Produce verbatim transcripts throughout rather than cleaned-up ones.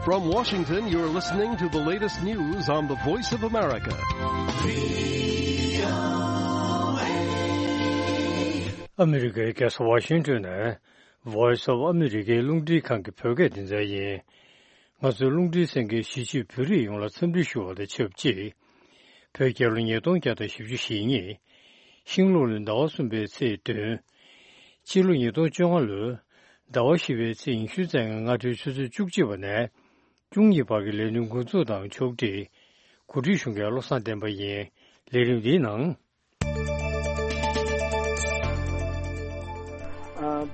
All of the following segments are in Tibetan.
From Washington, you're listening to the latest news on the Voice of America. ཨ་མི་རི་ཀའི་རྒྱལ་ས་ཝ་ཤིང་ཏོན་ནས་Voice of America རླུང་འཕྲིན་ཁང་གི་བོད་སྐད་སྡེ་ཚན་ཡིན། ང་ཚོའི་རླུང་འཕྲིན་གསན་མཁན་གཞིས་བྱེས་བོད་རིགས་ཡོངས་ལ་འཚམས་འདྲི་ཞུ་བ་དང་ཆབས་ཅིག་བོད་རྒྱལ་ལོ་ཉིས་སྟོང་བརྒྱ་དང་བཞི་བཅུ་ཞེ་གཉིས། ཤིང་ལུག་ལོའི་ཟླ་བ་གསུམ་པའི་ཚེས་བདུན། ཕྱི་ལོ་ཉིས་སྟོང་བཅོ་ལྔ་ལོའི་ཟླ་བ་བཞི་པའི་ཚེས་ཉི་ཤུ་རྩ་ལྔ་སྔ་དྲོའི་ཆུ་ཚོད་བཅུ་གཅིག་པ་ནས་བཅུ་གཉིས་བར་གྱི་ལས་དོན་འགོ་འཛུགས་དང་ཕྱོགས་སྒྲིག་གོ་སྒྲིག་ཞུ་མཁན་བློ་བཟང་བསྟན་པ་ཡིན། ལས་རིམ་འདིའི་ནང་།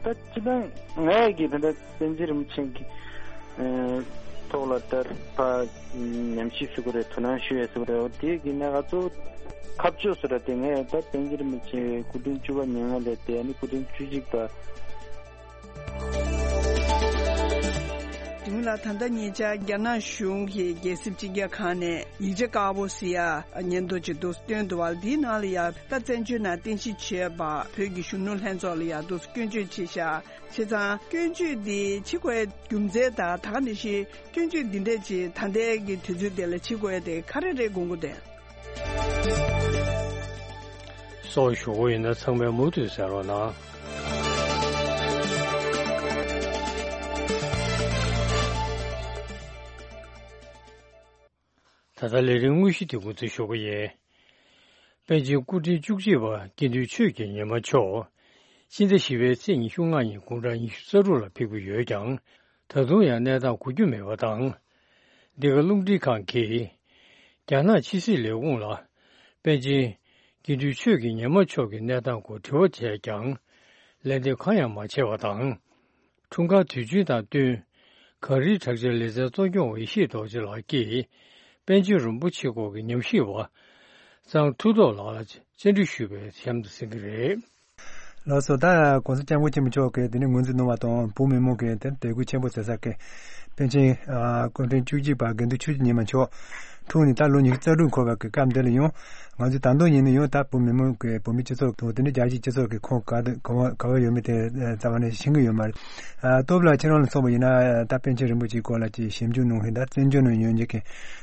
ད་སྤྱི་བཏང་ངས་ཀྱི་ད་ལྟ་པཎ་ཆེན་རིན་པོ་ཆེ་གི་ཐོག་ལ་ད་ཕ་ཉམས་ཞིབ་ཞུ་དགོས་རེད། དོ་སྣང་ཞུ་ཡས་ཞུ་དགོས་རེད། འོ་དེ་གི་ནས་ང་ཚོ་ཁ་ཕྱོགས་སུ་ར་དེ་ངས་ད་པཎ་ཆེན་རིན་པོ་ཆེ་སྐུ་ཕྲེང་བཅུ་པ་ཉེ་སྔོན་ལས་དེ་ནི་སྐུ་ཕྲེང་བཅུ་གཅིག་པ། དེ་སྔོན་ལ་ད་ལྟ་ཉེ་ཆར་རྒྱ་ནག་གཞུང་གི་རྒྱལ་སྲིད་སྤྱི་ཁྱབ་ཁང་ནས་ཡིག་ཆ་དཀར་པོ་ཟེར་ཡ་སྙན་ཐོ་ཅིག་འདུག་སྟོན་འདུག་བ། འདིའི་ནང་ལ་ཡ་ད་བཙན་བྱོལ་ནང་རྟེན་གཞི་བྱས་པ་བོད་ཀྱི་གཞོན་ནུ་ལྷན་ཚོགས་ལ་ཡ་འདུག་སྐྱོན་བརྗོད་བྱས་ཤག་བྱས་ཙང་སྐྱོན་བརྗོད་འདི་བྱེད་དགོས་ཡ་རྒྱུ་མཚན་དང་ད་ག་ནང་བཞིན་སྐྱོན་བརྗོད་འདི་འདྲས་ཅིག་ད་ལྟའི་གི་དུས་ཚོད་དེ་ལ་བྱེད་དགོས་ཡ་དེ་ག་རེ་རེད་དགོངས་ཀྱི་འདུག་སོགས་ཞུ་སྒོ་ཡིན་ན་ཚང་མས་མུ་མཐུད་གསན་རོགས་གནང་། ད་ལྟ་ལས་རིམ་དངོས་གཞི་དེ་འགོ་འཛུགས་ཞུ་གི་ཡིན། པཎ་ཆེན་སྐུ་ཕྲེང་བཅུ་གཅིག་པ་དགེ་འདུན་ཆོས་ཀྱི་ཉི་མ་མཆོག་སྤྱི་ཟླ་བཞི་པའི་ཚེས་ཉི་ཤུ་ལྔ་ཉིན་དགུང་གྲངས་ཉི་ཤུ་རྩ་དྲུག་ལ་ཕེབས་ཀྱི་ཡོད་ཀྱང་། ད་དུང་ཡང་གནས་སྟངས་གོ་རྒྱུ་མེད་པ་དང་། འདི་ག་རླུང་འཕྲིན་ཁང་གིས་རྒྱ་ནག་ཕྱི་སྲིད་ལས་ཁུངས་ལ་པཎ་ཆེན་དགེ་འདུན་ཆོས་ཀྱི་ཉི་མ་མཆོག་གི་གནས་སྟངས་སྐོར་དྲི་བ་བྱས་ཀྱང་ལན་འདེབས་གང་ཡང་མ་བྱས་པ་དང་། འཁྲུངས་སྐར་དུས་ཆེན་དང་བསྟུན་གངས་རིའི་བྲག་ཅའི་ལེ་ཚན་གཙོ་སྐྱོང་བ་ཡེ་ཤེས་རྡོ་རྗེ་ལགས་ཀྱིས་པཎ་ཆེན་རིན་པོ་ཆེ་སྐོར་གྱི་ཉམས་ཞིབ་པ་གཙང་མཐུ་སྟོབས་ལགས་ལ་བཅར་འདྲི་ཞུས་པའི་གཤམ་དུ་གསན་གྱི་རེད། ལགས་སོ། ད་༸གོང་ས་༸སྐྱབས་མགོན་ཆེན་པོ་མཆོག་གིས་དེ་ནས་ངོས་འཛིན་གནང་བ་དང་། བོད་མི་མང་གིས་དེ་དད་གུས་ཆེན་པོ་བྱེད་ས་གི་པཎ་ཆེན་ཨ་སྐུ་ཕྲེང་བཅུ་གཅིག་པ་དགེ་འདུན་ཆོས་ཀྱི་ཉི་མ་མཆོག་འཁྲུངས་ནས་ད་ལོ་ཉི་ཤུ་རྩ་དྲུག་འཁོར་བ་གི་སྐབས་འདི་ལ་ཡང་ང་ཚོས་ད་དུང་ཡིན་ན་ཡང་ད་བོད་མི་མང་གི་བོད་མི་སྤྱི་ཚོགས་དང་དེ་འདྲའི་རྒྱལ་སྤྱིའི་སྤྱི་ཚོགས་ཀྱི་ཁོངས་ག་དང་ག་བ་ག་བ་ཡོད་མེད་དེ་རྩ་བ་ནས་ཤེས་ཀྱི་ཡོད་མ་རེད། ཨ་སྟོབས་ལགས་ཁྱེད་རང་ལ་མཚོན་པ་ཡིན་ན་ད་པཎ་ཆེན་རིན་པོ་ཆེའི་སྐོར་ལ་ཅིག་ཞིབ་འཇུག་གནང་མཁན་དང་བཙན་བྱོལ་ནང་ཡོད་མཁན་གྱི་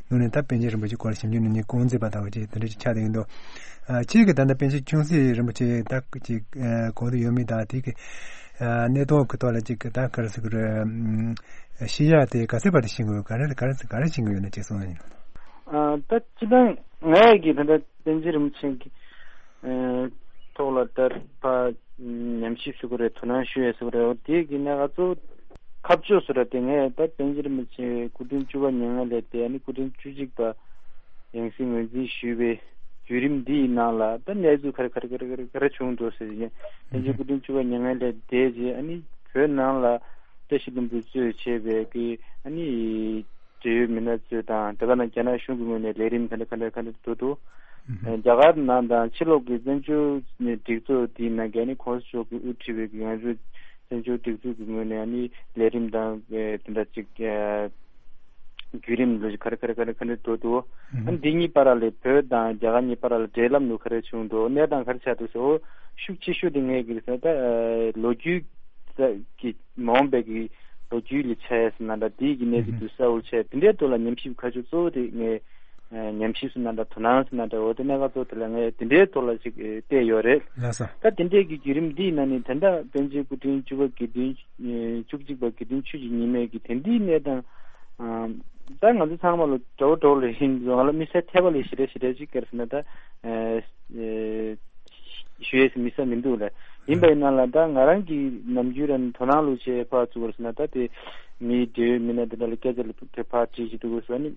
ནང་ནས་ད་པཎ་ཆེན་རིན་པོ་ཆེའི་སྐོར་ལ་ཞིབ་འཇུག་གནང་མཁན་རྐང་འཛིན་པ་དག་ཅིག་དེ་འདྲ་ཅིག་ཆགས་བསྡད་ཀྱི་འདུག་ཨ་ཁྱེད་ཀྱིས་ད་ལྟ་པཎ་ཆེན་ཆུང་སྲིད་རིན་པོ་ཆེ་ད་ཅིག་ཨ་གོ་བསྡད་ཡོད་མེད་དང་དེ་གི་ཨ་གནས་སྟངས་ཀྱི་ཐོག་ལ་ཅིག་ད་ག་རེ་ཟེར་དགོས་རེད། ཨ་ཤེས་ཡ་དེ་ག་ཚོད་བར་དུ་ཤེས་ཀྱི་ཡོད། ག་རེ་ག་རེ་ག་རེ་ཤེས་ཀྱི་ཡོད་ན་ཅིག་གསུངས་ན་ཡིན། ཨ་ད་སྤྱི་བཏང་ངས་ཀྱི་ད་ལྟ་པཎ་ཆེན་རིན་པོ་ཆེ་གི་ཨ་ཐོག་ལ་ད་ཕ་ཉམས་ཞིབ་ཞུ་དགོས་རེད། དོ་སྣང་ཞུ་ཡས་ཞུ་དགོས་རེད། འོ་དེ་གི་ནས་ང་ཚོ་ཁ་ཕྱོགས་སུ་ར་དེ་ངས་ད་པཎ་ཆེན་རིན་པོ་ཆེ་སྐུ་ཕྲེང་བཅུ་པ་མྱ་ངན་ལས་འདས་ནས་སྐུ་ཕྲེང་བཅུ་གཅིག་པ་ཡང་སྲིད་ངོས་འཛིན་ཞུས་པའི་བརྒྱུད་རིམ་འདི་ཡི་ནང་ལ་ད་གནས་ཚུལ་ག་རེ་ག་རེ་ག་རེ་ག་རེ་ག་རེ་བྱུང་འདུག་ཟེར་ཡིན། པཎ་ཆེན་སྐུ་ཕྲེང་བཅུ་པ་མྱ་ངན་ལས་འདས་རྗེས་ཨ་ནི་བོད་ནང་ལ་བཀྲ་ཤིས་ལྷུན་པོ་གཙོས་བྱས་པའི་གི་ཨ་ནི་འབྲེལ་ཡོད་མི་སྣ་ཚོས་དང་དེ་ག་ནང་རྒྱ་ནག་གཞུང་གི་ངོས་ནས་ལས་རིམ་ག་འདྲ་ག་འདྲ་ག་འདྲ་འགྲོ་འདུག་ཨ་རྒྱ་གར་ནང་དང་ཕྱི་ལོགས་ཀྱི་བཙན་བྱོལ་སྒྲིག་འཛུགས་དེའི་ནང་གི་ཨ་ནི་གོང་ས་མཆོག་གིས་དབུ་ཁྲིད་པའི་གི་ང་ཚོའི་བཙན་བྱོལ་སྒྲིག་འཛུགས་ཀྱི་ངོས་ནས་ཨ་ནི་ལས་རིམ་དང་དེ་འདྲ་ཅིག་བརྒྱུད་རིམ་ལོ་ག་རེ་ག་རེ་ག་རེ་ག་འདྲ་འགྲོ་འདུག་ཨ་ནི་འདི་གཉིས་བར་ལ་བོད་དང་རྒྱ་གར་གཉིས་བར་ལ་འབྲེལ་ལམ་ལུགས་ག་རེ་བྱུང་འདུག་གནས་སྟངས་ག་རེ་ཆགས་འདུག་ཟེར། འོ་ཤུགས་ཆེ་ཤོས་དེ་ངས་གི་ཟེར་ན་ད་ལོ་རྒྱུས་ཀྱི་མ་འོངས་པའི་གི་ལོ་རྒྱུས་ལ་ཆ་ཡས་ཟེར་ན་འདྲ། དེའི་གི་གནས་ཚུལ་དུ་གསལ་བོར་ཆགས་དེ་འདྲའི་ཐོག་ལ་ཉམས་ཞིབ་ཁ་ཕྱོགས་གཙོ་བོ་དེ་ངས་ཉམས་ཞིབ་ཟེར་ན་འདྲ། དོ་སྣང་ཟེར་ན་འདྲ། འོ་དེ་གནད་འགག་གཙོ་བོ་དེ་ལ་ངས་དེ་འདྲའི་ཐོག་ལ་ཅིག་བལྟས་ཡོད་རེད། ལགས་སོ། ད་དེ་འདྲའི་གི་བརྒྱུད་རིམ་འདིའི་ནང་ནས་ད་ལྟ་པཎ་ཆེན་སྐུ་ཕྲེང་བཅུ་པ་དགེ་འདུན་བཅུ་གཅིག་པ་དགེ་འདུན་ཆོས་ཀྱི་ཉི་མའི་གི་དེ་འདིའི་གནས་སྟངས་ད་ང་ཚོ་ཚང་མ་ལ་འདྲ་བོ་འདྲ་བོ་ལ་ཡིན། ང་ལ་དམིགས་བསལ་ཐེ་བ་ལ་ཞེ་དྲག་ཞེ་དྲག་ཅིག་ག་རེ་ཟེར་ན་ད་ཞུ་ཡས་དམིགས་བསལ་མི་འདུག་ལ། ཡིན་པ་ཡིན་ན་ལ་ད་ང་རང་གི་ནམ་རྒྱུན་རང་དོ་སྣང་ལུགས་བྱས་ཕར་ཚུར་བར་ཟེར་ན་ད་དེ་མིའི་འབྲེལ་ཡོད་མི་སྣ་དེ་འདྲ་ལ་སྐད་ཆ་ལ་དེ་ཕར་དྲིས་ཅིག་འདུག་ཟེར་ནི་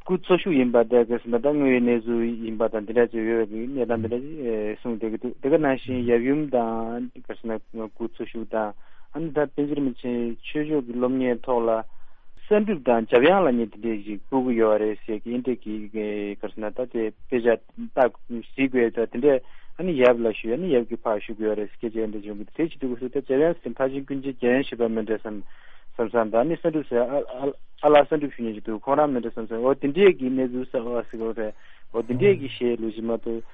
སྐུ་འཚོ་བཞུགས་ཡིན་པ་དེ་ག་རེ་ཟེར་ན་ད་དངོས་ཡོད་གནས་ཚུལ་ཡིན་པ་དང་དེ་འདྲ་ཅིག་ཡོད་པའི་གི་གནས་སྟངས་དེ་འདྲ་ཅིག་གསུངས་བསྡད་ཀྱི་འདུག་དེ་ག་ནང་བཞིན་ཡབ་ཡུམ་དང་ག་རེ་ཟེར་ན་སྐུ་འཚོ་བཞུགས་དང་ཨ་ནི་ད་པཎ་ཆེན་རིན་པོ་ཆེ་ཆོས་ཕྱོགས་ཀྱི་སློབ་གཉེར་ཐོག་ལ། གསང་སྒྲུབ་དང་འཇམ་དབྱངས་ལ་ནི་དེ་འདྲས་ཞིག་བསྐུར་གྱི་ཡོད་རེད་ཟེར་གྱི་ཨིན་འདྲས་ཀྱི་ག་རེ་ཟེར་ན་ད་དེ་དཔེ་ཆ་ལྟ་གཟིགས་དགོས་ད་དེ་འདྲས་ཨ་ནི་ཡབ་ལ་ཞུ་ཨ་ནི་ཡབ་ཀྱི་ཕར་ཞུ་གི་ཡོད་རེད་ཟེར་སྐད་ཆ་ཨིན་འདྲས་བྱུང་གི་དེ་བྱེད་ཀྱི་འདུག་ག་སུ་ད་འཇམ་དབྱངས་ཟེར་ཕར་ཕྱིན་ཀུན་མཁྱེན་རྒྱལ་ཡོན་ཞེས་པ་མིན་འདྲས་བསམ་བསམ་བསམ་ད་ཨ་ནི་གསང་སྒྲུབ་ཟེར་ཨ་ཨ་ཨ་ལགས་གསང་སྒྲུབ་ཞུ་མཁན་ཞིག་འདུག་ཁོང་རང་མིན་འདྲས་བསམ་བསམ་འོ་དེ་འདྲས་ཀྱི་གནས་ཚུལ་གསར་བ་ཟེར་གི་རེད། འོ་དེ་འདྲས་ཀྱི་གཞས་ལུགས་ཤིག་མ་གཏོགས་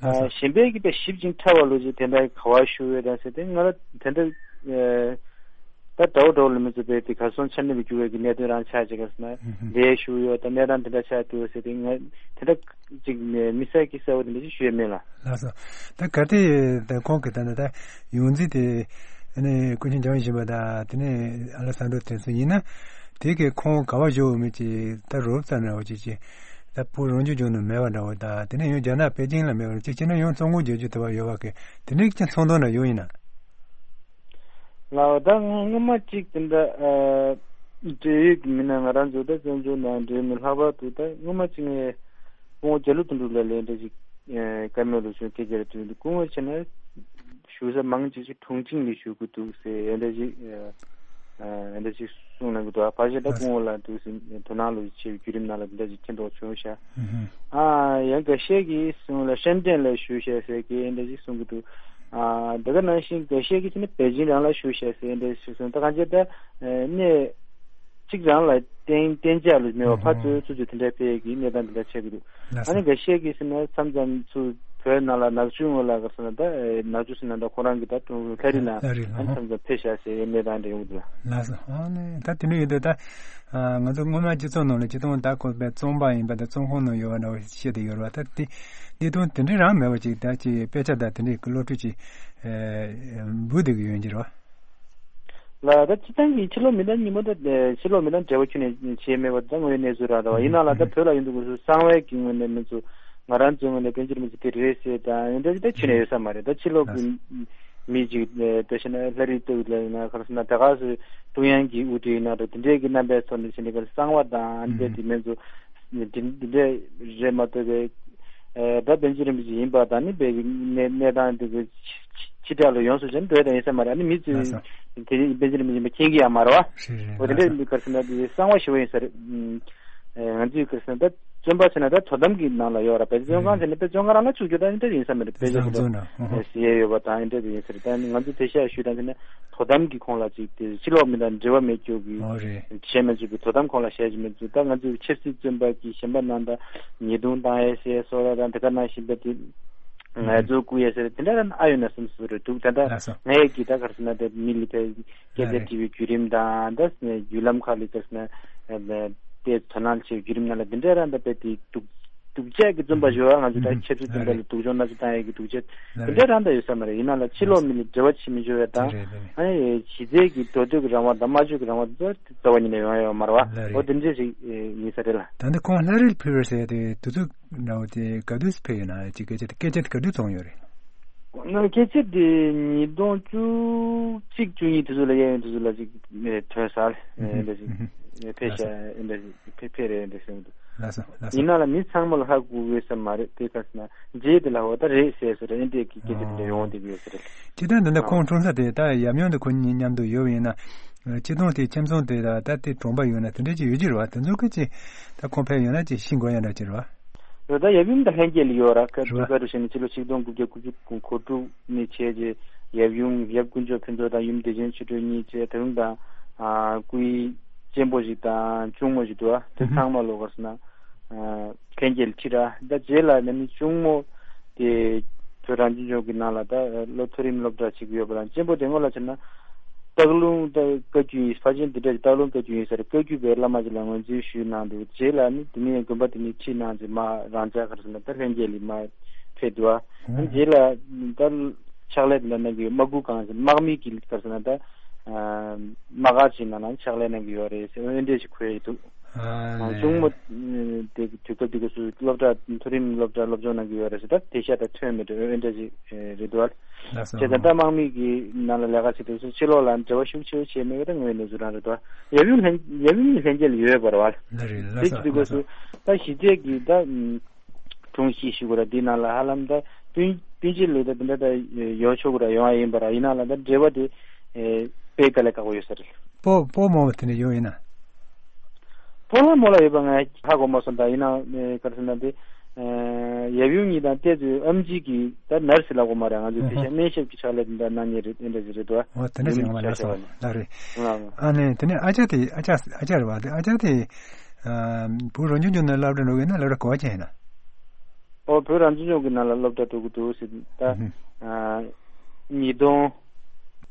ཨ་གཞན་པའི་གི་དཔེ་ཞིབ་ཅིང་ཕྲ་བ་ལུགས་ཤིག་དེ་འདྲ་ག་བ་ཞུ་འོས་དང་ཟེར་དེ་ང་ལ་དེ་འདྲ་ཨ། ད་དགྲ་བོ་དགྲ་བོ་ལ་མི་བཟོད་པའི་དེ་གར་སོང་ཆ་མཉམ་གྱི་འགྱུར་བའི་གི་གནད་དོན་རང་ཆགས་ཅིག་ག་ཟེར་ན། ལས་ཞུ་ཡོད་ད་གནས་སྟངས་དེ་འདྲ་ཆགས་འདུག་ཟེར་ཏེ་ང་དེ་འདྲ་ཅིག་མི་གསལ་གི་གསལ་བོ་དེ་འདྲ་ཅིག་ཞུ་ཡ་མེད་ལ། ལགས་སོ། ད་གལ་ཏེ་ད་ཁོང་གི་ད་ད་ད་ཡོངས་འཛིན་དེ་ཨ་ནི་ཀུན་མཁྱེན་འཇམ་དབྱངས་བཞུགས་པ་དང་དེ་ནས་ཨ་ལེག་སན་དྲོ་དེ་ཚོ་ཡིན་ན། དེ་གི་ཁོང་ག་བ་བཞུགས་མི་ཅིག་ད་རོབ་ཙམ་འདྲ་བོ་ཅིག་ཅིག་ད་བོད་རང་སྐྱོང་ལྗོངས་ནང་མེད་པ་འདྲ་བོ་དང་དེ་ནས་ཡང་རྒྱ་ནག་པེ་ཅིང་ལ་མེད་པ་ཅིག་བྱས་ན་ཡང་བཙོན་འགུག་བྱེད་རྒྱུ་དེ་བ་ཡོད་པ་གི་དེ་འདྲའི་ཅིག་ཚོར་སྣང་འདྲ་ཡོད་ཡིན་ན། ལགས་ད་སྔོན་མ་གཅིག་དེ་འདྲ་འབྲེལ་ཡོད་ཀྱི་མི་སྣ་ང་རང་ཚོ་ད་བཙན་བྱོལ་ནང་འབྲེལ་མི་ལྷག་པར་དུ་ད་སྔོན་མ་གཅིག་ངས་སྐུ་ངོ་རྒྱ་ལོ་དོན་གྲུབ་ལགས་ལ་འདྲ་ཞིག་བཀའ་མོལ་ལོ་ཆུང་སྐད་ཆ་རེ་དྲིས་འདུག་སྐུ་ངོ་བྱས་ན་ཞུ་ས་མང་ཆེ་ཆེ་དྲུང་ཆིང་ལ་ཞུ་གི་འདུག་ཟེར་འདྲ་ཞིག་འདྲ་ཞིག་གསུངས་གནང་གི་འདུག་ཕལ་ཆེར་ད་སྐུ་ངོ་ལ་འདུག་ཟེར་དོ་སྣང་ལོ་ཆེ་བའི་བརྒྱུད་རིམ་ནང་ལ་འདྲ་ཞིག་མཁྱེན་རྟོགས་བྱུང་ཤག་ཨ་ཡང་འགའ་ཤས་ཀྱིས་གསུངས་ལ་ཧྲེན་ཀྲེན་ལ་ཞུ་ཤག་ཟེར་གི་འདྲ་ཞིག་གསུང་གི་འདུག་ཨ་དེ་ག་ནང་བཞིན་འགའ་ཤས་ཀྱིས་ཟེར་ན་པེ་ཅིང་རང་ལ་ཞུ་ཤག་ཟེར་འདྲ་ཞིག་གསུངས་ད་གང་ཅི་ད་གནས་གཅིག་རང་ལ་བརྟེན་བརྟེན་བྱ་ལ་མེད་པ་ཕར་ཚུར་ཚུར་ཚུར་དེ་འདྲ་སྤེལ་གི་གནས་སྟངས་དེ་འདྲ་ཆགས་ཀྱི་འདུག་ཨ་ནི་འགའ་ཤས་ཀྱིས་ཟེར་ན་མཚམས་མཚམས་ཚུར་བོད་ནང་ལ་ནག་ཆུ་ངོས་ལ་ག་ཟེར་ན་ད་ནག་ཆུ་ཟེར་ན་ད་ཁོ་རང་གི་ད་ཀྲུང་ལྷ་རི་ལ་ཨ་ནི་མཚམས་མཚམས་ཕེབས་ཤག་ཟེར་གནས་སྟངས་འདྲ་ཡོང་གི་འདུག་ལགས་སོ། ཨ་ནི་ད་དེ་འདྲ་ཡོད་དུས་ད་ང་ཚོ་སྔོན་མ་སྤྱི་ཚོགས་ནང་ལ་སྤྱི་བཏང་ད་ཁོ་པའི་བཙོན་པ་ཡིན་པ་ད་བཙོན་ཁང་ནང་ཡོད་པ་འདྲ་བོ་བཤད་དེ་ཡོད་རེད་བ། ད་དེ་གནས་སྟངས་དེ་འདྲ་རང་མེད་པ་ཅིག་ད་ཅིག་དཔེ་ཆ་ད་དེ་འདྲའི་གི་སློབ་ཁྲིད་ཅིག་འབུལ་བསྡད་གི་ཡོད་ཀྱི་རེད་བ། ལགས་ད་སྤྱི་བཏང་གི་ཕྱི་ལོགས་མི་དང་ཉིན་མོ་ད་ཕྱི་ལོགས་མི་དང་འབྲེལ་བ་ཁྱོན་ནས་བྱས་མེད་པ་ད་དངོས་ཡོད་གནས་ཚུལ་རག་ད་བ་ཡིན་ནའང་ད་བོད་ལ་ཡོང་དུས་སྐབས་སུ་གསང་བའི་གི་ངོས་ནས་མི་ཚོ་ང་རང་ཚོའི་ངོས་ནས་དཔལ་འབྱོར་མི་ཚོ་དེ་རེད་ཟེར་དང་ཡིན་ད་ཅི་ད་ཁྱོན་ནས་ཡོད་ས་མ་རེད། ད་ཕྱི་ལོགས་གི་མི་ཅིག་ད་བྱས་ན་ལྷ་རིས་སྟོད་ལ་ཡིན་ན་ག་རེ་ཟེར་ན་ད་ག་སུ་ཀྲུང་དབྱང་གི་དབུ་ཁྲིད་ཡིན་ན་འགྲོ་དེ་འདྲས་ཀྱི་རྣམ་པའི་ཐོག་ནས་བྱས་ནས་ག་རེ་གསང་བ་དང་ཨ་ནི་དེ་མི་ཚོ་འདི་འདི་འདྲས་རེད་མ་གཏོགས་པའི་ད་དཔལ་འབྱོར་རིན་པོ་ཆེ་ཡིན་པ་དང་ནི་དཔེ་གནས་སྟངས་དེ་གི་ཕྱི་དྲགས་ལ་ཡོངས་སུ་ཅན་འགྲོ་ཡ་ད་ཡིན་ས་མ་རེད། ཨ་ནི་མི་ཚོས་དེ་རིང་དཔལ་འབྱོར་རིན་པོ་ཆེ་མ་མཁྱེན་གི་ཡ་མ་རེད་བ། རེད་རེད། འོ་དེ་འདྲས་མི་ག་རེ་ཟེར་ན་དེ་གསང་བ་ཞེ་པོ་ཡིན་ས་རེད། ང་ཚོས་ག་རེ་ཟེར་ན་ད་བཙོན་པ་ཟེར་ན་ད་དོ་དམ་གྱི་ནང་ལ་ཡོད་ར། བཙོན་ཁང་ཟེར་ན་དཔེ་བཙོན་ཁང་རང་ལ་བཅུག་རྒྱུ་ད་ཨིན་འདྲ་ཡིན་ས་མ་རེད། དཔེ་ཆ་ཟེར་ཡ་ཡོད་པ་དང་ཨིན་འདྲ་ཡིན་ས་རེད། ད་ང་ཚོས་དེ་ཤ་ཞུས་དང་ཟེར་ན་དོ་དམ་གྱི་ཁོངས་ལ་ཅིག་དེ་ཕྱི་ལོགས་མི་དང་འབྲེལ་བ་མེད་རྒྱུ་གི་བྱས་མ་བཅུག་གི་དོ་དམ་ཁོངས་ལ་བྱས་ཀྱི་མེད་ཚུལ། ད་ང་ཚོས་ཆབ་སྲིད་བཙོན་པ་གི་གཞན་པ་ནང་ད་ཉེས་རྡུང་བཏང་ཡས་ཟེར་སོགས་ལ་དང་དེ་ག་ནང་བཞིན་པ་དེ་ངལ་རྩོལ་བསྐུལ་ཡས་ཟེར་དེ་འདྲ་ར་ཨ་ཡོད་ན་བསམ་སོ་རེད་འདུག་ད་ལྟ་ལགས་སོ། ངས་ཀྱི་ད་ག་རེ་ཟེར་ན་དེ་མི་ལི་ཕེ་སྐད་ཆ་དྲི་བའི་བརྒྱུད་རིམ་དང་ད་བརྒྱུད་ལམ་ཁག་ལ་ད་དེ་དོ་སྣང་བྱེད་བརྒྱུད་རིམ་ནང་ལ་འདི་འདྲ་ར་འདྲ་པའི་དེ་སྡུག་སྡུག་ཅག་གི་བཙོན་པ་ཞུ་བ་ང་ཚོ་ད་ཆབ་སྲིད་བཙོན་པ་ལ་སྡུག་སྦྱོང་སྣ་ཚོགས་བཏང་ཡས་ཀྱི་སྡུག་ཅག་འདི་འདྲ་ར་འདྲ་ཡོད་ས་མ་རེད། ཡིན་ན་ལ་ཕྱི་ལོགས་མི་ལ་འབྲེལ་བ་བྱེད་མི་ཆོག་ཡ་དང་ཨ་ནི་གཞི་རྩའི་གི་འགྲོ་སྡོད་ཀྱི་རང་དབང་དང་སྨྲ་བརྗོད་ཀྱི་རང་དབང་དེ་ཚོ་རྩ་བ་ཉིད་ནས་ཡོང་ཡ་ཡོད་མ་རེད་བ། འོ་དེ་འདྲ་ཞིག་ཡིན་ས་རེད་ལ། ད་ནི་ཁོང་ལྷ་རིས་ཕེབས་པར་ཟེར་ཏེ་དུས་ཚོད་འདྲ་བོ་དེ་ག་དུས་ཕེབས་ཡོད་ན་ཅིག་སྐད་ཆ་དེ་སྐད་ཆ་དེ་ག་དུས་བྱུང་ཡོད་རེད། ང་སྐད་ཆ་དེ་ཉིས་སྟོང་བཅུ་གཅིག་བཅུ་གཉིས་དུས་ཚོད་ལ་གཡས་གཡོན་དུས་ཚོད་ལ་ཅིག་ཐོན་ས་ལ་འདྲ་ཞིག་ཕེབས་ཤག་འདྲ་ཞིག་ཕེབས་ཕེབས་རེད་འདྲ་ཞིག་འདུག་ལགས་སོ་ལགས་སོ། ཡིན་ན་ལ་མི་ཚང་མ་ལ་ཧ་གོ་གི་ས་མ་རེད། དེ་ག་ཟེར་ན་རྗེས་དེ་ལ་འོ་ད་རེད་ཟེར་ཟེར་འདྲ་གི་སྐད་ཆ་དེ་འདྲ་ཡོང་བསྡད་ཀྱི་ཡོད་ས་རེད། སྤྱིར་བཏང་འདི་འདྲ་ཁོང་འཁྲུངས་ས་དེ་ད་ཡབ་ཡུམ་དེ་ཁོ་གཉིས་མཉམ་དུ་ཡོད་པ་ཡིན་ན། སྤྱིར་བཏང་དེ་ཁྱིམ་ཚང་དེ་ད་ད་དེ་གྲོང་པ་ཡོད་ན་དེ་འདྲ་ཅིག་ཡོད་ཀྱི་རེད་བ། དེ་ཚོ་གི་ཅིག་ད་ཁོང་ཕེབས་ཡོང་ན་ཅིག་ཤེས་དགོས་ཡ་འདྲ་ཅིག་རེད་བ། རེད། ད་ཡབ་ཡུམ་ད་ལྷན་རྒྱས་ལ་ཡོད་ར། ཁ་རེད་བ། ཐུག་ག་རུ་བྱས་ནས་ཕྱི་ལོ་ཆིག་སྟོང་དགུ་བརྒྱ་དགུ་བཅུ་གོ་དྲུག་ནས་བྱས་རྗེས་ཡབ་ཡུམ་ཡབ་དཀོན་མཆོག་ཕུན་ཚོགས་དང་ཡུམ་བདེ་ཆེན་ཆོས་སྒྲོན་གཉིས་བྱས་ད་རུང་དང་སྐུའི་གཅེན་པོ་ཞིག་དང་གཅུང་མོ་ཞིག་འདུག་བ། དེ་ཚང་མ་ལོ་ག་རེ་ཟེར་ན། ལྷན་རྒྱས་ལ་ཁྲིད་ར། ད་རྗེས་ལ་ནི་གཅུང་མོ་དེ་བོད་རང་སྐྱོང་ལྗོངས་ཀྱི་ནང་ལ་ད་སློབ་མཐོ་རིམ་སློབ་གྲྭ་ཞིག་ཡོད་པ་དང་གཅེན་པོ་དེ་སྔོན་ལ་བྱས་ན་སྟག་ལུང་ད་བཀའ་བརྒྱུད་ཡིན། ཕལ་ཆེར་འདི་འདྲ་སྟག་ལུང་བཀའ་བརྒྱུད་ཡིན་ས་རེད། བཀའ་བརྒྱུད་པའི་བླ་མ་ཅིག་ལ་ངོས་འཛིན་ཞུས་གནང་འདུག་རྗེས་ལ་ནི་དེ་ནས་དགོན་པ་དེ་ནས་ཁྲིད་གནང་རྗེས་མ་རང་ཅག་ག་རེ་ཟེར་ན་ད་ལྷན་རྒྱས་ལ་མ་ཕེབས་འདུག་ཨ་ནི་རྗེས་ལ་ད་ཕྱག་ལས་དེ་འདྲ་གནང་གི་ཡོད། དམག་འཁྲུག་གང་ཟེར་དམག་མི་གི་ག་རེ་ཟེར་ན་ད་དམག་སྒར་ཅིག་ནང་ལ་ཕྱག་ལས་གནང་གི་ཡོད་རེད་ཟེར་འོན་འདྲ་ཞིག་གོ་ཡི་འདུག་ཨ་ནི་གཅུང་མོ་དེ་དུས་སྐབས་དེ་ག་སུ་སློབ་གྲྭ་མཐོ་རིམ་སློབ་གྲྭ་སློབ་སྦྱོང་གནང་གི་ཡོད་རེད་ཟེར། ད་དེ་ཤ་ད་ཐོན་མེད་འགྲོ་འོན་འདྲ་ཞིག་རེད་འདུག་ཨ། ལགས་སོ། བྱས་ཙང་ད་དམག་མི་གི་ནང་ལ་ལས་ཀ་བྱེད་དུས་སུ་ཕྱི་ལོགས་ལ་འབྲེལ་བ་ཤུགས་ཆེ་བོ་བྱས་མེད་པ་ད་དངོས་གནས་ཚུལ་རང་རེད་འདུག་ཨ། ཡབ་ཡུམ་ལྷན་ཡབ་ཡུམ་གཉིས་ལྷན་རྒྱས་ལ་ཡོད་པ་རེད་བ། ལགས་རེད་ལགས་སོ། དེ་བྱེད་དུས་སྐབས་སུ་ད་གཞི་རྩའི་གི་ད་དྲུང་ཞིག་ཞུ་དགོས་ར། འདི་ནང་ལ་ཧ་ལམ་ད་སྤུན་སྤུན་མཆེད་ལོས་ད་དེ་འདྲ་ད་ཡོང་ཆོག་གི་ར་ཡོང་ཡ་ཡིན་པ་ར། ཡིན་ན་ལ་ད་འབྲེལ་བ་དེ་དཔེ་དཀའ་ལས་ཁག་པོ་ཡོད་ས་རེད། སྤོ་སྤོ་རྨོ་བ་དེ་འདྲ་ཡོད་ཡིན་ན། སྤོ་ལགས་རྨོ་ལགས་ཡོད་པ་ང་ཧ་གོ་མ་སོང་། ད་ཡིན་ན་ག་རེ་ཟེར་ན་དེ་ཡབ་ཡུམ་གཉིས་དང་ཏོག་ཙམ་ཨེམ་ཆི་གི་ད་ནར་སི་ལབ་དགོས་མ་རེད། ང་ཚོའི་དེ་ཤ་སྨན་ཞབས་ཀྱི་ཕྱག་ལས་དེ་འདྲ་གནང་མཁན་རེད། དེ་འདྲ་ཞིག་རེད་དོ། འོ་དེ་འདྲ་ཞིག་ང་མ་ལ་སོང་ལ་རེད། ཨ་ནི་དེ་ནས་ཨ་ཅག་དེ་ཨ་ཅག་ཨ་ཅག་རེད་བ། དེ་ཨ་ཅག་དེ་བོད་རང་སྐྱོང་ལྗོངས་ནང་སློབ་གྲྭ་འགྲོ་གི་ཡིན་ན་སློབ་གྲྭ་ག་བ་ཅན་ཡིན་ན། ཨོ་བོད་རང་སྐྱོང་ལྗོངས་ཀྱི་ནང་ལ་སློབ་གྲྭ་འགྲོ་གི་འདུག་ཟེར། ད་ཉིས་སྟོང་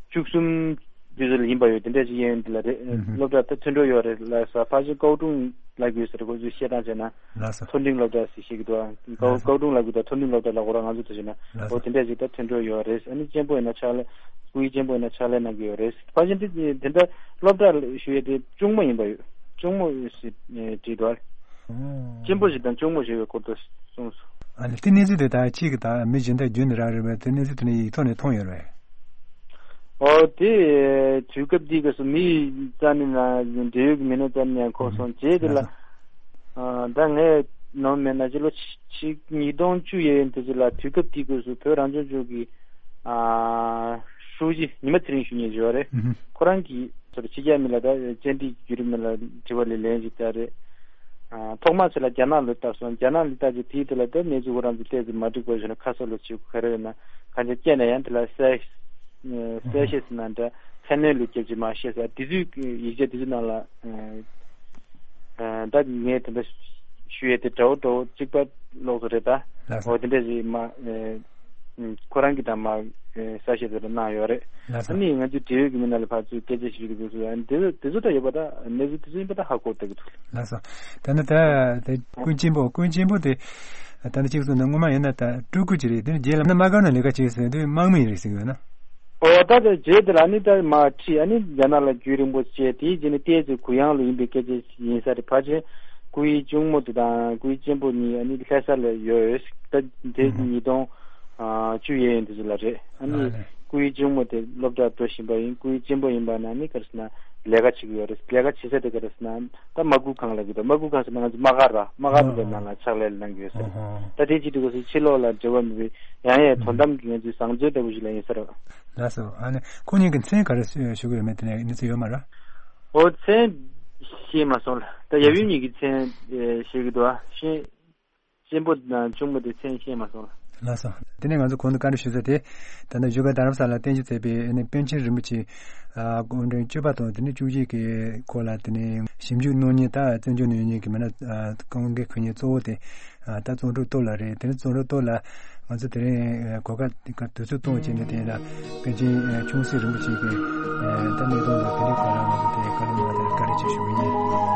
བཅུ་གསུམ་ དུས་ཚོད་ལ་ཡིན་པ་ཡོད། དེ་འདྲ་ཞིག་ཡིན་ཡོད་འདི་ལ་རེད། ཨུ་ཧུ། སློབ་གྲྭ་ད་མཐུན་གྲོགས་ཡོད་རེད་ལ་ས་ཕ་ཆེན་ཀའོ་ཀྲུང་ལབ་ཀྱི་ཡོད་ཟེར། ཁོ་ཚོས་བཤད་སྟངས་བྱས་ན་ལགས་སོ། མཐོ་འབྲིང་སློབ་གྲྭ་ཟེར་བཤད་ཀྱི་འདུག་ཨ། ཀའོ་ལགས་སོ། ཀའོ་ཀྲུང་ལབ་ཀྱི་འདུག་མཐོ་འབྲིང་སློབ་གྲྭ་ལ་ཁོ་རང་ང་ཚོ་ཐུག་བྱས་ན་ལགས་ཨོ་སོ། དེ་འདྲ་ཞིག་ད་མཐུན་གྲོགས་ཡོད་རེད། ཨ་ནི་གཅེན་པོ་ཡིན་ན་ཕྱག་ལས་སྐུ་ཡི་གཅེན་པོ་ཡིན་ན་ཕྱག་ལས་གནང་གི་ཡོད་རེད། ཕ་ཆེན་དེ་དེ་འདྲ་སློབ་གྲྭ་ཞུ་ཡས་དེ་གཅུང་མོ་ཡིན་པ་ཡོད། གཅུང་མོ་ཞིག་བྲིས་འདུག་ཨ། ཨོ། གཅེན་པོ་ཞིག་དང་གཅུང་མོ་ཞིག་ཡོད་སྐོར་དུ་གསུངས་སོང་། ཨ་ནི་དེ་གནས་ཚུལ་དེ་ད་ཁྱེད་ཀྱི་ད་མི་གཞན་དག་བརྒྱུད་ནས་རག་རེད་པས། དེ་གནས་ཚུལ་དེ་ནི་ཡིག་ཐོག་ནས་མཐོང་ཡོད་རེད། ཨོ་དེ་དུས་སྐབས་འདི་ག་སུ་མི་རྩ་ནས་ན་འབྲེལ་ཡོད་ཀྱི་མི་སྣ་རྩ་ནས་ཡང་གོ་སོང་། རྗེས་དེ་ལ་ཨ་ད་ངས་ནོར་མེད་ན་ཕྱི་ལོ་ཆིག་ཉིས་སྟོང་བཅུ་ཡས་ཡིན་དེ་ཅི་ལ་དུས་སྐབས་འདི་ག་སུ་བོད་རང་སྐྱོང་ལྗོངས་ཀྱི་ཨ་ཧྲུའུ་ཅི་ཉི་མ་ཚེ་རིང་ཞུ་མཁན་ཅིག་ཡོད་རེད། ཁོ་རང་གིས་ཕྱི་རྒྱལ་མི་ལ་ད་བཅར་འདྲི་བརྒྱུད་རིམ་ལ་དྲི་བ་ལས་ལན་ཞིག་བལྟས་རེད། ཐོག་མར་ཚེ་ལ་རྒྱ་ནག་ལ་བལྟས་སོང་། རྒྱ་ནག་ལ་བལྟས་རྗེས་དེའི་དེ་ལ་ད་གནས་ཚུལ་ཁོ་རང་ཚོ་ཏོག་ཙམ་མ་འགྲིག་པ་བྱུང་ན་ཁ་གསབ་ལ་བྱེད་དགོས་ག་རེ་ཡོད་ན་གང་ཅི་སྐྱེས་ན་ཡང་དེ་ལ་གསལ་གསལ་བཤད་ཟེར་ན་འདྲ་ཁ་སྣོན་ལས་སྐྱབས་ཀྱི་མ་བཤད་ཟེར་དེ་ཚོའི་ཡིག་ཆ་དེ་ཚོའི་ནང་ལ་ད་ངས་དེ་འདྲ་ཞུ་ཡས་དེ་འདྲ་བོ་འདྲ་བོ་གཅིག་པ་ལོགས་སུ་རེད་ད། ལགས་སོ། འོ་དེ་འདྲ་ཞིག་མ། ཁོ་རང་གིས་ད་མ་གསལ་བཤད་དེ་འདྲ་གནང་ཡོད་རེད། ལགས་སོ། ཨ་ནི་ང་ཚོའི་འབྲེལ་ཡོད་ཀྱི་མི་སྣ་ལ་ཕར་ཚུར་སྐད་ཆ་ཞུས་དུས་སྐབས་སུ་ཨ་ནི་དེ་ཚོ་དེ་ཚོ་ད་ཡོད་པ་ད་གནས་ཚུལ་དེ་ཚོ་ཡིན་པ་ད་ཧ་གོ་བསྡད་ཀྱི་འདུག་ལགས་སོ། ད་ནི་ད་དེ་ཀུན་ཆེན་པོ་ཀུན་ཆེན་པོ་དེ་ད་ནི་གཅིག་གསུངས་ན་སྔོན་མ་ཡིན་ན་ད་སྤྲུལ་སྐུ་ཅིག་རེད། དེ་ནི་རྗེས་ལ་ན་དམག་སྒར་ནང་ལས་ཀ་བྱེད་ཟེར་དུས་དམག་མི་ཡིན་རེད་ཟེར་གྱི་ཡོད་ན། ཨོ་ད་དེ་རྗེས་དེ་ལ་ནི་ད་མ་ཁྲིད་ཨ་ནི་རྒྱ་ནག་ལ་རྒྱུན་རིང་པོ་བྱས་དེའི་རྗེས་ནི་ཏོག་ཙམ་གུ་ཡངས་ལ་ཡིན་པའི་སྐད་ཆ་ཡིན་ས་རེད། ཕལ་ཆེར་སྐུའི་གཅུང་མོ་དེ་དང་སྐུའི་གཅེན་པོ་གཉིས་ཨ་ནི་ལྷ་ས་ལ་ཡོད། ད་དེ་ཨུ་ཧུ། ཉིས་སྟོང་བཅུ་ཡས་ཡིན་དུས་ལ་རེད། ཨ་ནི་ཨ་ནི་སྐུའི་གཅུང་མོ་དེ་སློབ་གྲྭར་འགྲོ་བཞིན་པ་ཡིན། སྐུའི་གཅེན་པོ་ཡིན་པ་ན་ནི་ག་རེ་ཟེར་ན་ལས་ཀ་བྱེད་ཀྱི་ཡོད་རེད། ལས་ཀ་བྱེད་ས་དེ་ག་རེ་ཟེར་ན་ད་དམག་ཁུལ་ཁང་ལ་གི་ད་དམག་ཁུལ་ཁང་ཟེར་ན་ང་ཚོ་དམག་སྒར་ར་དམག་སྒར་དེ་གའི་ནང་ལ་ཕྱག་ལས་གནང་གི་ཡོད་ས་རེད། ཨོ་ཧོ། ད་དེ་བྱེད་དུས་སྐབས་སུ་ཕྱི་ལོགས་ལ་འབྲེལ་བ་མེད་པའི་ཡང་ཡང་དོ་དམ་གྱི་ང་ཚོའི་བཟང་སྤྱོད་ལྟ་བུ་ཞིག་ལ་ཡིན་ས་རེད། ལགས་སོ། ཨ་ནི་ཁོ་གཉིས་ཀྱི་མཚན་ག་རེ་ཞུ་གི་ཡོད་མེད་དེ་ནས་གནས་ཚུལ་ཡོད་མ་རེད། ཨོ་མཚན་ཤེས་མ་སོང་ལ། ད་ཡབ་ཡུམ་གཉིས་ཀྱི་མཚན་ཤེས་ཀྱི་འདུག་ཨ། ཤེས། གཅེན་པོ་དང་གཅུང་མོ་དེ་མཚན་ཤེས་མ་སོང་ལ། ལགས་སོ། དེ་ནས་ང་ཚོ་གོང་དུ་བཀའ་འདྲི་ཞུས་ས་དེ་ད་ལྟ་བཞུགས་སྒར་རྡ་རམ་ས་ལར་རྟེན་གཞི་མཛད་པའི་ཨ་ནི་པཎ་ཆེན་རིན་པོ་ཆེ་ཨ་སྐུ་ཕྲེང་བཅུ་པ་དང་དེ་ནས་བཅུ་གཅིག་གི་སྐོར་ལ་དེ་ནས་ཞིབ་འཇུག་གནང་མཁན་དང་བཙན་བྱོལ་ནང་ཡོད་མཁན་གྱི་མི་སྣ་ཨ་བཀའ་འགན་འཁུར་མཁན་གཙོ་བོ་དེ་ཨ་ད་བརྩོན་འགྲུས་སྟོབས་ལགས་རེད། དེ་ནས་བརྩོན་འགྲུས་སྟོབས་ལགས་ང་ཚོ་དེ་རིང་ཨ་གོ་སྐབས་དུས་ཚོད་བཏོན་བྱས་ནས་དེ་ལ་པཎ་ཆེན་ཨ་ཆུང་སྲིད་རིན་པོ་ཆེ་གི་ཨ་ད་གནས་སྟངས་དང་དེ་འདྲའི་སྐོར་ལ་ང་ཚོ་དེ་བཀའ་ལན་གནང་བ་དེར་བཀའ་དྲིན་ཆེ་ཞུ་གི་ཡིན།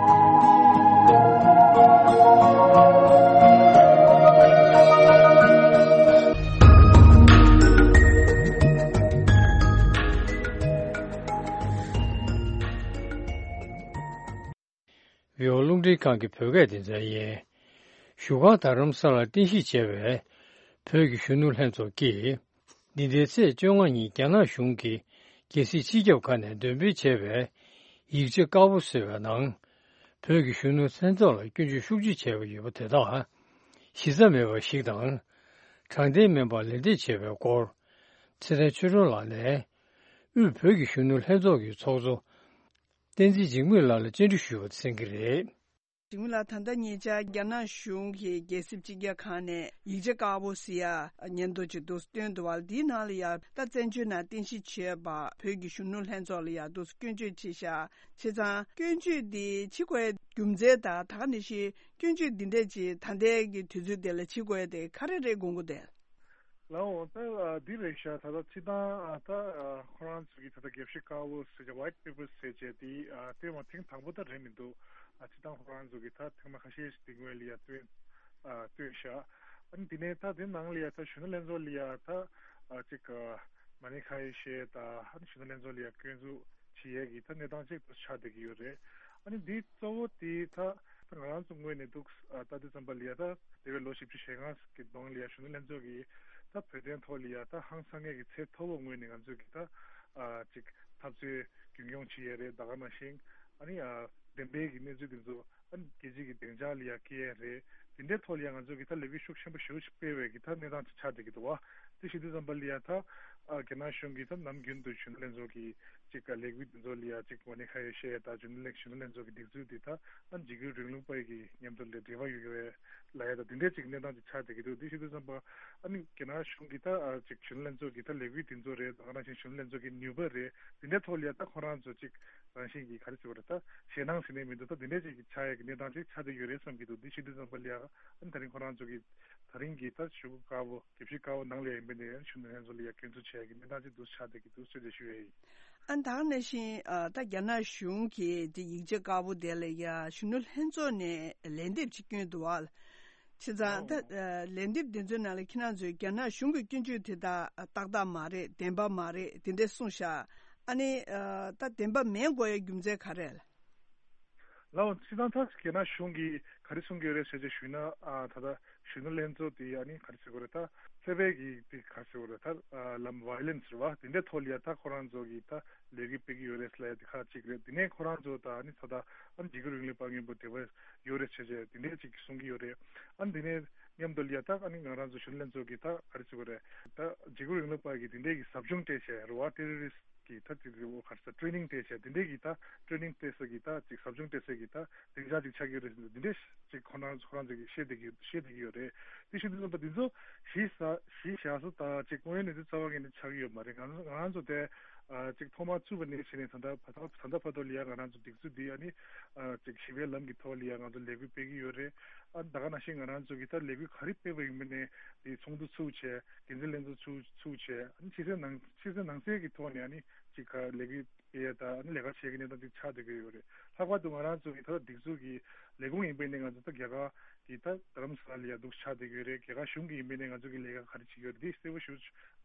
བོད་རླུང་འཕྲིན་ཁང་གི་བོད་སྐད་སྡེ་ཚན་ཡིན། བཞུགས་སྒར་རྡ་རམ་ས་ལར་རྟེན་གཞི་བྱས་པའི་བོད་ཀྱི་གཞོན་ནུ་ལྷན་ཚོགས་ཀྱིས། འདི་ཟླའི་ཚེས་བཅོ་ལྔ་ཉིན་རྒྱ་ནག་གཞུང་གིས་རྒྱལ་སྲིད་སྤྱི་ཁྱབ་ཁང་ནས་འདོན་སྤེལ་བྱས་པའི་ཡིག་ཆ་དཀར་པོ་ཟེར་བའི་ནང་། བོད་ཀྱི་གཞོན་ནུ་ལྷན་ཚོགས་ལ་སྐྱོན་བརྗོད་ཤུགས་ཆེ་བྱས་པ་ཡོད་པ་དེ་དག་གཞི་རྩ་མེད་པ་ཞིག་དང་། དྲང་བདེན་མིན་པར་ལན་འདེབས་བྱས་པའི་སྐོར། ཚེ་བརྟན་ཆོས་སྒྲོན་ལགས་ནས། དབུས་བོད་ཀྱི་གཞོན་ནུ་ལྷན་ཚོགས་ཀྱི་ཚོགས་གཙོ། བསྟན་འཛིན་འཇིགས་མེད་ལགས་ལ་བཅར་འདྲི་ཞུས་པ་གསན་གྱི་རེད། འཇིགས་མེད་ལགས། ད་ལྟ་ཉེ་ཆར་རྒྱ་ནག་གཞུང་གིས་རྒྱལ་སྲིད་སྤྱི་ཁྱབ་ཁང་ནས་ཡིག་ཆ་དཀར་པོ་ཟེར་ཡ་སྙན་ཐོ་ཅིག་འདུག་སྟོན་འདུག་བ། འདིའི་ནང་ལ་ཡ་ད་བཙན་བྱོལ་ནང་རྟེན་གཞི་བྱས་པ་བོད་ཀྱི་གཞོན་ནུ་ལྷན་ཚོགས་ལ་ཡ་འདུག་སྐྱོན་བརྗོད་བྱས་ཤག་བྱས་ཙང་སྐྱོན་བརྗོད་འདི་བྱེད་དགོས་རྒྱུ་མཚན་དང་ད་ག་ནང་བཞིན་སྐྱོན་བརྗོད་འདི་འདྲས་ཅིག་ད་ལྟའི་གི་དུས་ཚོད་དེ་ལ་བྱེད་དགོས་དེ་ག་རེ་རེད་དགོངས་ཀྱི་འདུག་ལགས་འོང་། ད་འདི་རེད་ཤག་ད་ལྟ་སྤྱིར་བཏང་ད་ཁོ་རང་ཚོ་གི་ད་ལྟ་དགེ་བཤེས་དཀར་པོ་ཟེར་བྱས་White Paper་ཟེར་བྱས་དེ་བཏོན་པ་ཐེངས་དང་པོ་ད་རེད་མི་འདུག་ཨ་སྤྱིར་བཏང་ཁོ་རང་ཚོ་གི་ད་ཐེངས་མ་ཁ་ཤས་ཤིག་དེ་སྔོན་ལ་ཡ་བཏོན་ཨ་བཏོན་ཤག་ཨ་ནི་དེ་ནས་ད་དེ་ནང་ལ་ཡ་ད་གཞོན་ནུ་ལྷན་ཚོགས་ལ་ཡ་ད་ཨ་ཅིག་མ་ཎི་ཁ་ཡེ་ཤེས་ད་ཨ་ནི་གཞོན་ནུ་ལྷན་ཚོགས་ལ་ཡ་སྐྱོན་འཛུགས་བྱེད་ཡས་ཀྱི་ད་གནས་སྟངས་ཅིག་ཏུ་ཆགས་བསྡད་ཀྱི་ཡོད་རེད། ཨ་ནི་འདི་གཙོ་བོ་དེ་ད་ད་ང་རང་ཚོ་ངོས་ནས་འདུག་ཨ་ད་དུས་ཙམ་པ་ལ་ཡ་ད་འདས་པའི་ལོ་བཞི་བཅུ་ཞེ་ལྔ་གི་གོང་ལ་ཡ་གཞོན་ནུ་ལྷན་ཚོགས་ཀྱིས་ད་བོད་དོན་ཐོག་ལ་ཡ་ད་ཧང་སང་ངེས་ཀྱི་ཚད་མཐོ་བོ་ངོས་ནས་ང་ཚོས་ཀྱི་ད་ཨ་ཅིག་འཐབ་རྩོད་རྒྱུན་སྐྱོང་བྱེད་ཡས་རེད། ད་ག་ནང་བཞིན་ཨ་ནི་ཨ་བདེན་པའི་གི་གནས་ཚུལ་དེ་ཚོ་ཨ་ནི་རྒྱལ་སྤྱི་གི་སྡིངས་ཆ་ལ་ཡ་སྐྱེལ་ཡས་རེད། དེ་འདྲའི་ཐོག་ལ་ཡ་ང་ཚོས་ཀྱི་ད་ལས་འགུལ་ཤུགས་ཆེན་པོ་ཞེ་པོ་ཅིག་སྤེལ་བའི་གི་ད་གནས་སྟངས་ཅིག་ཆགས་བསྡད་ཀྱི་འདུག་བ། དེ་བྱེད་དུས་ཙམ་པ་ལ་ཡ་ད་ཨ་རྒྱ་ནག་གཞུང་གིས་ད་ནམ་རྒྱུན་དུ་གཞོན་ནུ་ལྷན་ཚོགས་ཀྱི་ཅིག་ལས་འགུལ་དེ་ཚོ་ལ་ཡ་ཅིག་མ་ཎི་ཁ་ཡེ་ཤེས་ཡས་དང་གཞོན་ནུ་ལྷན་གཞོན་ནུ་ལྷན་ཚོགས་ཀྱི་སྒྲིག་འཛུགས་དེ་ད་ཨ་འཇིགས་སྐུལ་རིང་ལུགས་པ་ཡི་གི་མཉམ་དུ་ལ་འབྲེལ་བ་ཡོད་ཀྱི་བས་ལ་ཡ་ད་དེ་འདྲའི་ཅིག་གནས་སྟངས་ཅིག་ཆགས་བསྡད་ཀྱི་འདུག་དེ་བྱེད་དུས་ཙམ་པ་ཨ་ནི་རྒྱ་ནག་གཞུང་གིས་ད་ཨ་ཅིག་གཞོན་ནུ་ལྷན་ཚོགས་ཀྱི་ད་ལས་འགུལ་དེ་ཚོ་རེད། ད་ག་ནང་བཞིན་གཞོན་ནུ་ལྷན་ཚོགས་ཀྱི་ནུས་པ་རེད། དེ་འདྲའི་ཐོག་ལ་ཡ་ད་ཁོ་རང་ཚོ་ཅིག་རང་བཞིན་གྱིས་ག་རེ་ཟེར་བ་རེད། ད་ཞེད་སྣང་ཟེར་ནས་མི་འདུག་ད་དེ་འདྲའི་ཅིག་གི་ཆགས་ཡ་ གི་གནས་སྟངས་ཅིག་ཆགས་བསྡད་ཡོད་རེད་བསམ་གྱི་འདུག་འདི་ཞུ་དུས་ཙམ་པ་ལ་ཡ་ཨ་ནི་ད་རིང་ཁོ་རང་ཚོ་གི་ད་རིང་གི་ད་གཞུག་གུ་དཀར་པོ་དགེ་བཤེས་དཀར་པོ་ནང་ལ་ཡ་ཡིན་པ་ནས་གཞོན་ནུ་ལྷན་ཚོགས་ལ་ཡ་སྐྱོན་འཛུགས་བྱས་ཀྱི་གནས་སྟངས་ཅིག་འདུག་ཆགས་བསྡད་ཀྱི་འདུག་ཟེར་ཏེ་ཞུ་ཡ་ཡིན། ཨ་ད་ག་ནང་བཞིན་ཨ་ད་རྒྱ་ནག་གཞུང་གིས་དེ་ཡིག་ཆ་དཀར་པོ་དེ་ལ་ཡ་གཞོན་ནུ་ལྷན་ཚོགས་ནས་ལན་འདེབས་ཅིག་བསྐྱོན་འདུག་བ། བྱས་ཙང་ད་ཨ་ལན་འདེབས་དེ་ཚོའི་ནང་ལ་ཁྱེད་རང་ཚོས་རྒྱ་ནག་གཞུང་གི་སྐྱོན་བརྗོད་དེ་དག་ཏག་ཏག་མ་རེད། བདེན་པ་མ་རེད། དེ་འདྲ་གསུངས་ཤག་ཨ་ནི་ཨ་ད་བདེན་པ་མེད་དགོས་ཡ་རྒྱུ་མཚན་ག་རེ་རེད། ལགས་འོང་། སྤྱིར་བཏང་ད་རྒྱ་ནག་གཞུང་གིས་ག་རེ་གསུང་གི་ཡོད་རེད་ཟེར་ཅིག་ཞུས་ན། ཨ་ད་ལྟ་གཞོན་ནུ་ལྷན་ཚོགས་དེ་ཨ་ནི་ག་རེ་ཟེར་དགོས་རེད། ད་ཚད་པའི་གི་དེ་ག་རེ་ཟེར་དགོས་རེད། ད་ཨ་ལམ་ཝའི་ལེན་སི་རེད་བ། དེ་འདྲའི་ཐོག་ལ་ཡ་ད་ཁོ་རང་ཚོ་གིས་ད་ལས་འགུལ་སྤེལ་གི་ཡོད་རེད་ཟེར་ལབ་ཡ་དེ་ཁག་ཅིག་རེད། དེ་ནས་ཁོ་རང་ཚོ་ད་ཨ་ནི་ད་ལྟ་ཨ་ནི་འཇིགས་སྐུལ་རིང་ལུགས་པ་མཉམ་པོ་འབྲེལ་བ་ཡོད་རེད་ཟེར་བྱས་དེ་འདྲའི་ཅིག་གསུང་གི་ཡོད་རེད། ཨ་ནི་དེ་ནས་མཉམ་དུ་ལ་ཡ་ད་ཨ་ནི་ང་རང་ཚོ་གཞོན་ནུ་ལྷན་ཚོགས་ཀྱིས་ད་ག་རེ་ཟེར་དགོས་རེད། ད་འཇིགས་སྐུལ་རིང་ལུགས་པ་གི་དེ་འདྲའི་གི་ཟབ་སྦྱོང་སྤྲད་བྱས་རེད་བ། ཏེ་རོ་རི་སི་གི་ད་ཅིག་རེད་བ། ག་རེ་ཟེར། ཊེ་ནིང་སྤྲད་བྱས་དེ་འདྲའི་གི་ད་ཊེ་ནིང་སྤྲད་ས་གི་ད་ཅིག་ཟབ་སྦྱོང་སྤྲད་ས་གི་ད་སྡིངས་ཆ་ཅིག་ཆགས་ཀྱི་རེད་ཟེར་འདི་འདྲའི་ཅིག་ཁོ་རང་ཁོ་རང་ཚོ་གིས་བཤད་བསྡད་ཀྱི་བཤད་བསྡད་ཀྱི་ཡོད་རེད། དེ་བཞིན་དུ་ད་འདི་ཚོ་གཞི་ས་གཞི་བཞག་ས་ད་ཅིག་དངོས་ཡོད་གནས་ཚུལ་རྩ་བ་ཉིད་ནས་ཆགས་ཀྱི་ཡོད་མ་རེད། ང་ང་རང་ཚོ་དེ་ཨ་ཅིག་ཐོག་མར་བཙུགས་པ་ནས་བྱས་ནས་ད་ལྟ་བར་ད་ལྟ་བར་དུ་ལ་ཡ་ང་རང་ཚོ་སྒྲིག་འཛུགས་འདི་ཨ་ནི་ཨ་ཅིག་ཞི་བའི་ལམ་གྱི་ཐོག་ལ་ཡ་ང་ཚོ་ལས་འགུལ་སྤེལ་གྱི་ཡོད་རེད། ཨ་ད་ག་ནང་བཞིན་ང་རང་ཚོ་གིས་ད་ལས་འགུལ་ག་རེ་སྤེལ་བ་ཡིན་པ་ནས་དེ་ཚོགས་འདུ་ཚུགས་བྱས། འགན་འཛིན་ལྷན་ཚོགས་ཚུགས་ཚུགས་བྱས། ཨ་ནི་ཕྱི་གསལ་ནང་ཕྱི་གསལ་ནང་གསལ་གྱི་ཐོག་ནས་ཨ་ནི་ཅིག་ག་ལས་འགུལ་སྤེལ་ཡ་ད་ཨ་ནི་ལས་ཀ་བྱེད་ཀྱི་གནས་སྟངས་ཅིག་ཆགས་བསྡད་ཀྱི་ཡོད་རེད། ལྷག་པར་དུ་ང་རང་ཚོ་གི་ད་ལྟ་སྒྲིག་འཛུགས་ཀྱི་ལས་ཁུངས་ཡིན་པ་ནས་ང་ཚོ་ད་རྒྱ་གར་གྱི་ད་རྡ་རམ་ས་ལ་ལ་ཡ་འདུག་ཆགས་བསྡད་ཀྱི་ཡོད་རེད། རྒྱ་གར་གཞུང་གི་ཡིན་པ་ནས་ང་ཚོ་གི་ལས་ཀ་ག་རེ་བྱེད་ཀྱི་ཡོད་རེད། འདི་གསལ་པོ་ཞེ་པོ་ཅིག་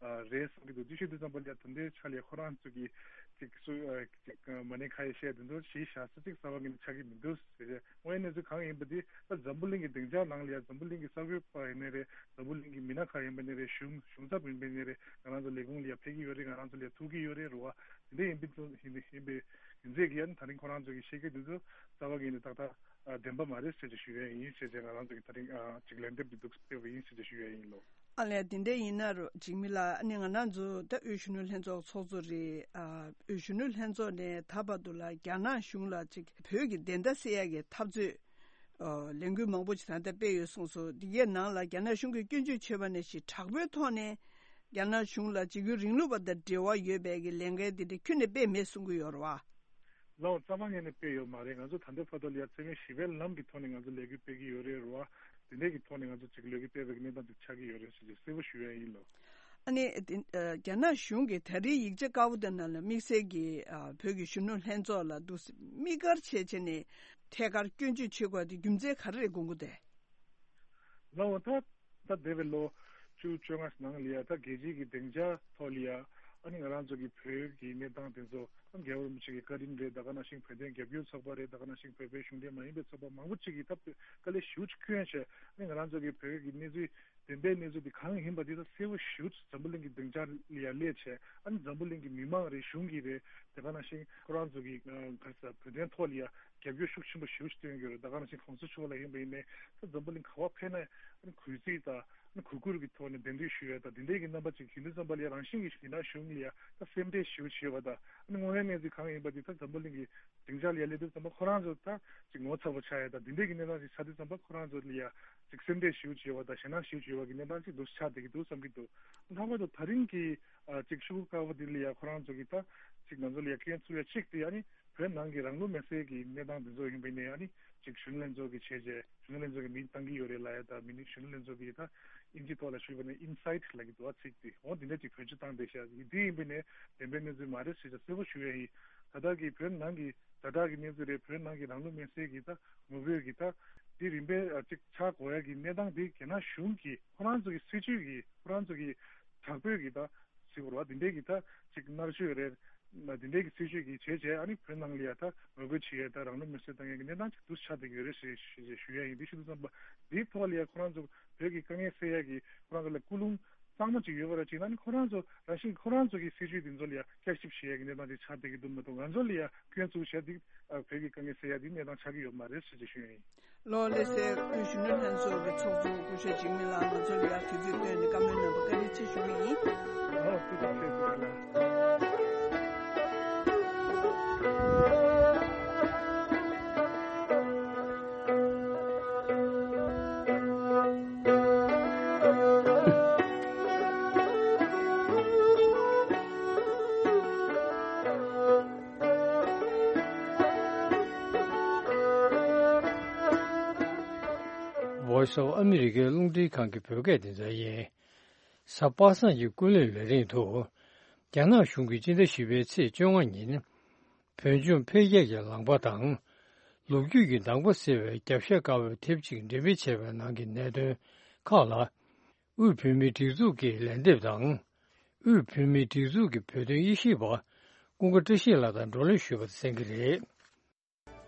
རེད་བསམ་གྱི་འདུག་དེ་བཤད་དུས་ཙམ་པ་ལ་ཡ་ད་ལྟའི་ཆ་ལ་ཡ་ཁོ་རང་ཚོ་གི་ཅིག་སུ་ཅིག་མ་ཎི་ཁ་ཡ་བཤད་དེ་ཚོ་གཞི་བཞག་ས་ཅིག་རྩ་བ་ཉིད་ནས་ཆགས་ཀྱི་མི་འདུག་ཟེར་རེད། དངོས་ཡོད་གནས་ཚུལ་གང་ཡིན་པ་འདི་ད་འཛམ་བུ་གླིང་གི་སྡིངས་ཆ་ནང་ལ་ཡ་འཛམ་བུ་གླིང་གི་གསར་འགོད་པ་ཡིན་ནའི་རེད། འཛམ་བུ་གླིང་གི་མི་སྣ་ཁག་ཡིན་པ་ནའི་རེད། གཞུང་གཞུང་ཚབ་ཡིན་པ་ནའི་རེད། ང་རང་ཚོ་ལས་ཁུངས་ལ་ཡ་ཕེབས་ཀྱི་ཡོད་རེད། ང་རང་ཚོ་ལ་ཡ་ཐུག་གི་ཡོད་རེད་རེད་བ། དེ་འདྲ་ཡིན་པའི་ཚོ་ཡིན་ཡིན་པའི་ཡིན་ཚད་ཀྱི་ཡ་ནི་ད་རིང་ཁོ་རང་ཚོ་གི་བཤད་རྒྱུ་འདི་ཚོ་རྩ་བ་ཉིད་ནས་ཏག་ཏག་ཨ་བདེན་པ་མ་རེད་ཟེར་ཏེ་ཞུ་ཡས་ཡིན་ཟེར་ཏེ་ང་རང་ཚོ་གི་ད་རིང་ཨ་ཅིག་ལན་འདེབས་འདི་འདུག་སྤེལ་བ་ཡིན་ཟེར་ཏེ་ཞུ་ཡས་ཡིན་ལོ། ཨ་ལས་དེ་འདྲ་ཡིན་ན་རོ་འཇིགས་མེད་ལགས། ཨ་ནི་ང་རང་ཚོ་ད་དབུས་གཞོན་ནུ་ལྷན་ཚོགས་ཚོགས་གཙོ་རེད། ཨ་དབུས་གཞོན་ནུ་ལྷན་ཚོགས་ནས་ད་བར་དུ་ལ་རྒྱ་ནག་གཞུང་ལ་ཅིག་བོད་ཀྱི་བདེན་མཐའ་གསལ་ཡག་གི་འཐབ་རྩོད་ཨ་ལས་འགུལ་མང་པོ་ཅིག་ད་ལྟ་སྤེལ་ཡོད་གསུངས་སོང་། འདི་གའི་ནང་ལ་རྒྱ་ནག་གཞུང་གིས་སྐྱོན་བརྗོད་བྱས་པ་ནང་བཞིན་དྲག་པོའི་ཐོག་ནས་རྒྱ་ནག་གཞུང་ལ་འཇིགས་སྐུལ་རིང་ལུགས་པ་དང་འབྲེལ་བ་ཡོད་པའི་གི་ལས་འགན་འདི་འདྲ་ཁྱོན་ནས་སྤེལ་མེད་གསུང་གི་ཡོད་རེད་བ། ལའོ་རྩ་བ་ཉིད་ནས་སྤེལ་ཡོད་མ་རེད། ང་ཚོ་ད་ལྟའི་བར་དུ་ལ་ཡ་བརྩེ་བའི་ཞི་བའི་ལམ་གྱི་ཐོག་ནས་ང་ཚོ་ལས་འགུལ་སྤེལ་གྱི་ཡོད་རེད་རེད་བ། དེ་འདྲའི་གི་ཐོག་ནས་ང་ཚོ་ཅིག་ལས་འགུལ་སྤེལ་བའི་གནས་སྟངས་ཅིག་ཆགས་ཀྱི་ཡོད་རེད་ཟེར་གྱི་གསལ་པོ་ཞུ་ཡ་ཡིན་ལོ། ཨ་ནི་དེ་ཨ་རྒྱ་ནག་གཞུང་གིས་ད་རེས་ཡིག་ཆ་དཀར་པོ་དེ་ནང་ལ་དམིགས་བསལ་གྱི་ཨ་བོད་ཀྱི་གཞོན་ནུ་ལྷན་ཚོགས་ལ་འདུག་སེ་དམིགས་བཀར་བྱས་བྱས་ནས་ཐད་ཀར་སྐྱོན་བརྗོད་བྱེད་དགོས་དེ་རྒྱུ་མཚན་ག་རེ་རེད་དགོངས་ཀྱི་འདུག་དེ། ལའོ་ད་ད་འདས་པའི་ལོ་བཅུ་བཅོ་ལྔ་ནང་ལ་ཡ་ད་རྒྱལ་སྤྱིའི་གི་སྡིངས་ཆ་ཐོག་ལ་ཡ་ཨ་ནི་ང་རང་ཚོ་གི་བོད་ཀྱི་གནས་སྟངས་དེ་ཚོ་ཨ་རྒྱལ་བ་རིན་པོ་ཆེ་གི་བཀའ་དྲིན་རེད། ད་ག་ནང་བཞིན་བོད་དོན་རྒྱབ་སྐྱོར་ཚོགས་པ་རེད། ད་ག་ནང་བཞིན་བོད་པའི་གཞུང་འབྲེལ་མ་ཡིན་པའི་ཚོགས་པ་མང་པོ་ཅིག་གིས་ད་དཀའ་ལས་ཞེ་པོ་ཅིག་བསྐྱོན་བྱས་ཨ་ནི་ང་རང་ཚོ་གི་བོད་ཀྱི་གནས་ཚུལ་བདེན་པའི་གནས་ཚུལ་འདི་གང་ཡིན་པ་འདི་ད་གསལ་པོ་ཞེ་པོ་ཅིག་འཛམ་བུ་གླིང་གི་སྡིངས་ཆ་ལ་ཡ་སླེབས་བྱས་ཨ་ནི་འཛམ་བུ་གླིང་གི་མི་མང་རེད། གཞུང་གི་རེད། དེ་ག་ནང་བཞིན་ཁོ་རང་ཚོ་གི་ཨ་ག་རེ་ཟེར་བོད་དོན་ཐོག་ལ་ཡ་རྒྱབ་སྐྱོར་ཤུགས་ཆེན་པོ་ཞེ་པོ་ཅིག་སྟོན་གྱི་ཡོད་རེད། ད་ག་ནང་བཞིན་གོང་ས་མཆོག་ལ་ཡིན་པ་ཡིན་ནའི་ད་འཛམ་བུ་གླིང་ག་པར་ཕེབས་ན་ཨ་ནི་གུས་བརྩི་དང་ཨ་ནི་གུས་བཀུར་གྱི་ཐོག་ནས་གདན་འདྲེན་ཞུ་ཡ་དང་དེ་འདྲའི་གི་རྣམ་པ་ཅིག་ཡིན་དུས་ཙམ་པ་ལ་ཡ་རང་བཞིན་གྱིས་ཡིན་ན་གཞུང་ལ་ཡ་ད་སེམས་ཁྲལ་ཞེ་པོ་ཅིག་ཡོད་པ་དང་ཨ་ནི་དངོས་ཡོད་གནས་ཚུལ་གང་ཡིན་པ་འདི་ད་འཛམ་བུ་གླིང་གི་སྡིངས་ཆ་ལ་ཡ་སླེབས་དུས་ཙམ་པ་ཁོ་རང་ཚོ་ད་ཅིག་ངོ་ཚ་པོ་ཆགས་ཡ་དང་དེ་འདྲའི་གི་གནས་སྟངས་ཅིག་ཆགས་དུས་ཙམ་པ་ཁོ་རང་ཚོ་ལ་ཡ་ཅིག་སེམས་ཁྲལ་ཞེ་པོ་ཅིག་ཡོད་པ་དང་ཞེད་སྣང་ཞེ་པོ་ཅིག་ཡོད་པ་གི་གནས་སྟངས་ཅིག་འདུག་ཆགས་བསྡད་ཀྱི་འདུག་བསམ་གྱི་འདུག་ལྷག་པར་དུ་ད་རིང་གི་ཨ་ཅིག་ཤོག་གུ་དཀར་པོ་འདི་ལ་ཡ་ཁོ་རང་ཚོ་གི་ད་ཅིག་ང་ཚོ་ལ་ཡ་སྐྱོན་ཚུགས་ཡ་གཅིག་དེ་ཨ་ནི་བོད་ནང་གི་རང་ལུས་མེར་སྲེག་གི་གནས་སྟངས་འདི་ཚོ་ཡིན་པ་ཡིན་ནའི་ཨ་ནི་ཅིག་གཞོན་ནུ་ལྷན་ཚོགས་ཀྱི་བྱས་རྗེས་གཞོན་ནུ་ལྷན་ཚོགས་ཀྱི་མིང་བཏང་གི་ཡོད་རེད་ལབ་ཡ་ད་མི་ནི་གཞོན་ནུ་ལྷན་ཚོགས་ཀྱི་ད་ཨིན་ཇི་ཐོག་ལ་ཞུས་པ་ནི་ཨིན་སའེད་ལབ་ཀྱི་འདུག་ཨ་ཚིག་དེ་འོ་འདི་འདྲ་ཅིག་བེད་སྤྱོད་བཏང་བསྡད་ཤག་འདི་ཡིན་པ་ནས་བདེན་པའི་གནས་ཚུལ་མ་རེད་ཟེར་ཅིག་གསལ་པོ་ཞུ་ཡ་ཡིན། ད་ལྟ་གི་བོད་ནང་གི་ཛ་དྲག་གི་གནས་ཚུལ་རེད། བོད་ནང་གི་རང་ལུས་མེར་སྲེག་གི་ད་ངོ་རྒོལ་གི་ད་འདི་རིམ་པས་ཨ་ཅིག་ཆགས་དགོས་ཡ་གི་གནས་སྟངས་འདི་རྒྱ་ནག་གཞུང་གི་ཁོ་རང་ཚོ་གི་སྲིད་ཇུས་ཀྱི་ཁོ་རང་ཚོ་གི་དྲག་པོའི་གི་ད་ཟེར་དགོས་རེད་བ། འདི་འདྲའི་གི་ད་ཅིག་མནར་གཅོད་རེད། འདི་འདྲའི་གི་སྲིད་ཇུས་ཀྱི་བྱས་བྱས་ཨ་ནི་བོད་ནང་ལ་ཡ་ད་ངོ་རྒོལ་བྱེད་ཡ་ད་རང་ལུས་མེར་སྲེག་བཏང་ཡ་གི་གནས་སྟངས་ཅིག་འདུག་ཆགས་བསྡད་ཀྱི་ཡོད་རེད་ཞེས་ཞེས་ཞུ་ཡ་ཡིན། འདི་ཞུ་དུས་ཙམ་པ་འདིའི་ཐོག་ལ་ཡ་ཁོ་རང་ཚོ་བོད་ཀྱི་དཀའ་ངལ་སེལ་ཡ་གི་ཁོ་རང་ཚོ་ལ་ཀུན་སློང་གཙང་མ་ཅིག་ཡོད་པ་ར་ཅིག་ན་ནི་ཁོ་རང་ཚོ་རང་བཞིན་ཁོ་རང་ཚོ་གི་སྲིད་ཇུས་འདི་ཚོ་ལ་ཡ་བསྐྱར་ཞིབ་བྱེད་ཡ་གི་གནས་སྟངས་ཅིག་ཆགས་བསྡད་ཀྱི་འདུག་མ་གཏོགས་ང་ཚོ་ལ་ཡ་སྐྱོན་བཙུགས་བྱས་འདི་བོད་ཀྱི་དཀའ་ངལ་སེལ་ཡ་འདི་གནས་སྟངས་ཆགས་ཀྱི་ཡོད་མ་རེད་ཟེར་ཅིག་ཞུ་ཡ་ཡིན། ལོ་ལེ་སའི་དབུས་གཞོན་ནུ་ལྷན་ཚོགས་ཀྱི་ཚོགས་གཙོ་སྐུ་ཞབས་འཇིགས་མེད་ལགས་ང་ཚོ་ལ་ཡ་དུས་ཚོད་བཏོན་ནས་བཀའ་མོལ་གནང་བར་བཀའ་དྲིན་ཆེ་ཞུ་གི་ཡིན། ལོ་དུས་ཚོད་ཆེ་ཞུ་གི་ལ། སོགས་ཨ་མི་རི་ཀའི་རླུང་འཕྲིན་ཁང་གི་བོད་སྐད་སྡེ་ཚན་ཡིན། གཟའ་པ་སངས་ཀྱི་ཀུན་གླེང་ལས་རིམ་དུ། རྒྱ་ནག་གཞུང་གིས་སྤྱི་ཟླ་བཞི་པའི་ཚེས་བཅོ་ལྔ་ཉིན། བོད་ལྗོངས་འཕེལ་རྒྱས་ཀྱི་ལམ་ཁ་དང་། ལོ་རྒྱུས་ཀྱི་གདམ་ག་ཟེར་བའི་རྒྱབ་ཤ་དཀར་པོའི་དེབ་ཅིག་འགྲེམས་སྤེལ་བྱས་པའི་ནང་གི་གནད་དོན་ཁག་ལ། དབུས་བོད་མིའི་སྒྲིག་འཛུགས་ཀྱི་ལན་འདེབས་དང་། དབུས་བོད་མིའི་སྒྲིག་འཛུགས་ཀྱི་བོད་དོན་དབྱེ་ཞིབ་པ་ཀུན་དགའ་བཀྲ་ཤིས་ལགས་དང་བགྲོ་གླེང་ཞུས་པ་གསན་གྱི་རེད།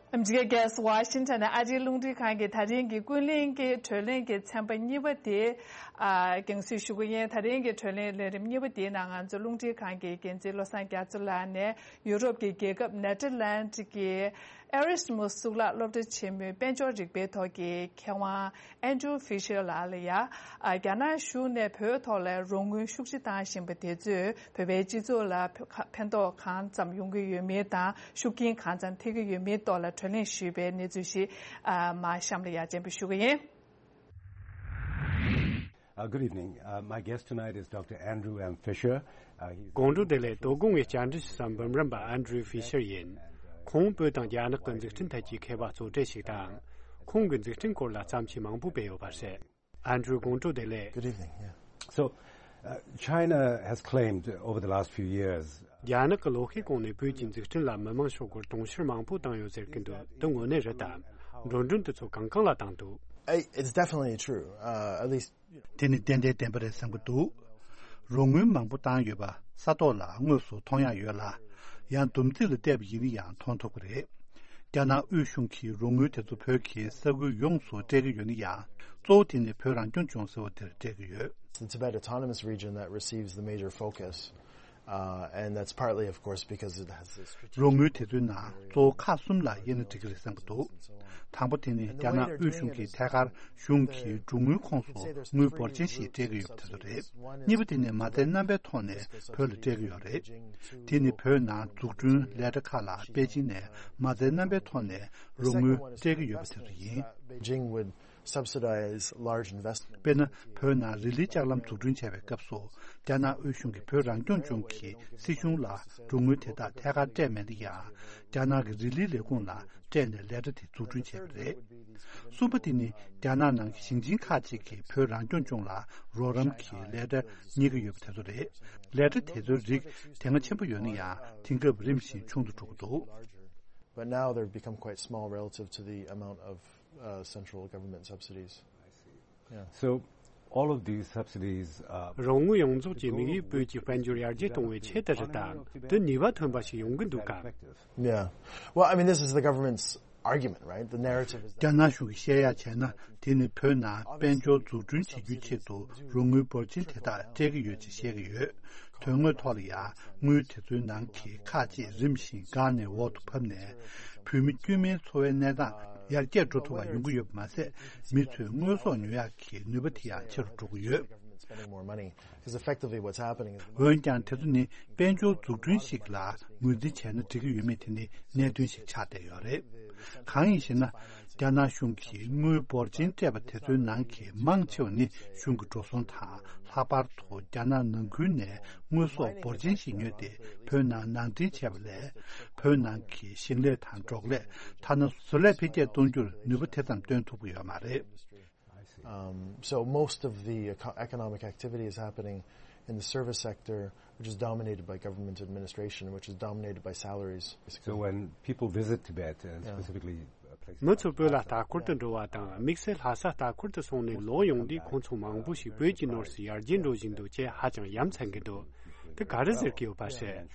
ཨ་མི་རི་ཀའི་རྒྱལ་ས་ཝ་ཤིང་ཊོན་ནས་ཨ་རིའི་རླུང་འཕྲིན་ཁང་གི་ད་རིང་གི་ཀུན་གླེང་གི་བགྲོ་གླེང་གི་ཚན་པ་གཉིས་པ་དེ། ཨ། རྒྱང་སྲིང་ཞུ་གི་ཡིན། ད་རིང་གི་བགྲོ་གླེང་ལས་རིམ་གཉིས་པ་དེའི་ནང་ང་ཚོ་རླུང་འཕྲིན་ཁང་གི་འགན་འཛིན་བློ་བཟང་རྒྱ་མཚོ་ལགས་ནས་ཡུ་རོབ་ཀྱི་རྒྱལ་ཁབ་ནེ་ཐར་ལན་ཌི་གི་ཨེ་རེ་སི་མུ་སི་གཙུག་ལག་སློབ་གྲྭ་ཆེན་མོའི་དཔལ་འབྱོར་རིག་པའི་ཐོག་གི་མཁས་དབང་ཨན་ཌྲུ་ཕི་ཤར་ལགས་ལ་ཡ། ཨ། རྒྱ་ནག་གཞུང་ནས་བོད་ཐོག་ལ་རོགས་དངུལ་ཤུགས་ཆེ་བཏང་བཞིན་པ་དེ་ཚོས་བོད་པའི་སྤྱི་ཚོགས་ལ་ཕན་ཐོགས་གང་ཙམ་ཡོང་གི་ཡོད་མེད་དང་། ཤུགས་རྐྱེན་གང་ཙམ་ཐེབས་ཀྱི་ཡོད་མེད་ཐོག་ལ་བགྲོ་གླེང་ཞུས་པའི་གནས་ཚུལ་ཞིག་ཨ། མར་གཤམ་ལ་ཡ་སྤྱན་འབུལ་ཞུ་གི་ཡིན། Uh, good evening. Uh, my guest tonight is Doctor Andrew M. Fisher. Uh, he's དགོང་དྲོ་བདེ་ལེགས། དོ་དགོང་ངའི་བཅར་འདྲི་ཞུ་ས་འབུམ་རམས་པ་ཨན་ཌྲུ་ཕི་ཤར་ཡིན། ཁོང་བོད་དང་རྒྱ་ནག་གི་འཛུགས་སྐྲུན་ཐད་ཀྱི་མཁས་པ་གཙོ་གྲས་ཤིག་དང་། ཁོང་གི་འཛུགས་སྐྲུན་སྐོར་ལ་བརྩམས་ཆོས་མང་པོ་སྤེལ་ཡོད་པ་རེད། ཨན་ཌྲུ། དགོང་དྲོ་བདེ་ལེགས། Good evening. Yeah. So, uh, China has claimed over the last few years རྒྱ་ནག་གི་ལོ་ཤས་གོང་ནས་བོད་ཀྱི་འཛུགས་སྐྲུན་ལ་མི་མང་ཤོག་སྒོར་དུང་ཕྱུར་མང་པོ་བཏང་ཡོད་ཟེར་གྱི་འདུག་འདི་དངོས་གནས་རེད་དམ། འགྲོ་གྲོན་དེ་ཚོ་གང་གང་ལ་བཏང་འདུག I- It's definitely true. Uh, at least དེ་ནི་ཏན་ཏན་བདེན་པ་རེད་བསམ་གྱི་འདུག་རོགས་དངུལ་མང་པོ་བཏང་ཡོད་པ་ས་ཐོག་ལ་དངོས་སུ་མཐོང་ཡག་ཡོད་ལ། ཡང་བསྡོམས་རྩིས་ལ་བལྟས་པ་ཡིན་ན་ཡང་མཐོང་ཐུབ་ཀྱི་རེད། རྒྱ་ནག་དབུས་གཞུང་གིས་རོགས་དངུལ་དེ་ཚོ་བོད་ཀྱི་ས་ཁུལ་ཡོངས་སུ་སྤྲད་ཀྱི་ཡོད་ན་ཡང་། གཙོ་བོ་དེ་ནི་བོད་རང་སྐྱོང་ལྗོངས་ཟེར་བ་དེར་སྤྲད་ཀྱི་ཡོད། The Tibet Autonomous Region that receives the major focus, uh, and that's partly, of course, because it has this strategic རོགས་དངུལ་དེ་ཚོའི་ནང་གཙོ་བོ་ཁག་གསུམ་ལ་དབྱེ་ན་འགྲིག་གི་རེད་བསམ་གྱི་འདུག་དང་པོ་དེ་ནི་རྒྱ་ནག་དབུས་གཞུང་གིས་ཐད་ཀར་གཞུང་གི་རོགས་དངུལ་ཁོངས་སུ་དངུལ་འབོར་ཆེན་ཞིག་སྤྲད་ཀྱི་ཡོད་པ་དེ་ཚོ་རེད། གཉིས་པ་དེ་ནི་མ་རྩའི་རྣམ་པའི་ཐོག་ནས་བོད་ལ་སྤྲད་ཀྱི་ཡོད་རེད། དེ་ནི་བོད་ནང་འཛུགས་སྐྲུན་ལས་གྲྭ་ཁག་ལ་པེ་ཅིན་ནས་མ་རྩའི་རྣམ་པའི་ཐོག་ནས་རོགས་དངུལ་སྤྲད་ཀྱི་ཡོད་པ་དེ་ཚོ་ཡིན། Beijing would subsidize large investment. དཔེར་ན། བོད་ནང་རི་ལིའི་ལྕགས་ལམ་འཛུགས་སྐྲུན་བྱས་པའི་སྐབས་སུ། རྒྱ་ནག་དབུས་གཞུང་གིས་བོད་རང་སྐྱོང་ལྗོངས་ཀྱི་སྲིད་གཞུང་ལ་རོགས་དངུལ་དེ་དག་ཐད་ཀར་སྤྲད་མེད་ན་ཡང་། རྒྱ་ནག་གི་རི་ལིའི་ལས་ཁུངས་ལ་སྤྲད་ནས་ལས་གྲྭ་དེ་འཛུགས་སྐྲུན་བྱས་པ་རེད། གསུམ་པ་དེ་ནི་རྒྱ་ནག་ནང་གི་ཞིང་ཆེན་ཁག་ཅིག་གིས་བོད་རང་སྐྱོང་ལྗོངས་ལ་རོགས་རམ་གྱི་ལས་གྲྭ་གཉེར་གྱི་ཡོད་པ་དེ་ཚོ་རེད། ལས་གྲྭ་དེ་ཚོའི་རིགས་དེ་སྔ་ཆེན་པོ་ཡོད་ན་ཡང་། དེང་སྐབས་རིམ་བཞིན་ཆུང་དུ་འགྲོ་གི་འདུག But now they've become quite small relative to the amount of, uh, central government subsidies. Yeah. So, all of these subsidies, uh, རོགས་དངུལ་ཡོངས་རྫོགས་ཀྱི་དམིགས་ཡུལ་བོད་ཀྱི་དཔལ་འབྱོར་ཡར་རྒྱས་གཏོང་བའི་ཆེད་དུ་རེད་དམ། དེ་ནུས་པ་ཐོན་པ་ཞིག་ཡོང་གི་འདུག་གམ། Yeah. Well, I mean, this is the government's argument, right? The narrative is རྒྱ་ནག་གཞུང་གིས་བཤད་ཡག་བྱས་ན། དེ་ནི་བོད་ནང་དཔལ་འབྱོར་འཛུགས་སྐྲུན་བྱེད་རྒྱུའི་ཆེད་དུ་རོགས་དངུལ་འབོར་ཆེན་དེ་དག་སྤྲད་ཀྱི་ཡོད་ཅེས་བཤད་ཀྱི་ཡོད། དོན་དངོས་ཐོག་ལ་ཡང་། དངུལ་དེ་ཚོའི་ནང་གི་ཁག་ཅིག་རིམ་བཞིན་འགག་ནས་འོག་ཏུ་བབས་ནས། བོད་མི་དཀྱུས་མའི་འཚོ་བའི་གནས་སྟངས་ཡར་རྒྱས་འགྲོ་ཐུབ་པ་ཡོང་གི་ཡོད་པ་མ་ཟད། མི་ཚོས་དངོས་ཟོག་ཉོ་ཡག་གི་ནུས་པ་དེ་ཡང་ཆེ་རུ་འགྲོ་གི་ཡོད། Spending more money. Because effectively what's happening is འོན་ཀྱང་། དེ་ཚོ་ནི་དཔལ་འབྱོར་འཛུགས་སྐྲུན་ཞིག་ལ་ངོས་འཛིན་བྱས་ན་འགྲིག་གི་ཡོད་མེད་དེ་ནི་གནད་དོན་ཞིག་ཆགས་བསྡད་ཡོད་རེད། གང་ཡིན་ཞེ་ན། རྒྱ་ནག་གཞུང་གིས་དངུལ་འབོར་ཆེན་སྤྲད་པ་དེ་ཚོའི་ནང་གི་མང་ཆེ་བ་ནི་གཞུང་གི་འགྲོ་སོང་དང་། ལྷག་པར་དུ་རྒྱ་ནག་ནང་ཁུལ་ནས་དངོས་ཟོག་འབོར་ཆེན་ཞིག་ཉོས་ཏེ་བོད་ནང་ནང་འདྲེན་བྱས་པ་ལས། བོད་ནང་གི་ཞིང་ལས་དང་འབྲོག་ལས། ཐ་ན་བཟོ་ལས་འཕེལ་རྒྱས་གཏོང་རྒྱུར་ནུས་པ་དེ་ཙམ་བཏོན་ཐུབ་ཀྱི་ཡོད་མ་རེད། Um, so most of the eco- economic activity is happening in the service sector, which is dominated by government administration, which is dominated by salaries. So when people visit Tibet, and Yeah. specifically, uh, places མི་ཚོ་བོད་ལ་ལྟ་སྐོར་དུ་འགྲོ་བ་དང་། དམིགས་བསལ་ལྷ་ས་ལྟ་སྐོར་དུ་སོང་ནས་ལོག་ཡོང་དུས། ཁོང་ཚོ་མང་པོ་ཞིག་བོད་ཀྱི་ནོར་སྲིད་ཡར་རྒྱས་འགྲོ་བཞིན་འདུག་ཅེས་ཧ་ཅང་ཡ་མཚན་གྱི་འདུག་དེ་ག་རེ་ཟེར་གྱི་ཡོད་པ་རེད།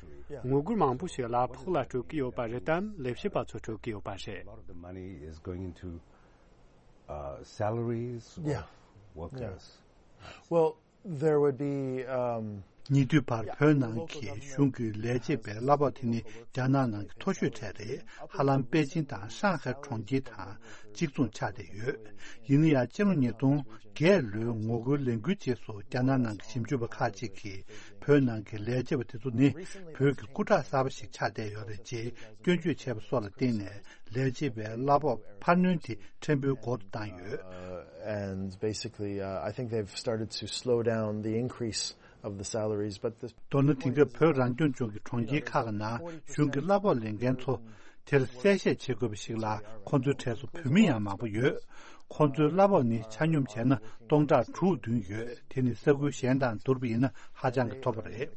ངོ་རྒོལ་མང་པོ་ཞིག་གླ་ཕོགས་ལ་སྤྲོད་ཀྱི་ཡོད་པ་རེད་དམ། ལས་བྱེད་པ་ཚོ་སྤྲོད་ཀྱི་ཡོད་པ་རེད། A lot of the money is going into, uh, salaries of Yeah. workers. Yeah. Well, there would be, um, ཉེ་དུས་བར་བོད་ནང་གི་གཞུང་གི་ལས་བྱེད་པའི་གླ་ཕོགས་དེ་ནི་རྒྱ་ནག་ནང་གི་མཐོ་ཤོས་གྲས་རེད། ཧ་ལམ་པེ་ཅིན་དང་ཧྲང་ཧའེ་གྲོང་ཁྱེར་དང་གཅིག་མཚུངས་ཆགས་བསྡད་ཡོད། ཡིན་ན་ཡང་། སྤྱི་ལོ་ཉིས་སྟོང་བརྒྱད་ལོའི་ངོ་རྒོལ་ལས་འགུལ་རྗེས་སུ། རྒྱ་ནག་ནང་གི་ཞིབ་འཇུག་པ་ཁག་ཅིག་གིས། བོད་ནང་གི་ལས་བྱེད་པ་དེ་ཚོ་ནི་བོད་ཀྱི་སྐུ་དྲག་གསར་པ་ཞིག་ཆགས་བསྡད་ཡོད་རེད་ཅེས་སྐྱོན་བརྗོད་བྱས་པ་སོགས་ལ་བརྟེན་ནས། ལས་བྱེད་པའི་གླ་ཕོགས་འཕར་སྣོན་དེ་ཕྲན་བུའི་འགོར་དུ་བཏང་ཡོད། Uh, and basically, uh, I think they've started to slow down the increase of the salaries, but the མདོར་ན། དེང་སྐབས་བོད་རང་སྐྱོང་ལྗོངས་ཀྱི་གྲོང་ཁྱེར་ཁག་གི་ནང་གཞུང་གི་གླ་ཕོགས་ལེན་མཁན་ཚོ། དེར་གསལ་བཤད་བྱེད་དགོས་པ་ཞིག་ལ། ཁོང་ཚོའི་གྲས་སུ་བོད་མི་ཡང་མང་པོ་ཡོད། ཁོང་ཚོའི་གླ་ཕོགས་ནི་ཆ་སྙོམས་བྱས་ན་སྟོང་ཕྲག་དྲུག་བདུན་ཡོད། དེ་ནི་ས་ཁུལ་གཞན་དང་བསྡུར་བ་ཡིན་ན་ཧ་ཅང་གི་མཐོ་པོ་རེད།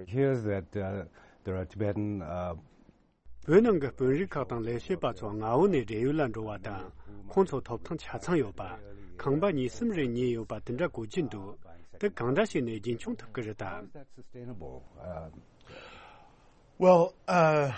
Here's that uh, there are Tibetan uh, བོད་ནང་གི་དཔོན་རིགས་ཁག་དང་ལས་བྱེད་པ་ཚོ་མངའ་འོག་ནས་བགྲེས་ཡོལ་ལ་འགྲོ་བ་དང་། ཁོང་ཚོ་ཐོབ་ཐང་ཆ་ཚང་ཡོད་པ། ཁང་པ་གཉིས་གསུམ་རེ་ཉོས་ཡོད་པ་དེ་འདྲ་གོ་གི་འདུག་དེ་གང་འདྲ་བྱས་ནས་རྒྱུན་འཁྱོངས་ཐུབ་ཀྱི་རེད་དམ། Well, uh,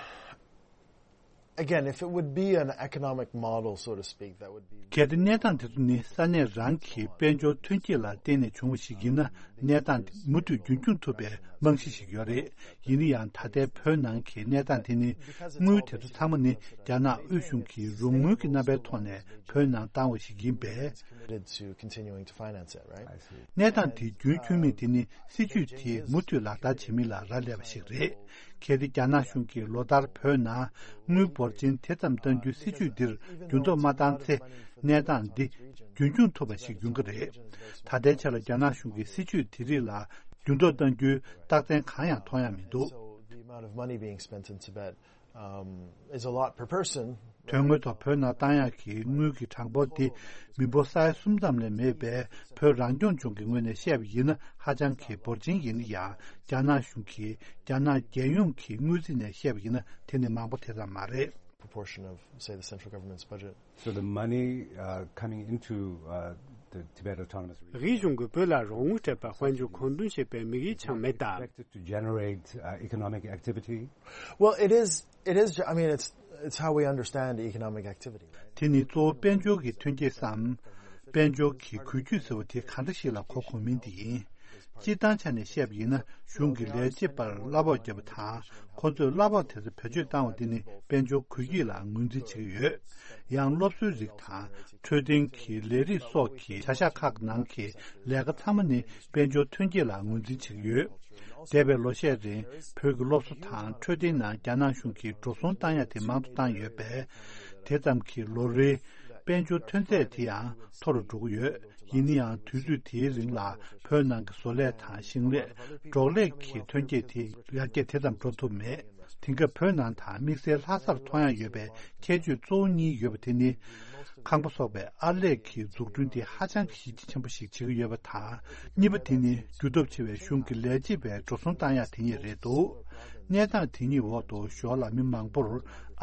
again, if it would be an economic model, so to speak, that would be. གལ་ཏེ་གནས་སྟངས་དེ་ཚོ་ནི་ས་གནས་རང་གི་དཔལ་འབྱོར་ཐོན་སྐྱེད་ལ་བརྟེན་ནས་བྱུང་བ་ཞིག་ཡིན་ན། གནས་སྟངས་དེ་མུ་མཐུད་རྒྱུན་འཁྱོངས་ཐུབ་པའི་རྨང་གཞི་ཞིག་ཡོད་རེད། ཡིན་ན་ཡང་ད་ལྟའི་བོད་ནང་གི་གནས་སྟངས་དེ་ནི། དངུལ་དེ་ཚོ་ཚང་མ་ནི་རྒྱ་ནག་དབུས་གཞུང་གིས་རོགས་དངུལ་གྱི་རྣམ་པའི་ཐོག་ནས་བོད་ནང་བཏང་བ་ཞིག་ཡིན་པས། Committed to continuing to finance it, right? གནས་སྟངས་དེ་རྒྱུན་འཁྱོངས་མིན་དེ་ནི་སྲིད་ཇུས་དེ་མུ་མཐུད་ལག་བསྟར་བྱེད་མིན་ལ་རག་ལས་པ་ཞིག་རེད། གལ་ཏེ་རྒྱ་ནག་གཞུང་གིས་ལོ་ལྟར་བོད་ནང་དངུལ་འབོར་ཆེན་དེ་ཙམ་གཏང་རྒྱུའི་སྲིད་ཇུས་འདིར་འགྱུར་ལྡོག་མ་བཏང་ཚེ། གནས་སྟངས་འདི་རྒྱུན་འཁྱོངས་ཐུབ་པ་ཞིག་ཡོང་གི་རེད། ད་ལྟའི་ཆ་ལ་རྒྱ་ནག་གཞུང་གིས་སྲིད་ཇུས་དེ་རིགས་ལ་འགྱུར་ལྡོག་གཏང་རྒྱུའི་རྟགས་མཚན་གང་ཡང་མཐོང་ཡ་མི་འདུག So the amount of money being spent in Tibet um, is a lot per person. དོན་དངོས་ཐོག་བོད་ནང་བཏང་ཡག་གི་དངུལ་གྱི་གྲངས་འབོར་དེ་མི་འབོར་ས་ཡ་གསུམ་ཙམ་ལས་མེད་པའི་བོད་རང་སྐྱོང་ལྗོངས་ཀྱི་ངོས་ནས་བཤད་པ་ཡིན་ན་ཧ་ཅང་གི་འབོར་ཆེན་ཡིན་ན་ཡང་། རྒྱ་ནག་གཞུང་གིས་རྒྱ་ནག་རྒྱལ་ཡོངས་ཀྱི་དངུལ་རྩིས་ནས་བཤད་པ་ཡིན་ན་དེ་ནི་མང་པོ་དེ་ཙམ་མ་རེད། Proportion of, say, the central government's budget. So the money uh, coming into uh, the Tibet Autonomous Region. དབུས་གཞུང་གིས་བོད་ལ་རོགས་དངུལ་སྤྲད་པ་དཔལ་འབྱོར་མཁོ་འདོན་བྱེད་པའི་དམིགས་ཡུལ་ཆགས་མེད་དམ། Expected to generate uh, economic activity. Well, it is. It is. I mean, it's it's how we understand economic activity. དེ་ནི་གཙོ་བོ་དཔལ་འབྱོར་གྱི་ཐོན་སྐྱེད་སམ། དཔལ་འབྱོར་གྱི་འགུལ་སྐྱོད་ཟེར་བ་དེ་གང་འདྲ་ཞིག་ལ་གོ་དགོས་མིན་དེ་ཡིན། སྤྱིར་བཏང་ཆ་ནས་བཤད་པ་ཡིན་ན། གཞུང་གིས་ལས་བྱེད་པར་གླ་ཕོགས་བརྒྱབ་པ་དང་། ཁོ་ཚོས་གླ་ཕོགས་དེ་ཚོ་བེད་སྤྱོད་བཏང་བ་དེ་ནི་དཔལ་འབྱོར་འགུལ་སྐྱོད་ལ་ངོས་འཛིན་བྱེད་ཀྱི་ཡོད། ཡང་སློབ་གསོའི་རིགས་དང་། འཕྲོད་བསྟེན་གྱི་ལས་རིགས་སོགས་ཀྱི་བྱ་གཞག་ཁག་ནང་གི་ལས་ཀ་ཚང་མ་ནི་དཔལ་འབྱོར་ཐོན་སྐྱེད་ལ་ངོས་འཛིན་བྱེད་ཀྱི་ཡོད། འདས་པའི་ལོ་ཤས་རིང་བོད་ཀྱི་སློབ་གསོ་དང་འཕྲོད་བསྟེན་ནང་རྒྱ་ནག་གཞུང་གིས་འགྲོ་སོང་བཏང་ཡ་དེ་མང་དུ་བཏང་ཡོད་པས། དེ་ཙམ་གྱིས་ལོ་རེའི་དཔལ་འབྱོར་ཐོན་ཚད་དེ་ཡང་མཐོ་རུ་འགྲོ་གི་ཡོད། ཡིན་ན་ཡང་དུས་ཚོད་དེའི་རིང་ལ་བོད་ནང་གི་བཟོ་ལས་དང་ཞིང་ལས། འབྲོག་ལས་ཀྱི་ཐོན་སྐྱེད་དེ་ཡར་རྒྱས་དེ་ཙམ་འགྲོ་ཐུབ་མེད། དེང་སྐབས་བོད་ནང་དང་དམིགས་བསལ་ལྷ་སར་མཐོང་ཡ་ཡོད་པའི་ཁྱད་ཆོས་གཙོ་བོ་གཉིས་ཡོད་པ་དེ་ནི། ཁང་པ་སོགས་པའི་ཨར་ལས་ཀྱི་འཛུགས་སྐྲུན་དེ་ཧ་ཅང་གི་གཞི་རྒྱ་ཆེན་པོ་ཞིག་བྱེད་ཀྱི་ཡོད་པ་དང་། གཉིས་པ་དེ་ནི་རྒྱུ་སྟོབས་ཆེ་བའི་གཞུང་གི་ལས་བྱེད་པའི་འགྲོ་སོང་བཏང་ཡག་དེ་གཉིས་རེད་འདུག་གནས་སྟངས་དེ་གཉིས་འོག་ཏུ་ཞོར་ལ་མི་མང་པོར་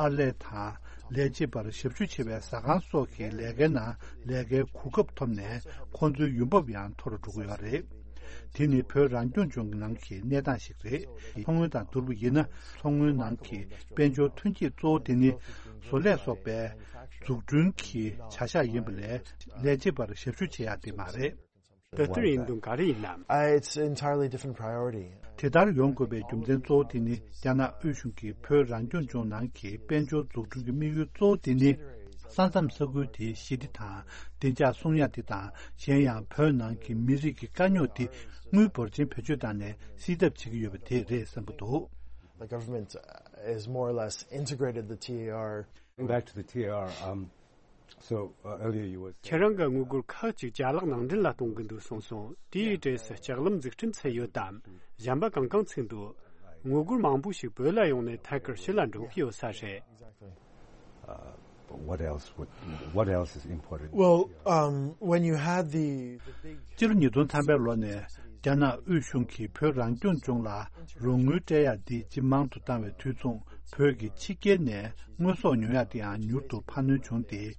ཨར་ལས་དང་ལས་བྱེད་པར་ཞབས་ཞུ་བྱེད་པའི་ཟ་ཁང་སོགས་ཀྱི་ལས་ཀའི་ནང་ལས་ཀའི་གོ་སྐབས་ཐོབ་ནས་ཁོང་ཚོའི་ཡོང་འབབ་ཡང་མཐོ་རུ་འགྲོ་གི་ཡོད་རེད། དེ་ནི་བོད་རང་སྐྱོང་ལྗོངས་ཀྱི་ནང་གི་གནས་སྟངས་ཤིག་རེད། མཚོ་སྔོན་དང་བསྡུར་བ་ཡིན་ན། མཚོ་སྔོན་ནང་གི་དཔལ་འབྱོར་ཐོན་སྐྱེད་གཙོ་བོ་དེ་ནི་བཟོ་ལས་སོགས་པའི་འཛུགས་སྐྲུན་གྱི་བྱ་གཞག་ཡིན་པ་ལས། ལས་བྱེད་པར་ཞབས་ཞུ་བྱེད་ཡག་དེ་མ་རེད། དེ་ལྟར་ཡིན་དོན་ག་རེ་ཡིན་ནམ། Uh, it's an entirely different priority. དེ་ལྟར་ཡོང་དགོས་པའི་རྒྱུ་མཚན་གཙོ་བོ་དེ་ནི། རྒྱ་ནག་དབུས་གཞུང་གིས་བོད་རང་སྐྱོང་ལྗོངས་ནང་གི་དཔལ་འབྱོར་འཛུགས་སྐྲུན་གྱི་དམིགས་ཡུལ་གཙོ་བོ་དེ་ནི། ས་མཚམས་ས་ཁུལ་དེའི་ཞི་བདེ་དང་བདེ་འཇགས་སྲུང་ཡག་དེ་དང་། གཞན་ཡང་བོད་ནང་གི་མི་རིགས་ཀྱི་དཀའ་རྙོག་དེ་དངུལ་འབོར་ཆེན་བེད་སྤྱོད་བཏང་ནས་སེལ་ཐབས་བྱེད་ཀྱི་ཡོད་པ་དེ་རེད་བསམ་གྱི་འདུག The government uh, has more or less integrated the T A R. Going back to the T A R, um, so uh, earlier you were ཁྱེད་རང་གིས་དངུལ་སྒོར་ཁག་ཅིག་ཅ་ལག་ནང་འདྲེན་ལ་གཏོང་གི་འདུག་གསུངས་སོང་། དེའི་གྲས་སུ་ལྕགས་ལམ་འཛུགས་སྐྲུན་ཚུད་ཡོད་དམ། གཞན་པ་གང་གང་ཚུད་འདུག་དངུལ་སྒོར་མང་པོ་ཞིག་བོད་ལ་ཡོང་ནས་ཐད་ཀར་ཕྱི་ལ་འགྲོ་གི་ཡོད་ས་རེད། uh, what else would what else is imported? Well, um, when you had the, the big སྤྱི་ལོ་ཉིས་སྟོང་ཐམ་པའི་ལོ་ནས་རྒྱ་ནག་དབུས་གཞུང་གིས་བོད་རང་སྐྱོང་ལྗོངས་ལ་རོགས་དངུལ་སྤྲད་ཡག་འདི་ཇེ་མང་དུ་བཏང་བའི་དུས་མཚུངས། བོད་ཀྱི་ཕྱི་རྒྱལ་ནས་དངོས་ཟོག་ཉོ་ཡག་དེའང་མྱུར་དུ་འཕར་སྣོན་བྱུང་སྟེ།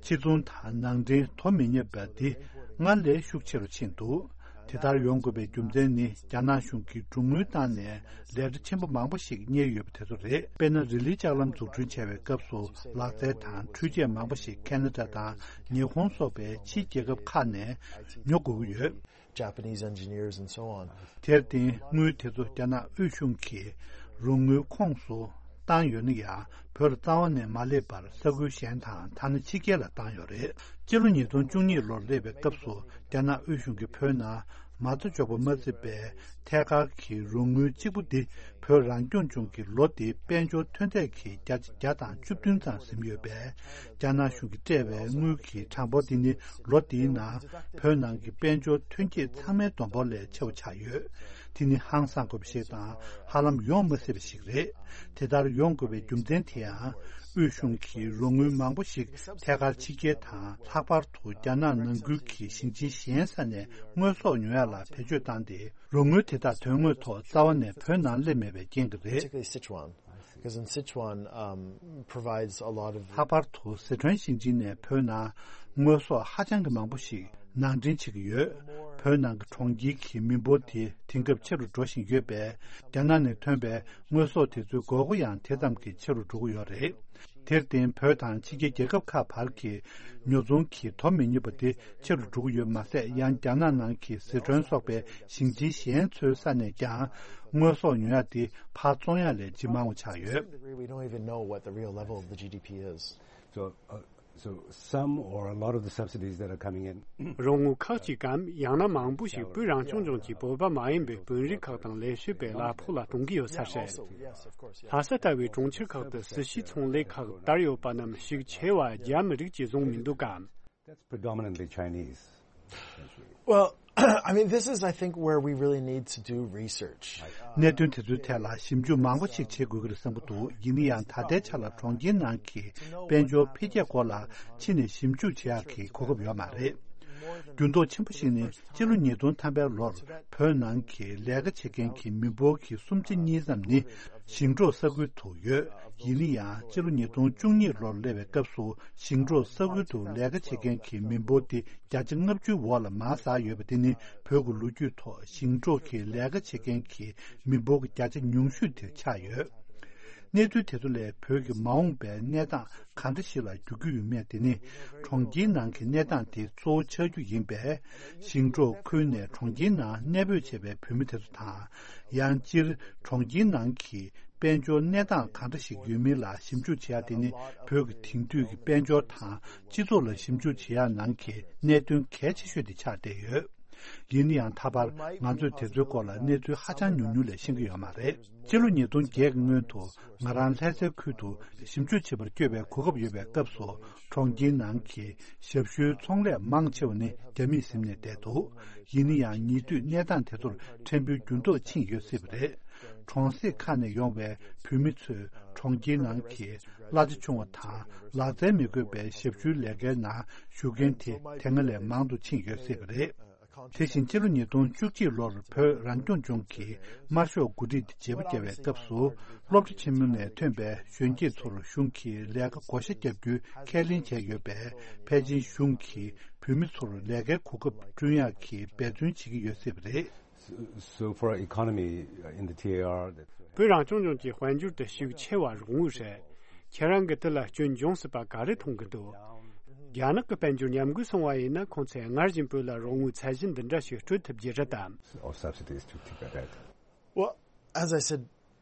ཕྱི་ཚོང་དང་ནང་འདྲེན་དོ་མི་མཉམ་པ་འདི་སྔར་ལས་ཤུགས་ཆེ་རུ་ཕྱིན་འདུག་དེ་ལྟར་ཡོང་དགོས་པའི་རྒྱུ་མཚན་ནི། རྒྱ་ནག་གཞུང་གིས་རོགས་དངུལ་བཏང་ནས་ལས་གྲྭ་ཆེན་པོ་མང་པོ་ཞིག་གཉེར་ཡོད་པ་དེ་ཚོ་རེད། དཔེར་ན། རི་ལིའི་ལྕགས་ལམ་འཛུགས་སྐྲུན་བྱ་བའི་སྐབས་སུ་ལག་རྩལ་དང་འཕྲུལ་ཆས་མང་པོ་ཞིག་ཁེ་ན་ཌ་དང་ཉི་ཧོང་སོགས་པའི་ཕྱིའི་རྒྱལ་ཁབ་ཁག་ནས་ཉོ་དགོས་ཀྱི་ཡོད། Japanese engineers and so on. དེར་བརྟེན་དངུལ་དེ་ཚོ་རྒྱ་ནག་དབུས་གཞུང་གིས་རོགས་དངུལ་ཁོངས་སུ་བཏང་ཡོད་ན་ཡང་། བོད་ལ་རྩ་བ་ནས་མ་སླེབས་པར་ས་ཁུལ་གཞན་དང་། ཐ་ན་ཕྱི་རྒྱལ་ལ་བཏང་ཡོད་རེད། སྤྱི་ལོ་ཉིས་སྟོང་བཅུ་གཉིས་ལོར་སླེབས་པའི་སྐབས་སུ། རྒྱ་ནག་དབུས་གཞུང་གིས་བོད་ནང་མ་རྩ་འཇོག་པ་མ་ཟད་པའི་ཐད་ཀར་གྱི་རོགས་དངུལ་གཅིག་པུ་འདི་ བོད་རང་སྐྱོང་ལྗོངས་ཀྱི་ལོ་འདིའི་དཔལ་འབྱོར་ཐོན་འབབ་ཀྱི་བརྒྱ་ཆ་བརྒྱ་དང་བཅུ་བདུན་ཙམ་ཟིན་ཡོད་པས། རྒྱ་ནག་གཞུང་གིས་སྤྲད་པའི་དངུལ་གྱི་གྲངས་འབོར་འདི་ནི་ལོ་འདིའི་ནང་བོད་ནང་གི་དཔལ་འབྱོར་ཐོན་སྐྱེད་ཚང་མའི་བསྡོམས་འབོར་ལས་ཆེ་བ་ཆགས་ཡོད། དེ་ནི་ཧང་སང་དགོས་པ་ཞིག་དང་། ཧ་ལམ་ཡོང་མ་སྲིད་པ་ཞིག་རེད། དེ་ལྟར་ཡོང་དགོས་པའི་རྒྱུ་མཚན་དེ་ཡང་། དབུས་གཞུང་གིས་རོགས་དངུལ་མང་པོ་ཞིག་ཐད་ཀར་ཕྱི་རྒྱལ་དང་། ལྷག་པར་དུ་རྒྱ་ནག་ནང་ཁུལ་གྱི་ཞིང་ཆེན་གཞན་ས་ནས་དངོས་ཟོག་ཉོ་ཡག་ལ་བེད་སྤྱོད་བཏང་སྟེ། རོགས་དངུལ་དེ་དག་དོན་དངོས་ཐོག་རྩ་བ་ནས་བོད་ནང་སླེབས་མེད་པའི་རྐྱེན་གྱིས་རེད། Particularly Sichuan, because in Sichuan, um, provides a lot of ལྷག་པར་དུ་སི་ཁྲོན་ཞིང་ཆེན་ནས་བོད་ནང་དངོས་ཟོག་ཧ་ཅང་གི་མང་པོ་ཞིག་ནང་འདྲེན་བྱེད་ཀྱི་ཡོད། བོད་ནང་གི་གྲོང་ཁྱེར་གྱི་མི་འབོར་དེ་དེང་སྐབས་ཆེ་རུ་འགྲོ་བཞིན་ཡོད་པས། རྒྱ་ནག་ནས་ཐོན་པའི་དངོས་ཟོག་དེ་ཚོའི་དགོས་མཁོ་ཡང་དེ་ཙམ་གྱིས་ཆེ་རུ་འགྲོ་གི་ཡོད་རེད། དེར་བརྟེན། བོད་དང་ཕྱི་རྒྱལ་རྒྱལ་ཁབ་ཁག་བར་གྱི་ཉོ་ཚོང་གི་དོ་མི་མཉམ་པ་དེ་ཆེ་རུ་འགྲོ་གི་ཡོད་མ་ཟད། ཡང་རྒྱ་ནག་ནང་གི་སི་ཁྲོན་སོགས་པའི་ཞིང་ཆེན་གཞན་ཚོའི་ས་ནས་ཀྱང་དངོས་ཟོག་ཉོ་ཡག་དེ་ཕར་བཙོང་ཡག་ལས་ཇེ་མང་བ་ཆགས་ཡོད། To the degree we don't even know what the real level of the G D P is. So, uh, so some or a lot of the subsidies that are coming in རོགས་དངུལ་ཁག་ཅིག་གམ། ཡང་ན་མང་པོ་ཞིག་བོད་རང་སྐྱོང་ལྗོངས་ཀྱི་བོད་པ་མ་ཡིན་པའི་དཔོན་རིགས་ཁག་དང་ལས་བྱེད་པའི་གླ་ཕོགས་ལ་གཏོང་གི་ཡོད་ས་རེད། ལྷ་ས་ལྟ་བུའི་གྲོང་ཁྱེར་ཁག་ཏུ་སི་ཤི་ཚོང་ལས་ཁག་དར་ཡོད་པ་རྣམས་ཤུགས་ཆེ་བ་རྒྱ་མི་རིགས་ཀྱིས་བཟུང་མི་འདུག་གམ། That's predominantly Chinese. Well, I mean, this is, I think, where we really need to do research. གནད་དོན་དེ་ཚོའི་ཐད་ལ་ཞིབ་འཇུག་མང་པོ་ཞིག་བྱེད་དགོས་ཀྱི་རེད་བསམ་གྱི་འདུག་ཡིན་ན་ཡང་། ད་ལྟའི་ཆ་ལ་གྲོང་ཁྱེར་ནང་གི་དཔལ་འབྱོར་འཕེལ་རྒྱས་སྐོར་ལ་ཕྱི་ནས་ཞིབ་འཇུག་བྱེད་ཡག་གི་གོ་སྐབས་ཡོད་མ་རེད། འགྱུར་ལྡོག་ཆེན་པོ་ཞིག་ནི། སྤྱི་ལོ་ཉིས་སྟོང་ཐམ་པའི་ལོར་བོད་ནང་གི་ལས་ཀ་བྱེད་མཁན་གྱི་མི་འབོར་གྱི་སུམ་ཆ་གཉིས་ཙམ་ནི་ཞིང་འབྲོག་ས་ཁུལ་དུ་ཡོད། ཡིན་ན་ཡང་། སྤྱི་ལོ་ཉིས་སྟོང་བཅུ་གཉིས་ལོར་སླེབས་པའི་སྐབས་སུ། ཞིང་འབྲོག་ས་ཁུལ་དུ་ལས་ཀ་བྱེད་མཁན་གྱི་མི་འབོར་དེ་བརྒྱ་ཆ་ལྔ་བཅུའི་འོག་ལ་མར་ཟག་ཡོད་པ་དེ་ནི། བོད་ཀྱི་ལོ་རྒྱུས་ཐོག་ཞིང་འབྲོག་གི་ལས་ཀ་བྱེད་མཁན་གྱི་མི་འབོར་གྱི་བརྒྱ་ཆ་ཉུང་ཤོས་དེ་ཆགས་ཡོད། གནས་ཚུལ་དེ་ཚོ་ལས་བོད་ཀྱི་མ་འོངས་པའི་གནས་སྟངས་གང་འདྲ་ཞིག་ལ་འགྱུར་རྒྱུ་ཡོད་མེད་དེ་ནི། གྲོང་ཁྱེར་ནང་གི་གནས་སྟངས་དེ་གཙོ་བོ་ཆགས་རྒྱུ་ཡིན་པས། ཞིང་འབྲོག་ཁུལ་ནས་གྲོང་ཁྱེར་ནང་གནས་སྤོས་བྱས་པའི་བོད་མི་དེ་ཚོ་དང་། ཡང་སྤྱིར་གྲོང་ཁྱེར་ནང་གི་དཔལ་འབྱོར་གནས་སྟངས་གང་འདྲ་ཞིག་ཡོད་མིན་ལ་ཞིབ་འཇུག་བྱེད་ཡ་དེ་ནི། བོད་ཀྱི་དེང་དུས་ཀྱི་དཔལ་འབྱོར་དང་སྤྱི་ཚོགས་ལ་ཞིབ་འཇུག་བྱེད་ཡ་ནང་གི་གནད་དོན་གལ་ཆེ་ཤོས་དེ་ཆགས་བསྡད་ཡོད། ཡིན་ན་ཡང་། ད་བར་ང་ཚོས་དེ་ཚོའི་སྐོར་ལ་གནས་ཚུལ་ཧ་ཅང་ཉུང་ཉུང་ལས་ཤེས་ཀྱི་ཡོད་མ་རེད། སྤྱི་ལོ་ཉིས་སྟོང་བརྒྱད་ཀྱི་སྔོན་དུ་ང་རང་ལྷ་སའི་ཁུལ་དུ་ཞིབ་འཇུག་བྱེད་པར་བསྐྱོད་པའི་གོ་སྐབས་ཡོད་པའི་སྐབས་སུ། གྲོང་ཁྱེར་ནང་གི་ཞབས་ཞུའི་ཚོང་ལས་མང་ཆེ་བ་ནི་རྒྱ་མིས་ཟིན་ནས་བསྡད་འདུག་ཡིན་ན་ཡང་། ཉེ་དུས་གནས་སྟངས་དེ་ཚོར་ཕྲན་བུ་འགྱུར་ལྡོག་ཕྱིན་ཡོད་སྲིད་པ་རེད། གྲོང་གསེབ་ཁག་ནས་ཡོང་བའི་བོད་མི་ཚོས་གྲོང་ཁྱེར་ནང་གི་གླ་ཆ་ཆུང་བ་དང་ལག་རྩལ་མི་དགོས་པའི་ཞབས་ཞུའི་ལས་ཀའི་ནང་ཞུགས་མཁན་དེ་དེ་སྔ་ལས་མང་དུ་ཕྱིན་ཡོད་སྲིད་པ་རེད། དེ་བཞིན་སྤྱི་ལོ་ཉིས་སྟོང་བཅུ་གཅིག་ལོར་བོད་རང་སྐྱོང་ལྗོངས་ཀྱིས་དམར་ཤོག་འགོ་ཁྲིད་དེ་བརྗེ་པོ་བརྒྱབ་པའི་སྐབས་སུ། སློབ་གྲྭ་ཆེན་མོ་ནས་ཐོན་པའི་གཞོན་སྐྱེས་ཚོར་གཞུང་གིས་ལས་ཀ་བགོ་བཤའ་བརྒྱབ་རྒྱུའི་ཁས་ལེན་བྱས་ཡོད་པས། ཕལ་ཆེར་གཞུང་གིས་བོད་མི་ཚོར་ལས་ཀའི་གོ་སྐབས་བསྐྲུན་ཡག་གི་འབད་བརྩོན་བྱེད་ཀྱི་ཡོད་སྲིད་པ་རེད། So, so for economy, uh, in the T A R, that's ཁྱེད་རང་གི་དེ་ལ་སྐྱོན་འབྱུང་སྲིད་པ་ག་རེ་མཐོང་གི་འདུག་རྒྱ་ནག་གི་དཔལ་འབྱོར་ཉམས་རྒུད་སོང་བ་ཡིན་ན། ཁོང་ཚོས་སྔར་བཞིན་བོད་ལ་རོགས་དངུལ་ཚད་གཞི་འདི་འདྲ་ཞིག་སྤྲོད་ཐུབ་རྒྱུ་རེད་དམ། Of subsidies to Tibet. Well, as I said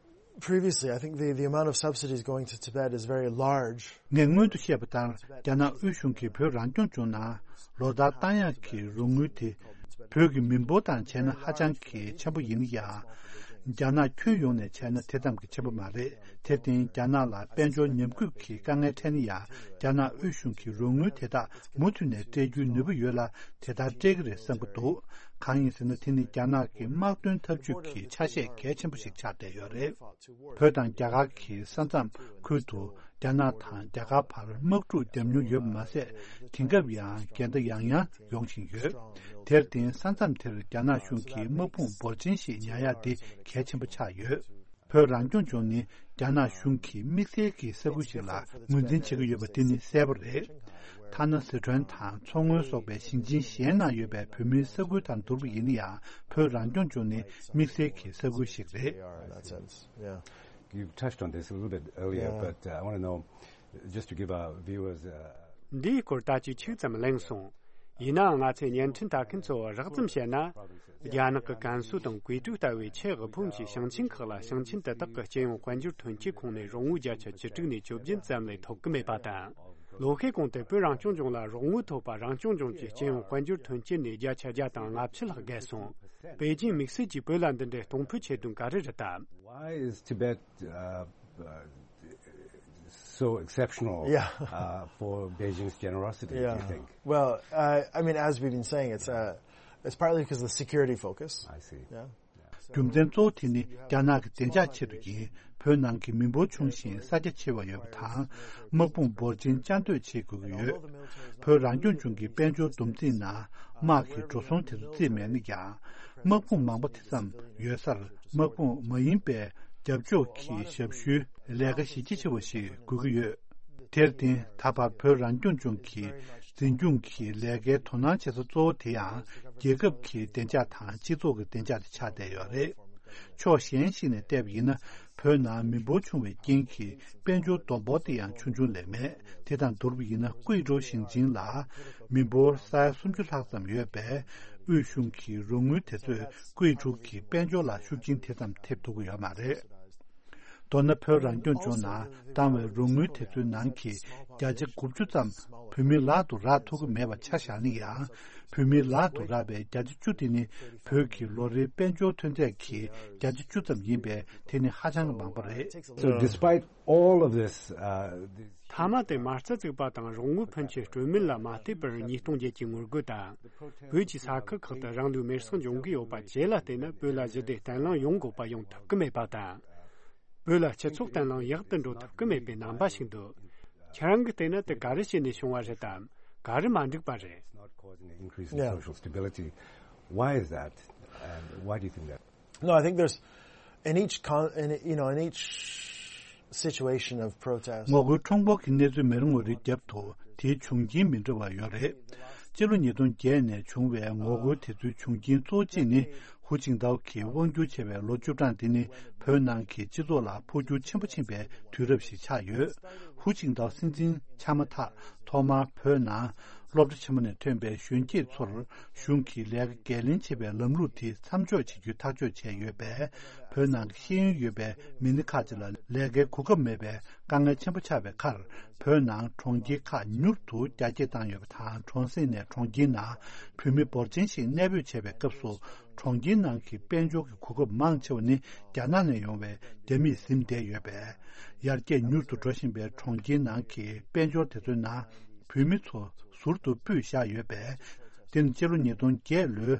previously, I think the, the amount of subsidies going to Tibet is very large. ངས་སྔོན་དུ་བཤད་པ་ལྟར། རྒྱ་ནག་དབུས་གཞུང་གིས་བོད་རང་སྐྱོང་ལྗོངས་ནང་ལོ་ལྟར་བཏང་ཡག་གི་རོགས་དངུལ་དེ། བོད་ཀྱི་མི་འབོར་དང་བྱས་ན་ཧ་ཅང་གི་ཆེན་པོ་ཡིན་ཡང་། རྒྱ་ནག་ཁྱོན་ཡོངས་ནས་བྱས་ན་དེ་ཙམ་གྱི་ཆེན་པོ་མ་རེད། དེར་བརྟེན། རྒྱ་ནག་ལ་དཔལ་འབྱོར་ཉམས་རྒུད་ཀྱི་དཀའ་ངལ་འཕྲད་ན་ཡང་། རྒྱ་ནག་དབུས་གཞུང་གིས་རོགས་དངུལ་དེ་དག་མུ་མཐུད་ནས་སྤྲད་རྒྱུའི་ནུས་པ་ཡོད་ལ། དེ་ལྟར་སྤྲད་ཀྱི་རེད་བསམ་གྱི་འདུག་གང་ཡིན་ཟེར་ན། དེ་ནི་རྒྱ་ནག་གི་དམག་དོན་འཐབ་ཇུས་ཀྱི་ཆ་ཤས་གལ་ཆེན་པོ་ཞིག་ཆགས་བསྡད་ཡོད་རེད། བོད་དང་རྒྱ་གར་གྱི་ས་མཚམས་ཁུལ་དུ་རྒྱ་ནག་དང་རྒྱ་གར་བར་དམག་འཁྲུག་བརྒྱབ་མྱོང་ཡོད་པ་མ་ཟད། དེང་སྐབས་ཡང་འགལ་ཟླ་ཡང་ཡང་ཡོང་བཞིན་ཡོད། དེར་བརྟེན། ས་མཚམས་དེར་རྒྱ་ནག་གཞུང་གིས་དམག་དཔུང་འབོར་ཆེན་ཞིག་ཉར་ཡག་དེ་གལ་ཆེན་པོ་ཆགས་ཡོད། བོད་རང་སྐྱོང་ལྗོངས་ནི་རྒྱ་ནག་གཞུང་གིས་དམིགས་བསལ་གྱི་ས་ཁུལ་ཞིག་ལ་ངོས་འཛིན་བྱེད་ཀྱི་ཡོད་པ་དེ་ནི་གསལ་པོ་རེད། ཐ་ན་སི་ཁྲོན་དང་མཚོ་སྔོན་སོགས་པའི་ཞིང་ཆེན་གཞན་ནང་ཡོད་པའི་བོད་མིའི་ས་ཁུལ་དང་བསྡུར་བ་ཡིན་ན་ཡང་། བོད་རང་སྐྱོང་ལྗོངས་ནི་དམིགས་བསལ་གྱི་ས་ཁུལ་ཞིག་རེད། In that sense, yeah. You touched on this a little bit earlier, yeah, but, uh, I want to know, just to give our viewers, uh, འདིའི་སྐོར་ད་ཅིག་ཆིག་ཙམ་གླེང་སོང་། ཡིན་ནའང་། ང་ཚོའི་བརྙན་འཕྲིན་ལྟ་མཁན་ཚོར་རགས་ཙམ་བཤད་ན། རྒྱ་ ནག་གི་ཀན་སུའུ་དང་ཀུའེ་ཀྲུའུ་ལྟ་བུའི་ཆེས་དབུལ་ཕོངས་ཀྱི་ཞིང་ཆེན་ཁག་ལ། ཞིང་ཆེན་དེ་དག་གི་སྤྱི་ཡོངས་དཔལ་འབྱོར་ཐོན་སྐྱེད་ཁོངས་ནས་རོགས་དངུལ་བརྒྱ་ཆ་བཅུ་དྲུག་ནས་བཅོ་བརྒྱད་ཙམ་ལས་ཐོབ་ཀྱི་མེད་པ་དང་། ལོ་ཤས་གོང་དུ་བོད་རང་སྐྱོང་ལྗོངས་ལ་རོགས་དངུལ་ཐོབ་པ། རང་སྐྱོང་ལྗོངས་ཀྱི་སྤྱི་ཡོངས་དཔལ་འབྱོར་ཐོན་སྐྱེད་ནས་བརྒྱ་ཆ་བརྒྱ་དང་ལྔ་བཅུ་ལྷག་བརྒལ་སོང་། པེ་ཅིང་དམིགས་བསལ་གྱིས་བོད་ལ་འདི་འདྲའི་གཏོང་ཕོད་བྱེད་དོན་ག་རེ་རེད་དམ། Why is Tibet uh, uh, so exceptional Yeah. uh, for Beijing's generosity, do you Yeah. think? Well, uh, I mean, as we've been saying, it's uh, it's partly because of the security focus. I see. Yeah. རྒྱུ་མཚན་གཙོ་བོ་དེ་ནི་རྒྱ་ནག་གི་བདེ་འཇགས་ཆེད་དུ་ཡིན། བོད་ནང་གི་མི་འབོར་ཆུང་ཞིང་ས་རྒྱ་ཆེ་བ་ཡོད་པ་དང་། དམག་དཔུང་འབོར་ཆེན་བཅའ་སྡོད་བྱེད་དགོས་ཀྱི་ཡོད། བོད་རང་སྐྱོང་ལྗོངས་ཀྱི་དཔལ་འབྱོར་བསྡོམས་རྩིས་ནང་དམག་གི་འགྲོ་སོང་དེ་ཚོ་བརྩིས་མེད་ན་ཡང་། དམག་དཔུང་མང་པོ་དེ་ཙམ་ཡོད་སར་དམག་དཔུང་མ་ཡིན་པའི་རྒྱབ་ཕྱོགས་ཀྱི་ཞབས་ཞུའི་ལས་ཀ་གཞི་རྒྱ་ཆེ་བ་ཞིག་དགོས་ཀྱི་ཡོད། དེར་བརྟེན། ད་བར་བོད་རང་སྐྱོང་ལྗོངས་ཀྱི་འཛིན་སྐྱོང་གི་ལས་ཀའི་དོ་སྣང་བྱེད་ས་གཙོ་བོ་དེ་ཡང་རྒྱལ་ཁབ་ཀྱི་བདེ་འཇགས་དང་སྤྱི་ཚོགས་ཀྱི་བདེ་འཇགས་དེ་ཆགས་བསྡད་ཡོད་རེད། ཕྱོགས་གཞན་ཞིག་ནས་བལྟས་པ་ཡིན་ན། བོད་ནང་མི་འབོར་ཆུང་བའི་རྐྱེན་གྱིས་དཔལ་འབྱོར་བསྡོམས་འབོར་དེ་ཡང་ཆུང་ཆུང་ལས་མེད། དེ་དང་བསྡུར་བ་ཡིན་ན། ཀུའེ་ཀྲོའུ་ཞིང་ཆེན་ལ་མི་འབོར་ས་ཡ་སུམ་ཅུ་ལྷག་ཙམ་ཡོད་པས། དབུས་གཞུང་གི་རོགས་དངུལ་དེ་ཚོས་ཀུའེ་ཀྲོའུ་གི་དཔལ་འབྱོར་ལ་ཤུགས་རྐྱེན་དེ་ཙམ་ཐེབས་ཐུབ་ཀྱི་ཡོད་མ་རེད། མདོར་ན། བོད་རང་སྐྱོང་ལྗོངས་ནང་བཏང་བའི་རོགས་དངུལ་དེ་ཚོའི་ནང་གི་བརྒྱ་ཆ་དགུ་བཅུ་ཙམ་བོད་མིའི་ལག་ཏུ་རག་ཐུབ་ཀྱི་མེད་པ་ཆ་བཞག་ན་ཡང་། བོད་མིའི་ལག་ཏུ་རག་པའི་བརྒྱ་ཆ་བཅུ་དེ་ནི་བོད་ཀྱི་ལོ་རེའི་དཔལ་འབྱོར་ཐོན་རྫས་ཀྱི་བརྒྱ་ཆ་བཅུ་ཙམ་ཡིན་པས། དེ་ནི་ཧ་ཅང་གི་མང་པོ་རེད། So despite all of this, uh, this མཐའ་མ་དེ་མ་རྩ་བཙུགས་པ་དང་རོགས་དངུལ་ཕོན་ཆེ་སྤྲོད་མིན་ལ་མ་ལྟོས་པར། ཉིས་སྟོང་བརྒྱད་ཀྱི་ངོ་རྒོལ་དང་། བོད་ཀྱི་ས་ཁུལ་ཁག་ཏུ་རང་ལུས་མེར་སྲེག་འབྱུང་གི་ཡོད་པ་བཅས་ལ་བལྟས་ན། བོད་ལ་ཞི་བདེ་བརྟན་ལྷིང་ཡོང་དགོས་པ་ཡོང་ཐུབ་ཀྱི་མེད་པ་དང་། བོད་ལ་སྤྱི་ཚོགས་བརྟན་ལྷིང་ཡག་ཏུ་འགྲོ་ཐུབ་ཀྱི་མེད་པའི་རྣམ་པ་ཞིག་འདུག་ཁྱེད་རང་གིས་བལྟས་ན། དེ་ག་རེ་བྱས་ནས་བྱུང་བ་རེད་དམ། ག་རེ་མ་འགྲིག་པ་རེད། It's not causing an increase in Yeah. social stability. Why is that? And why do you think that? No, I think there's in each con, in, you know, in each situation of protest. ངོ་རྒོལ་ཁྲོམ་སྐོར་གྱི་གནས་ཚུལ་མི་རེ་ངོ་རེའི་རྒྱབ་ཏུ་དེའི་བྱུང་རྐྱེན་མི་འདྲ་བ་ཡོད་རེད། སྤྱི་ལོ་ཉིས་སྟོང་བརྒྱད་ནས་བྱུང་བའི་ངོ་རྒོལ་དེ་ཚོའི་བྱུང་རྐྱེན་གཙོ་བོ་གཅིག་ནི། ཧུའུ་ཅིན་ཐའོ་གིས་དབང་སྒྱུར་བྱས་པའི་ལོ་བཅུ་གྲངས་དེ་ནི། བོད་ནང་གི་སྤྱི་ཚོགས་ལ་འཕོ་འགྱུར་ཆེན་པོ་ཕྱིན་པའི་དུས་རབས་ཤིག་ཆགས་ཡོད། ཧུའུ་ཅིན་ཐའོ་སྲིད་འཛིན་ཆགས་མ་ཐག་ཐོག་མར་བོད་ནང་སློབ་གྲྭ་ཆེན་མོ་ནས་ཐོན་པའི་གཞོན་སྐྱེས་ཚོར་གཞུང་གིས་ལས་ཀ་འགན་ལེན་བྱེད་པའི་ལམ་ལུགས་དེ་མཚམས་འཇོག་བྱེད་རྒྱུའི་ཐག་གཅོད་བྱས་ཡོད་པས། བོད་ནང་གི་ཤེས་ཡོན་ཡོད་པའི་མི་སྣ་ཁག་ཅིག་ལ་ལས་ཀའི་གོ་སྐབས་མེད་པའི་དཀའ་ངལ་ཆེན་པོ་ཆགས་པའི་ཁར། བོད་ནང་གྲོང་ཁྱེར་ཁག་མྱུར་དུ་རྒྱ་སྐྱེད་བཏང་ཡོད་པ་དང་། གྲོང་གསེབ་ནས་གྲོང་ཁྱེར་ནང་བོད་མི་འབོར་ཆེན་ཞིག་གནས་སྤོས་བྱས་པའི་སྐབས་སུ། གྲོང་ཁྱེར་ནང་གི་དཔལ་འབྱོར་གྱི་གོ་སྐབས་མང་ཆེ་བ་ནི་རྒྱ་ནག་ནས་ཡོང་བའི་རྒྱ་མིས་ཟིན་བསྡད་ཡོད་པས། ཡར་རྒྱས་མྱུར་དུ་འགྲོ་བཞིན་པའི་གྲོང་ཁྱེར་ནང་གི་དཔལ་འབྱོར་དེ་ཚོའི་ནང་བོད་མི་ཚོ་ཟུར་དུ་སྤོས་བཞག་ཡོད་པས། དེ་ནི་སྤྱི་ལོ་ཉིས་སྟོང་བརྒྱད་ལོའི་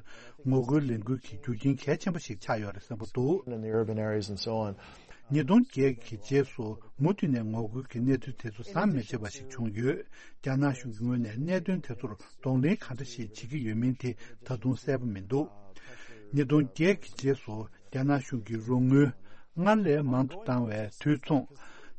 ངོ་རྒོལ་ལས་འགུལ་གྱི་རྒྱུ་རྐྱེན་གལ་ཆེན་པོ་ཞིག་ཆགས་ཡོད་རེད་བསམ་པ་འདུག In the urban areas and so on. ཉིས་སྟོང་བརྒྱད་ཀྱི་རྗེས་སུ་མུ་མཐུད་ནས་ངོ་རྒོལ་གྱི་གནས་ཚུལ་དེ་ཚོ་ཟམ་མི་ཆད་པ་ཞིག་བྱུང་ཡོད། རྒྱ་ནག་གཞུང་གི་ངོས་ནས་གནད་དོན་དེ་ཚོར་གདོང་ལེན་ག་འདྲ་ཞིག་བྱེད་ཀྱི་ཡོད་མིན་དེ་ད་དུང་གསལ་པོ་མི་འདུག་ཉིས་སྟོང་བརྒྱད་ཀྱི་རྗེས་སུ་རྒྱ་ནག་གཞུང་གིས་རོགས་དངུལ་སྔར་ལས་མང་དུ་བཏང་བའི་དུས་མཚུངས།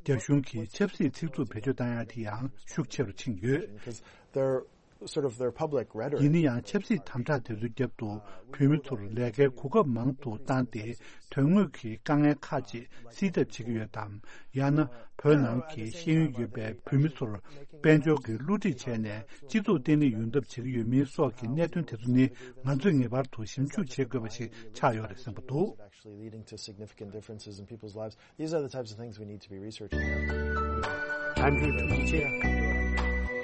རྒྱ་གཞུང་གིས་ཆབ་སྲིད་ཚིག་རྩུབ་བེད་སྤྱོད་བཏང་ཡག་དེ་ཡང་ཤུགས་ཆེ་རུ་ཕྱིན་ཡོད། Because they're sort of their public rhetoric. ཡིན་ན་ཡང་ཆབ་སྲིད་དམ་དྲག་དེ་ཚོའི་རྒྱབ་ཏུ་བོད་མི་ཚོར་ལས་ཀའི་གོ་སྐབས་མང་དུ་བཏང་སྟེ། དོན་དངོས་ཀྱི་དཀའ་ངལ་ཁག་ཅིག་སེལ་ཐབས་བྱེད་ཀྱི་ཡོད་དམ། ཡང་ན་བོད་ནང་གི་ཤེས་ཡོན་ཡོད་པའི་བོད་མི་ཚོར་དཔལ་འབྱོར་གྱི་བསླུ་བྲིད་བྱས་ནས་སྤྱི་ཚོགས་བརྟན་ལྷིང་ཡོང་ཐབས་བྱེད་ཀྱི་ཡོད་མིན་སོགས་ཀྱི་གནད་དོན་དེ་ཚོ་ནི། ང་ཚོས་ངེས་པར་དུ་ཞིབ་འཇུག་བྱེད་དགོས་པ་ཞིག་ཆགས་ཡོད་རེད་བསམ་པ་འདུག Actually leading to significant differences in people's lives. These are the types of things we need to be researching. ད་ཕན་ཐོགས་ཆེ།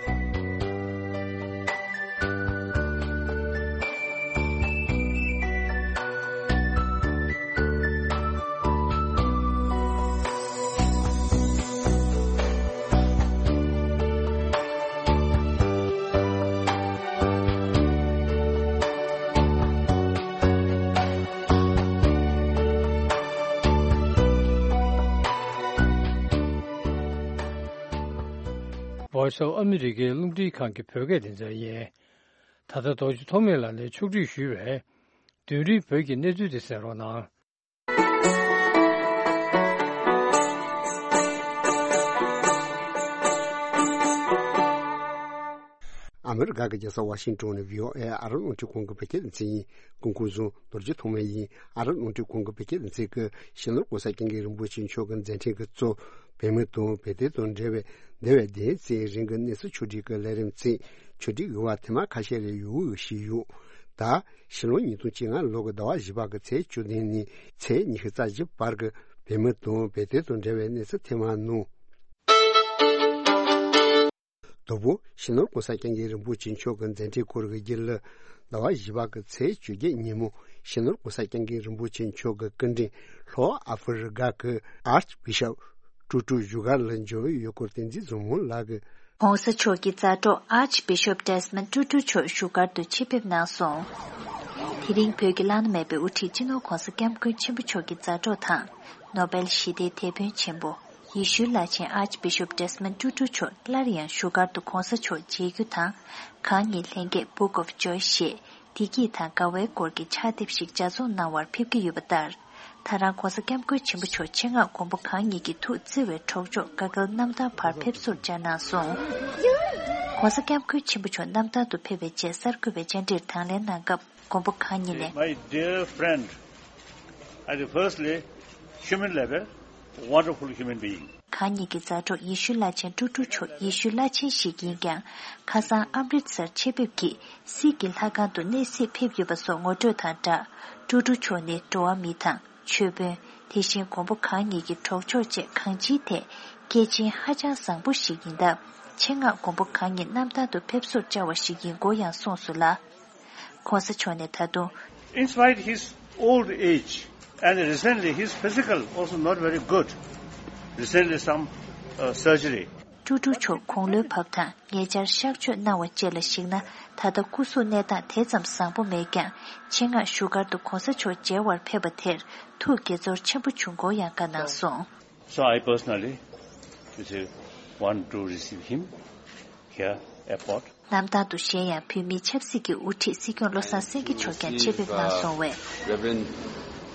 Voice of America རླུང་འཕྲིན་ཁང་གི་བོད་སྐད་སྡེ་ཚན་ཡིན། ད་ལྟ་རྡོ་རྗེ་ཐོགས་མེད་ལགས་ནས་ཕྱོགས་སྒྲིག་ཞུས་པའི་བདུན་རིམ་བོད་ཀྱི་གནས་ཚུལ་དེ་གསན་རོགས་གནང་། ཨ་མི་རི་ཀ་གི་རྒྱལ་ས་ཝ་ཤིང་ཏོན་ནས་བྷི་ཨོ་ཨེ་ཨ་རབ་རླུང་འཕྲིན་ཁང་གི་བོད་སྐད་སྡེ་ཚན་ཡིན། སྐུ་ཁམས་བཟང་། རྡོ་རྗེ་ཐོགས་མེད་ཡིན། ཨ་རབ་རླུང་འཕྲིན་ཁང་གི་བོད་སྐད་སྡེ་ཚན་གྱིས་ཞི་ལོར་༸གོང་ས་༸སྐྱབས་མགོན་རིན་པོ་ཆེ་མཆོག་གི་མཛད་འཕྲིན་གྱི་གཙོ། བོད་མི་དང་བོད་དོན་དང་འབྲེལ་བའི་འདས་པའི་བདུན་ཙམ་རིང་གི་གནས་ཚུལ་ཕྱོགས་སྒྲིག་གི་ལས་རིམ་བརྩིས། ཕྱོགས་སྒྲིག་ཡོད་པ་ཐེངས་མ་ཁ་ཤས་རེ་ཡོད་ཞུས་ཡོད། ད་ཕྱི་ལོ་ཉིས་སྟོང་བཅོ་ལྔ་ལོ་གི་ཟླ་བ་བཞི་པ་གི་ཚེས་བཅུ་བདུན་ནས་ཚེས་ཉི་ཤུ་རྩ་བཞི་བར་གྱི་བོད་མི་དང་བོད་དོན་དང་འབྲེལ་བའི་གནས་ཚུལ་ཐེངས་མ་ནང་། དང་པོ་ཕྱི་ནང་༸གོང་ས་༸སྐྱབས་མགོན་རིན་པོ་ཆེ་མཆོག་གི་མཛད་འཕྲིན་སྐོར་གྱི་རྒྱུན་ལ། ཟླ་བ་བཞི་པ་གི་ཚེས་བཅོ་བརྒྱད་ཉིན་མོ་ གཞོན་ནུར་༸གོང་ས་༸སྐྱབས་མགོན་རིན་པོ་ཆེ་མཆོག་གི་སྐུ་མགྲོན་ལྷོ་ཨ་ཧྥེ་རི་ཀ་གི་ཨར་ཅི་བི་ཤོབ་ཀྲུ་ཀྲུ་བཞུགས་སྒར་ལ་འབྱོར་ཡོད་སྐོར་བསྟན་འཛིན་བཟང་མོ་ལགས་ཀྱིས། ༸གོང་ས་མཆོག་གི་མཛའ་གྲོགས་ཨར་ཅི་བི་ཤོབ་ཌེ་སི་མོན་ཀྲུ་ཀྲུ་མཆོག་བཞུགས་སྒར་དུ་ཆེད་ཕེབས་གནང་སོང་། དེ་རིང་བོད་ཀྱི་བླ་ན་མེད་པའི་དབུ་ཁྲིད་སྤྱི་ནོར་༸གོང་ས་༸སྐྱབས་མགོན་ཆེན་པོ་མཆོག་གི་མཛའ་གྲོགས་དང་། ནོ་བེལ་ཞི་བདེའི་དེད་དཔོན་ཆེན་པོ་ཡེ་ཤུའི་བླ་ཆེན་ཨར་ཅི་བི་ཤོབ་ཌེ་སི་མོན་ཀྲུ་ཀྲུ་མཆོག་སླར་ཡང་བཞུགས་སྒར་དུ་༸གོང་ས་མཆོག་མཇལ་རྒྱུ་དང་། གང་ཉིད་ལྷན་རྒྱས་Book of Joy ཞེས་བདེ་སྐྱིད་དང་དགའ་བའི་སྐོར་གྱི་ཕྱག་དེབ་ཞིག་ལྗགས་རྩོམ་གནང་བར་ཕེབས་ཀྱི་ཡོད་པ་ལྟར། ད་རང་༸གོང་ས་༸སྐྱབས་མགོན་ཆེན་པོ་མཆོག་ཆེད་མངགས་མགོན་པོ་གང་ཉིད་ཀྱི་ཐུགས་བརྩེ་བའི་གྲོགས་མཆོག་དཀའ་སྒེལ་རྣམ་ཐར་བར་ཕེབས་བསུར་བཅར་གནང་སོང་།༸གོང་ས་༸སྐྱབས་མགོན་ཆེན་པོ་མཆོག་རྣམ་ཐར་དུ་ཕེབས་པའི་རྗེས་གསར་འགོད་པའི་བཅར་འདྲིར་དང་ལེན་གནང་སྐབས། མགོན་པོ་གང་ཉིད་ནས། My dear friend, at the firstly, human level, wonderful human being. གང་ཉིད་ཀྱི་མཛའ་གྲོགས་ཡེ་ཤུའི་བླ་ཆེན་ཀྲུ་ཀྲུ་མཆོག་ཡེ་ཤུའི་བླ་ཆེན་ཞིག་ཡིན་ཀྱང་། ཁ་སང་ཨམ་རིད་སར་ཆེད་ཕེབས་ཀྱིས་སིག་གི་ལྷ་ཁང་དུ་གནས་གཟིགས་ཕེབས་ཡོད་པ་སོགས་ངོ་སྤྲོད་དང་སྦྲགས། ཀྲུ་ཀྲུ་མཆོག་ནི་འགྲོ་བ་མི་དང་ཆོས་དཔོན། དེ་བཞིན་མགོན་པོ་གང་ཉིད་ཀྱི་གྲོགས་མཆོག་བཅས་གང་ཅིའི་ཐད་སྐྱེས་ཆེན་ཧ་ཅང་བཟང་པོ་ཞིག་ཡིན་སྟབས། ཆེད་མངགས་མགོན་པོ་གང་ཉིད་རྣམ་ཐར་དུ་ཕེབས་བསུར་བཅར་བ་ཞིག་ཡིན་སྐོར་ཡང་གསུངས་སོང་ལ། ༸གོང་ས་མཆོག་ནས་ད་དུང་། In spite his old age and recently his physical also not very good, recently some uh, surgery. ཀྲུ་ཀྲུ་མཆོག་དགུང་ལོའི་བབ་དང་ཉེ་ཆར་གཤག་བཅོས་གནང་བ་བཅས་ལ་གཞིགས་ན། ད་ལྟ་སྐུ་གཟུགས་གནས་སྟངས་དེ་ཙམ་བཟང་པོ་མེད་ཀྱང་། ཆེད་མངགས་བཞུགས་སྒར་དུ་༸གོང་ས་མཆོག་མཇལ་བར་ཕེབས་པ་དེར་ཐུགས་དགྱེས་ཚོར་ཆེན་པོ་བྱུང་སྐོར་ཡང་བཀའ་གནང་སོང་། So I personally, you see, want to receive him here airport. གནམ་ཐང་དུ་གཞན་ཡང་བོད་མིའི་ཆབ་སྲིད་ཀྱི་དབུ་ཁྲིད་སྲིད་སྐྱོང་བློ་བཟང་སེང་གེ་མཆོག་ཀྱང་ཆེད་ཕེབས་གནང་སོང་བས། Reverend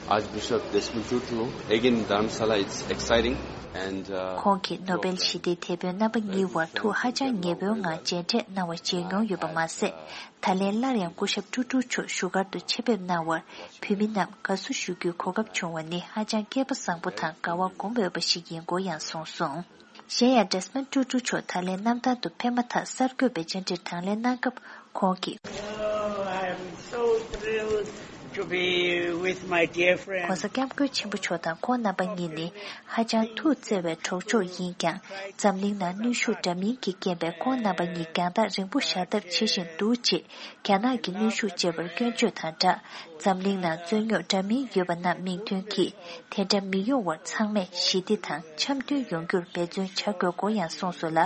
Archbishop Desmond Tutu again in Dharamsala, it's exciting. And, uh, ཁོང་གིས་ནོ་བེལ་ཞི་བདེའི་དེད་དཔོན་རྣམ་པ་གཉིས་བར་ཐུགས་ཧ་ཅང་ཉེ་པོའི་ངང་མཇལ་འཕྲད་གནང་བ་མཇལ་མྱོང་ཡོད་པ་མ་ཟད། ད་ལན་སླར་ཡང་སྐུ་ཞབས་ཀྲུ་ཀྲུ་མཆོག་བཞུགས་སྒར་དུ་ཆེད་ཕེབས་གནང་བར་བོད་མི་རྣམས་དགའ་བསུ་ཞུ་རྒྱུའི་གོ་སྐབས་བྱུང་བ་ནི་ཧ་ཅང་སྐལ་པ་བཟང་པོ་དང་དགའ་བ་སྒོམ་འོས་པ་ཞིག་ཡིན་སྐོར་ཡང་གསུངས་སོང་། གཞན་ཡང་ཌེ་སི་མོན་ཀྲུ་ཀྲུ་མཆོག་ད་ལན་གནམ་ཐང་དུ་ཕེབས་མ་ཐག་གསར་འགོད་པའི་བཅར་འདྲིར་དང་ལེན་གནང་སྐབས་ཁོང་གིས། Oh, I am so thrilled to be with my dear friend. ༸གོང་ས་༸སྐྱབས་མགོན་ཆེན་པོ་མཆོག་དང་ཁོང་རྣམ་པ་གཉིས་ནི་ཧ་ཅང་ཐུགས་བརྩེ་བའི་གྲོགས་མཆོག་ཡིན་ཀྱང་། འཛམ་གླིང་ནང་གནོན་ཤུགས་འདྲ་མིན་གྱི་རྐྱེན་པས་ཁོང་རྣམ་པ་གཉིས་རྒྱང་ཐག་རིང་པོ་བཞག་ཐབས་བྱེད་བཞིན་འདུག་ཅེས། རྒྱ་ནག་གི་གནོན་ཤུགས་བཅས་པར་སྐྱོན་བརྗོད་དང་སྦྲགས། འཛམ་གླིང་ནང་རྩོད་རྙོག་འདྲ་མིན་ཡོད་པ་རྣམས་མིང་འདོན་གྱིས་དེ་འདྲ་མི་ཡོང་བར་ཚང་མས་ཞི་བདེ་དང་འཆམ་མཐུན་ཡོང་རྒྱུར་འབད་བརྩོན་བྱ་དགོས་སྐོར་ཡང་གསུངས་སོང་ལ།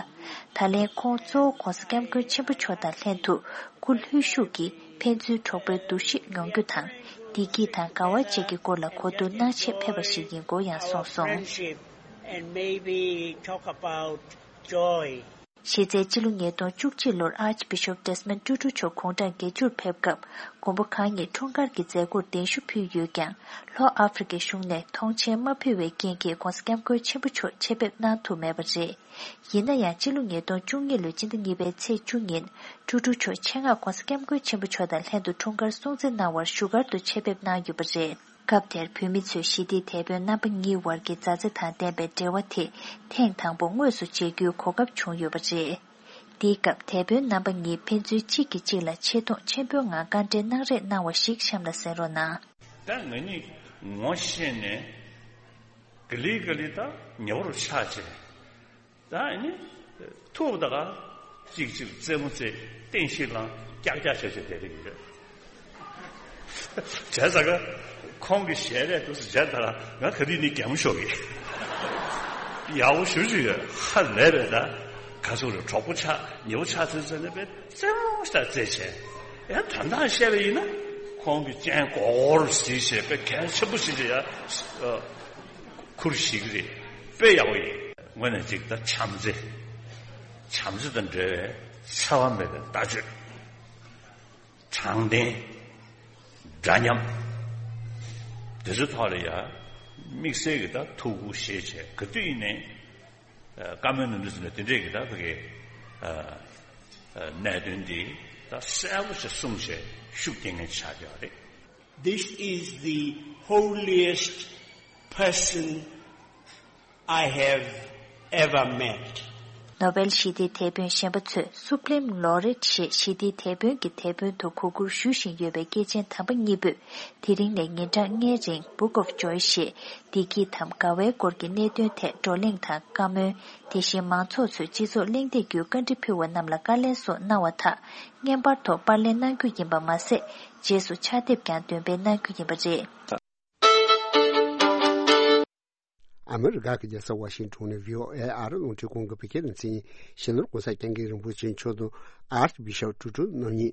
ད་ལན་ཁོང་གཙོ་བོ་༸གོང་ས་༸སྐྱབས་མགོན་ཆེན་པོ་མཆོག་དང་ལྷན་དུ་སྐུ་ལྷོད་ཤུགས་ཀྱིས་ཕན་ཚུན་གྲོགས་པོའི་འདུ་ཤེས་ཡོང་རྒྱུ་དང་བདེ་སྐྱིད་དང་དགའ་བ་བཅས་ཀྱི་སྐོར་ལ་གོ་བསྡུར་གནང་ཆེད་ཕེབས་པ་ཞིག་ཡིན་སྐོར་ཡང་གསུངས་སོང་། Friendship and maybe talk about joy. གཞི་རྩའི་སྤྱི་ལོ་ཉིས་སྟོང་བཅུ་གཅིག་ལོར་ཨར་ཅི་བི་ཤོབ་ཌེ་སི་མོན་ཀྲུ་ཀྲུ་མཆོག་དགུང་གྲངས་བརྒྱད་ཅུར་ཕེབས་སྐབས། མགོན་པོ་གང་ཉིད་འཁྲུངས་སྐར་གྱི་མཛད་སྒོར་གདན་ཞུ་ཕུལ་ཡོད་ཀྱང་། ལྷོ་ཨ་ཧྥེ་རི་ཁའི་གཞུང་ནས་མཐོང་མཆན་མ་ཕུལ་བའི་རྐྱེན་གྱིས་༸གོང་ས་༸སྐྱབས་མགོན་ཆེན་པོ་མཆོག་ཆེད་ཕེབས་གནང་ཐུབ་མེད་པ་རེད། ཡིན་ན་ཡང་། སྤྱི་ལོ་ཉིས་སྟོང་བཅུ་གཉིས་ལོའི་སྤྱི་ཟླ་གཉིས་པའི་ཚེས་བཅུ་ཉིན། ཀྲུ་ཀྲུ་མཆོག་ཆེད་མངགས་༸གོང་ས་༸སྐྱབས་མགོན་ཆེན་པོ་མཆོག་དང་ལྷན་དུ་འཁྲུངས་སྐར་སྲུང་བརྩི་གནང་བར་བཞུགས་སྒར་དུ་ཆེད་ཕེབས་གནང་ཡོད་པ་རེད། སྐབས་དེར་བོད་མི་ཚོས་ཞི་བདེའི་དེད་དཔོན་རྣམ་པ་གཉིས་བར་གྱི་མཛའ་བརྩེ་དང་ལྡན་པའི་འབྲེལ་བ་དེ་ཐེངས་དང་པོ་དངོས་སུ་མཇལ་རྒྱུའི་གོ་སྐབས་བྱུང་ཡོད་པ་རེད། འདིའི་སྐབས་དེད་དཔོན་རྣམ་པ་གཉིས་ཕན་ཚུན་གཅིག་གིས་གཅིག་ལ་ཆེ་མཐོང་ཆེན་པོའི་ངང་བཀའ་འདྲི་གནང་རེས་གནང་བ་ཞིག་གཤམ་ལ་གསན་རོགས་གནང་། ད་ང་གཉིས་ངོ་ཤེས་ནས་ག་ལེ་ག་ལེ་ད་ཉེ་བར་ཆགས་བྱས། ད་ཨ་ནི་ཐུག་ད་ག་གཅིག་གཅིག་རྩེད་མོ་རྩེ་སྟེང་ཤིག་ལངས་ཀྱག་ཀྱག་བྱས་བྱས་བསྡད་ཀྱི་ཡོད། བྱས་ཙང་ཁོང་གི་ཞལ་རས་འདུག་སེ་མཇལ་ད་ལ་ང་ག་དུས་ནས་གད་མོ་ཤོར་གི། ཡག་པོ་ཞུ་ཞུ་ཡོད། ཧ་ལས་པས་ད་ག་ཚོད་རེད། གྲོགས་པོ་ཆགས་ཉེ་བོ་ཆགས་ཚུལ་ཟེར་ནས་པས་རྩེད་མོ་ཞིག་རྩེད་བྱས། ཡང་དོན་དག་བཤད་པ་ཡིན་ན་ཁོང་གི་སྤྱན་སྒོར་སྒོར་གཟིགས་བྱས་པས་གལ་ཆེན་པོ་ཞིག་བྱས་ཡ། ཁུར་ཞིག་རེད། དཔེ་ཡག་པོ་ཡིན། དངོས་གནས་གཅིག་ད་བྱམས་བརྩེ། བྱམས་བརྩེ་དང་འབྲེལ་བའི་འཚེ་བ་མེད་པའི་ལྟ་སྤྱོད། དྲང་བདེན། འདྲ་མཉམ། དེ་ཚོའི་ཐོག་ལ་ཡ་དམིགས་བསལ་གྱི་ད་ཐུགས་ཁུར་བཞེས་བྱས་ག་དུས་ཡིན་ནའི་བཀའ་མོལ་གནང་དུས་ཙམ་ནས་དེ་འདྲས་ཀྱི་ད་ཕ་གི་གནད་དོན་འདི་ད་གསལ་པོ་ཞིག་གསུངས་བྱས་ཤུགས་རྐྱེན་ངན་ཆགས་ཡོད་རེད། This is the holiest person I have ever met. ནོ་བེལ་ཞི་བདེའི་དེད་དཔོན་གཞན་པ་ཚོས་Supreme Laureate ཞེས་ཞི་བདེའི་དེད་དཔོན་གྱི་དེད་དཔོན་དུ་གོ་བཀུར་ཞུ་བཞིན་ཡོད་པའི་སྐྱེས་ཆེན་དམ་པ་གཉིས་པོས། དེ་རིང་ནས་ཉིན་གྲངས་ལྔའི་རིང་Book of Joy ཞེས་བདེ་སྐྱིད་དམ་དགའ་བའི་སྐོར་གྱི་གནད་དོན་ཐད་བགྲོ་གླེང་དང་བཀའ་མོལ། དེ་བཞིན་མང་ཚོགས་ཚོས་སྤྱི་ཚོགས་གླེང་སྟེགས་བརྒྱུད་བཀའ་འདྲི་ཕུལ་བ་རྣམས་ལ་བཀའ་ལན་སོགས་གནང་བ་དག་བརྙན་པར་ཐོག་པར་ལེན་གནང་རྒྱུ་ཡིན་པ་མ་ཟད། རྗེས་སུ་ཕྱག་དེབ་ཀྱང་འདོན་སྤེལ་གནང་རྒྱུ་ཡིན་པ་རེད། ཨ་མི་རི་ཀ་གི་རྒྱལ་ས་ཝ་ཤིང་ཊོན་ནས་བྷི་ཨོ་ཨེ་ཨ་རི་རླུང་འཕྲིན་ཁང་གི་བོད་སྐད་སྡེ་ཚན་ཡིན། གཞིས་ནོར་༸གོང་ས་༸སྐྱབས་མགོན་རིན་པོ་ཆེ་མཆོག་དང་ཨར་ཅི་བི་ཤོབ་ཀྲུ་ཀྲུ་རྣམ་གཉིས་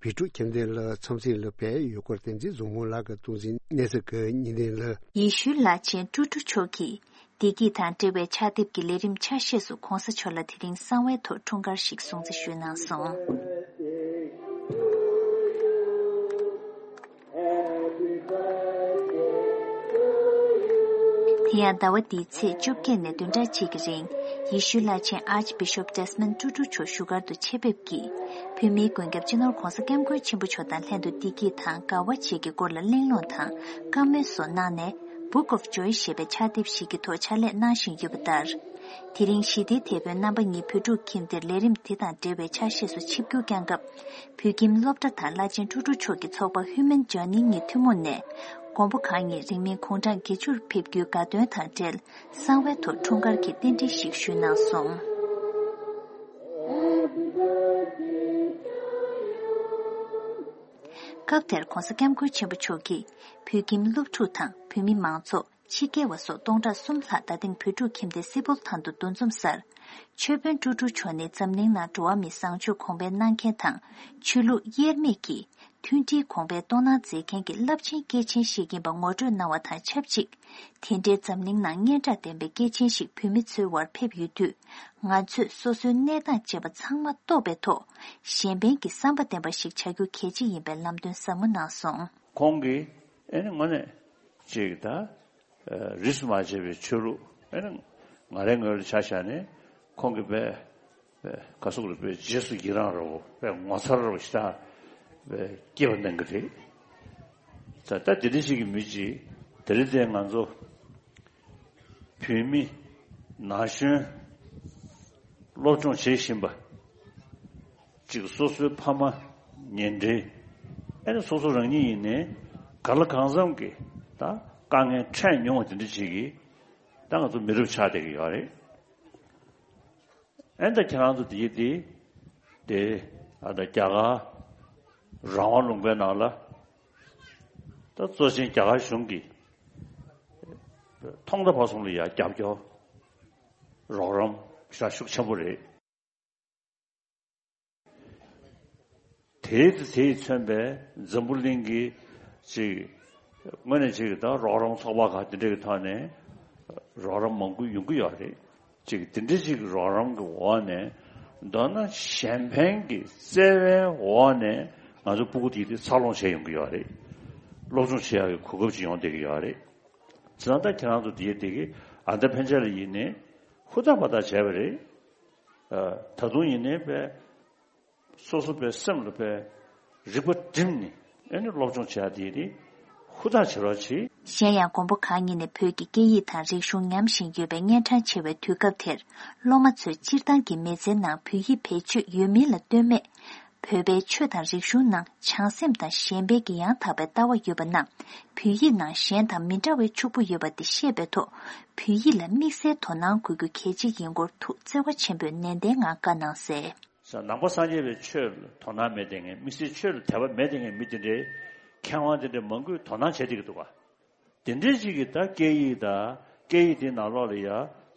བི་ཀྲུ་ཁྱིམ་སྡེ་ལ་འཚམས་གཟིགས་ལ་ཕེབས་ཡོད་སྐོར་བསྟན་འཛིན་བཟང་མོ་ལགས་ཀྱིས་གཏོང་འཛིན་གནས་ཚུལ་གྱི་ཉིན་ལྡན་ལ། ཡེ་ཤུའི་བླ་ཆེན་ཀྲུ་ཀྲུ་མཆོག་གིས། བདེ་སྐྱིད་དང་འབྲེལ་བའི་ཕྱག་དེབ་ཀྱི་ལས་རིམ་ཆ་ཤས་སུ་༸གོང་ས་མཆོག་ལ་དེ་རིང་གསང་བའི་ཐོག་འཁྲུངས་སྐར་ཞིག་སྲུང་བརྩི་ཞུས་གནང་སོང་། དེ་ཡང་ཟླ་བ་འདིའི་ཚེས་བཅོ་བརྒྱད་ནས་བདུན་ཕྲག་གཅིག་གི་རིང་། ཡེ་ཤུའི་བླ་ཆེན་Archbishop Desmond Tutu མཆོག་བཞུགས་སྒར་དུ་ཆེད་ཕེབས་ཀྱིས། བོད་མིའི་མགོན་སྐྱབས་སྤྱི་ནོར་༸གོང་ས་༸སྐྱབས་མགོན་ཆེན་པོ་མཆོག་དང་ལྷན་དུ་བདེ་སྐྱིད་དང་དགའ་བ་བཅས་ཀྱི་སྐོར་ལ་གླེང་སློང་དང་བཀའ་མོལ་སོགས་གནང་ནས། Book of Joy ཞེས་པའི་ཕྱག་དེབ་ཞིག་གི་ཐོག་ཕྱག་ལས་གནང་བཞིན་ཡོད་པ་ལྟར། དེ་རིང་ཞི་བདེའི་དེད་དཔོན་རྣམ་པ་གཉིས་བོད་ཕྲུག་ཁྱིམ་སྡེར་ལས་རིམ་དེ་དང་འབྲེལ་བའི་ཕྱག་བཞེས་སུ་ཆིབས་བསྒྱུར་བསྐྱངས་སྐབས། བོད་ཁྱིམ་སློབ་གྲྭ་དང་བླ་ཆེན་ཀྲུ་ཀྲུ་མཆོག་གི་ཚོགས་པ་Human Journey གཉིས་ཐུན་མོང་ནས། མགོན་པོ་གང་ཉིད་རིང་མིན་དགུང་གྲངས་བརྒྱད་ཅུར་ཕེབས་རྒྱུའི་དགའ་སྟོན་དང་འབྲེལ། གསང་བའི་ཐོག་འཁྲུངས་སྐར་གྱི་རྟེན་འབྲེལ་ཞིག་ཞུས་གནང་སོང་། སྐབས་དེར་༸གོང་ས་༸སྐྱབས་མགོན་ཆེན་པོ་མཆོག་གིས། བོད་ཁྱིམ་སློབ་ཕྲུག་དང་བོད་མི་མང་ཚོགས། ཕྱི་རྒྱལ་བ་སོགས་སྟོང་ཕྲག་གསུམ་ལྷག་རྡ་སྟེང་བོད་ཕྲུག་ཁྱིམ་སྡེ་སིལ་བུར་ཐང་དུ་འདུ་འཛོམས་སར། ཆོས་དཔོན་ཀྲུ་ཀྲུ་མཆོག་ནི་འཛམ་གླིང་ནང་འགྲོ་བ་མིའི་བཟང་སྤྱོད་གོང་འཕེལ་གནང་མཁན་དང་། ཆོས་ལུགས་དབྱེར་མེད་ཀྱི་མཐུན་སྒྲིལ་གོང་འཕེལ་གཏོང་གནང་མཛད་མཁན་གྱི་རླབས་ཆེན་སྐྱེས་ཆེན་ཞིག་ཡིན་པ་ངོ་སྤྲོད་གནང་བ་དང་ཆབས་ཅིག་དེ་འདྲའི་འཛམ་གླིང་ནང་སྙན་གྲགས་ལྡན་པའི་སྐྱེས་ཆེན་ཞིག་བོད་མི་ཚོའི་དབར་ཕེབས་ཡོད་དུས། ང་ཚོས་སོ་སོའི་གནས་སྟངས་བཅས་པ་ཚང་མ་རྟོགས་པའི་ཐོག་གཞན་ཕན་གྱི་བསམ་པ་ལྡན་པ་ཞིག་བྱ་རྒྱུ་གལ་ཆེ་ཡིན་པའི་ལམ་སྟོན་ཟབ་མོ་གནང་སོང་། ཁོང་གིས་ཨེ་ནི་དངོས་གནས་ཅིག་ད། རིས་སུ་མ་ཆད་པའི་ཆོས་ལུགས་ཨེ་ནི་ང་རའི་ངོས་ལ་ཆ་བཞག་ནས་ཁོང་གིས་དཔེ་དཔེ་ག་སོག་རེ་དཔེ་རྗེས་སུ་ཡི་རང་རོ་དཔེ་ངོ་མཚར་རོ་ཞེ་དྲག་དཔེ་སྐྱེ་བ་གནང་གི་རེད། ད་ལྟ་དེ་འདྲ་ཞིག་གི་མི་ཅིག་དེ་རིང་དེ་ང་ཚོ་བོད་མི་ན་གཞོན་སློབ་སྦྱོང་བྱེད་བཞིན་པ། གཅིག་སོ་སོའི་ཕ་མ་ཉེ་འབྲེལ། ཨེ་ནི་སོ་སོ་རང་ཉིད་ཡིན་ནའི་ག་ལ་གང་འཚམ་གྱི་ད་དཀའ་ངལ་འཕྲད་མྱོང་བ་དེ་འདྲ་ཅིག་གིས་ད་ང་ཚོ་མི་རབས་ཆགས་བསྡད་ཀྱི་ཡོད་རེད། ཨེ་ད་ཁྱེད་རང་ཚོ་དེ་ཡི་དེ་དེ་ཨ་ད་རྒྱ་གར་རང་དབང་ལུང་པའི་ནང་ལ་ད་གཙོ་ཆེན་རྒྱ་གར་གཞུང་གིས་ཐོག་མཐའ་བར་གསུམ་ལ་ཡ་རྒྱབ་སྐྱོར་རོགས་རམ་ཤ་ཤུགས་ཆེན་པོ་རེད། དེའི་དེ་དེས་མཚོན་པའི་འཛམ་བུ་གླིང་གི་ཅིག་དངོས་གནས་ཅིག་ད་རོགས་རམ་ཚོགས་པ་ཁག་དེ་འདྲ་གི་ཐོག་ནས་རོགས་རམ་མང་པོ་ཡོང་གི་ཡོད་རེད། ཅིག་དེ་འདྲ་ཅིག་རོགས་རམ་གི་འོག་ནས་མདོར་ན་གཞན་ཕན་གྱི་བརྩེ་བའི་འོག་ནས་ང་ཚོ་སྤུ་གུ་དེ་དེ་འཚར་ལོངས་བྱས་ཡོང་གི་ཡོད་རེད། སློབ་སྦྱོང་བྱེད་ཡག་གི་གོ་སྐབས་ཅིག་ཡོང་བསྡད་ཀྱི་ཡོད་རེད། བྱས་ཙང་ད་ཁྱེད་རང་ཚོ་དེ་དེ་གི་ཨ་ད་ཕན་ཆད་ལ་ཡིན་ནས་ཧུར་ཐག་འབད་ཐག་བྱས་པ་རེད། ད་དུང་ཡིན་ནའི་དཔེ་སོ་སོ་དཔེ་སེམས་ལ་དཔེ་རིག་པ་བསྒྲིམས་ནས་ཨེ་ནི་སློབ་སྦྱོང་བྱེད་ཡ་དེ་ནི་ཧུར་ཐག་བྱེད་རོགས་གྱིས། གཞན་ཡང་མགོན་པོ་གང་ཉིད་ནས་བོད་ཀྱི་སྐད་ཡིག་དང་རིག་གཞུང་ཉམས་བཞིན་ཡོད་པའི་གཉན་འཕྲང་ཆེ་བའི་དུས་སྐབས་དེར། སློབ་མ་ཚོས་སྤྱིར་བཏང་གི་མི་ཚེའི་ནང་བོད་ཡིག་བེད་སྤྱོད་ཡོད་མིན་ལ་ལྟོས་མེད། བོད་པའི་ཆོས་དང་རིག་གཞུང་ནང་བྱང་སེམས་དང་གཞན་ཕན་གྱི་ཡང་དག་པའི་ལྟ་བ་ཡོད་པ་རྣམས། བོད་ཡིག་ནང་གཞན་དང་མི་འདྲ་བའི་ཕྱུག་པོ་ཡོད་པ་དེ་ཤེས་པའི་ཐོག་བོད་ཡིག་ལ་དམིགས་བསལ་དོ་སྣང་དགོས་རྒྱུ་གལ་ཆེ་ཡིན་སྐོར་ཐུགས་བརྩེ་བ་ཆེན་པོས་ནན་ཏན་ངང་བཀའ་གནང་གསལ། ནང་པ་སངས་རྒྱས་པའི་ཆོས་ལ་དོ་སྣང་མེད་བསྡད་མཁན། དམིགས་བསལ་ཆོས་ལ་དད་པ་མེད་བསྡད་མཁན་མི་དེ་འདྲའི་མཁས་དབང་དེ་འདྲ་མང་པོས་དོ་སྣང་བྱས་བསྡད་ཀྱི་འདུག་ག་དེ་འདྲའི་ཅིག་གིས་ད་སྐད་ཡིག་དང་སྐད་ཡིག་དེའི་ནང་ལོགས་ལ་ཡ་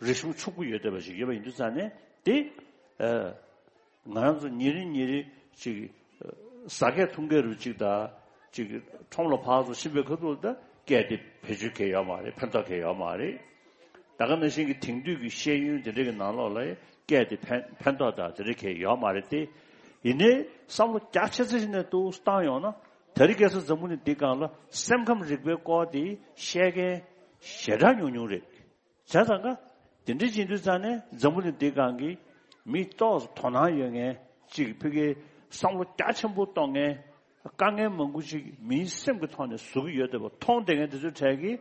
རིག་གཞུང་ཕྱུག་པོ་ཡོད་བསྡད་པ་ཞིག་ཡོད་པ་ཡིན་དུས་ཙང་ནས་དེ། ཨ། ང་རང་ཚོ་ཉིན་རེ་ཉིན་རེ་ཅིག་ཟ་སྐད་འཐུང་སྐད་རུ་ཅིག་དང་ཅིག་ཁྲོམ་ལ་ཕར་ཚུར་ཕྱིན་པའི་ཁ་ཐུག་ལ་ད་སྐད་དེ་བེད་སྤྱོད་གང་ཡོད་མ་རེད། ཕན་ཐོགས་གང་ཡོད་མ་རེད། ད་ག་ནང་བཞིན་གྱི་དེང་དུས་ཀྱི་ཤེས་ཡོན་དེ་འདྲ་གི་ནང་ལོགས་ལ་སྐད་དེ་ཕན་ཕན་ཐོགས་དང་དེ་འདྲ་གང་ཡོད་མ་རེད་དེ། ཡིན་ནའི་བསམ་བློ་རྒྱ་ཆེ་ཙམ་ཞིག་ནས་ཏོག་ཙམ་བཏང་ཡོང་ན། དེ་རིང་ཁ་སང་འཛམ་བུ་གླིང་འདི་སྒང་ལ་སེམས་ཁམས་རིག་པའི་སྐོར་དེ་ཤེས་མཁན་ཞེ་དྲག་ཉུང་ཉུང་རེད། བྱས་ཙང་ཀ་དེ་འདྲ་བྱེད་དུས་ཙང་ནས་འཛམ་བུ་གླིང་འདི་སྒང་གི་མི་ཏོག་ཙམ་དོ་སྣང་ཡོད་མཁན་ཅིག་ཕ་གིའི་བསམ་བློ་རྒྱ་ཆེན་པོ་གཏོང་མཁན་དཀའ་ངལ་མང་པོ་ཅིག་མིའི་སེམས་ཀྱི་ཐོག་ནས་བཟོ་གི་ཡོད་བསྡད་པ་མཐོང་བསྡད་མཁན་དེ་ཚོའི་གྲས་ཀྱིས་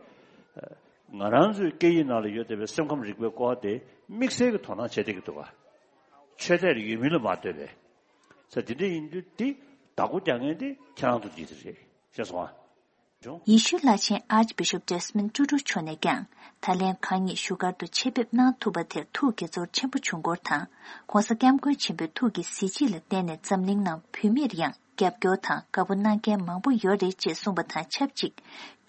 ང་རང་ཚོའི་སྐད་ཡིག་ནང་ལ་ཡོད་བསྡད་པའི་སེམས་ཁམས་རིག་པའི་སྐོར་དེ་དམིགས་བསལ་གྱི་དོ་སྣང་བྱེད་བསྡད་ཀྱི་འདུག་ག་ཆོས་དད་ཡོད་མིན་ལ་མ་ལྟོས་པའི་ས་དེ་འདྲ་ཡིན་དུས་དེ་བདག་པོ་རྒྱག་མཁན་དེ་ཁྱེད་རང་ཚོ་གཅིག་དེ་རེད། ཤེས་སོང་ཨ། ཡེ་ཤུ་བླ་ཆེན་Archbishop Desmond Tutu མཆོག་ནས་ཀྱང་ད་ལན་ཁ་ཉིན་བཞུགས་སྒར་དུ་ཆེད་ཕེབས་གནང་ཐུབ་པ་དེར་ཐུགས་དགྱེས་ཚོར་ཆེན་པོ་བྱུང་སྐོར་དང་། ྋགོང་ས་ྋསྐྱབས་མགོན་ཆེན་པོའི་ཐུགས་ཀྱི་གཟི་བརྗིད་ལ་བརྟེན་ནས་འཛམ་གླིང་ནང་བོད་མིར་ཡང་རྒྱབ་སྐྱོར་དང་དགའ་པོ་གནང་མཁན་མང་པོ་ཡོད་རེད་ཅེས་གསུངས་པ་དང་ཆབས་ཅིག་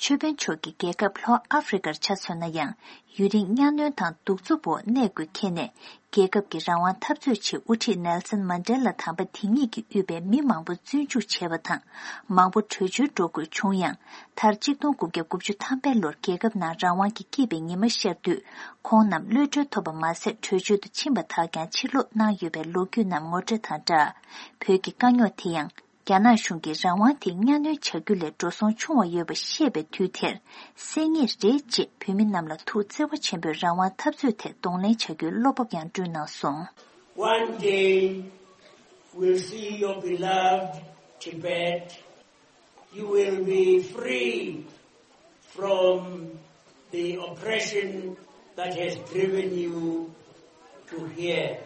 ཆོས་དཔོན་མཆོག་གིས་རྒྱལ་ཁབ་ལྷོ་ཨ་ཧྥེ་རི་ཁར་ཆ་མཚོན་ན་ཡང་ཡུན་རིང་གཉའ་གནོན་དང་གདུག་རྩུབ་འོག་གནས་དགོས་ཁེལ་ནས། རྒྱལ་ཁབ་ཀྱི་རང་དབང་འཐབ་རྩོད་ཆེད་དབུ་ཁྲིད་ནེལ་སན་མན་ཌེ་ལ་དམ་པ་དེ་ཉིད་ཀྱིས་དབུས་པའི་མི་མང་པོ་བཙོན་འཇུག་བྱས་པ་དང་། མང་པོ་བྲོས་བྱོལ་འགྲོ་དགོས་བྱུང་ཡང་། མཐར་གཅིག་སྟོང་དགུ་བརྒྱ་དགུ་བཅུ་ཐམ་པའི་ལོར་རྒྱལ་ཁབ་ནང་རང་དབང་གི་སྐྱིད་པའི་ཉི་མ་ཤར་དུས། ཁོང་རྣམས་གློད་གྲོལ་ཐོབ་པ་མ་ཟད། བྲོས་བྱོལ་དུ་ཕྱིན་པ་དག་ཀྱང་ཕྱིར་ལོག་གནང་ཡོད་པའི་ལོ་རྒྱུས་རྣམས་ངོ་སྤྲོད་དང་སྦྲགས། བོད་ཀྱི་དཀའ་རྙོག་དེ་ཡང་། རྒྱ་ནག་གཞུང་གིས་རང་དབང་དེ་གཉའ་གནོན་བྱ་རྒྱུ་ལས་འགྲོ་སོང་ཆུང་བ་ཡོད་པ་ཤེས་པའི་དུས་དེར། སེལ་ངེས་རེད་ཅེས་བོད་མི་རྣམས་ལ་ཐུགས་བརྩེ་བ་ཆེན་པོས་རང་དབང་འཐབ་རྩོད་ཐད་གདོང་ལེན་བྱ་རྒྱུའི་བློ་སྤོབས་ཀྱང་བསྐྲུན་གནང་སོང་། One day we'll see your beloved Tibet. You will be free from the oppression that has driven you to here.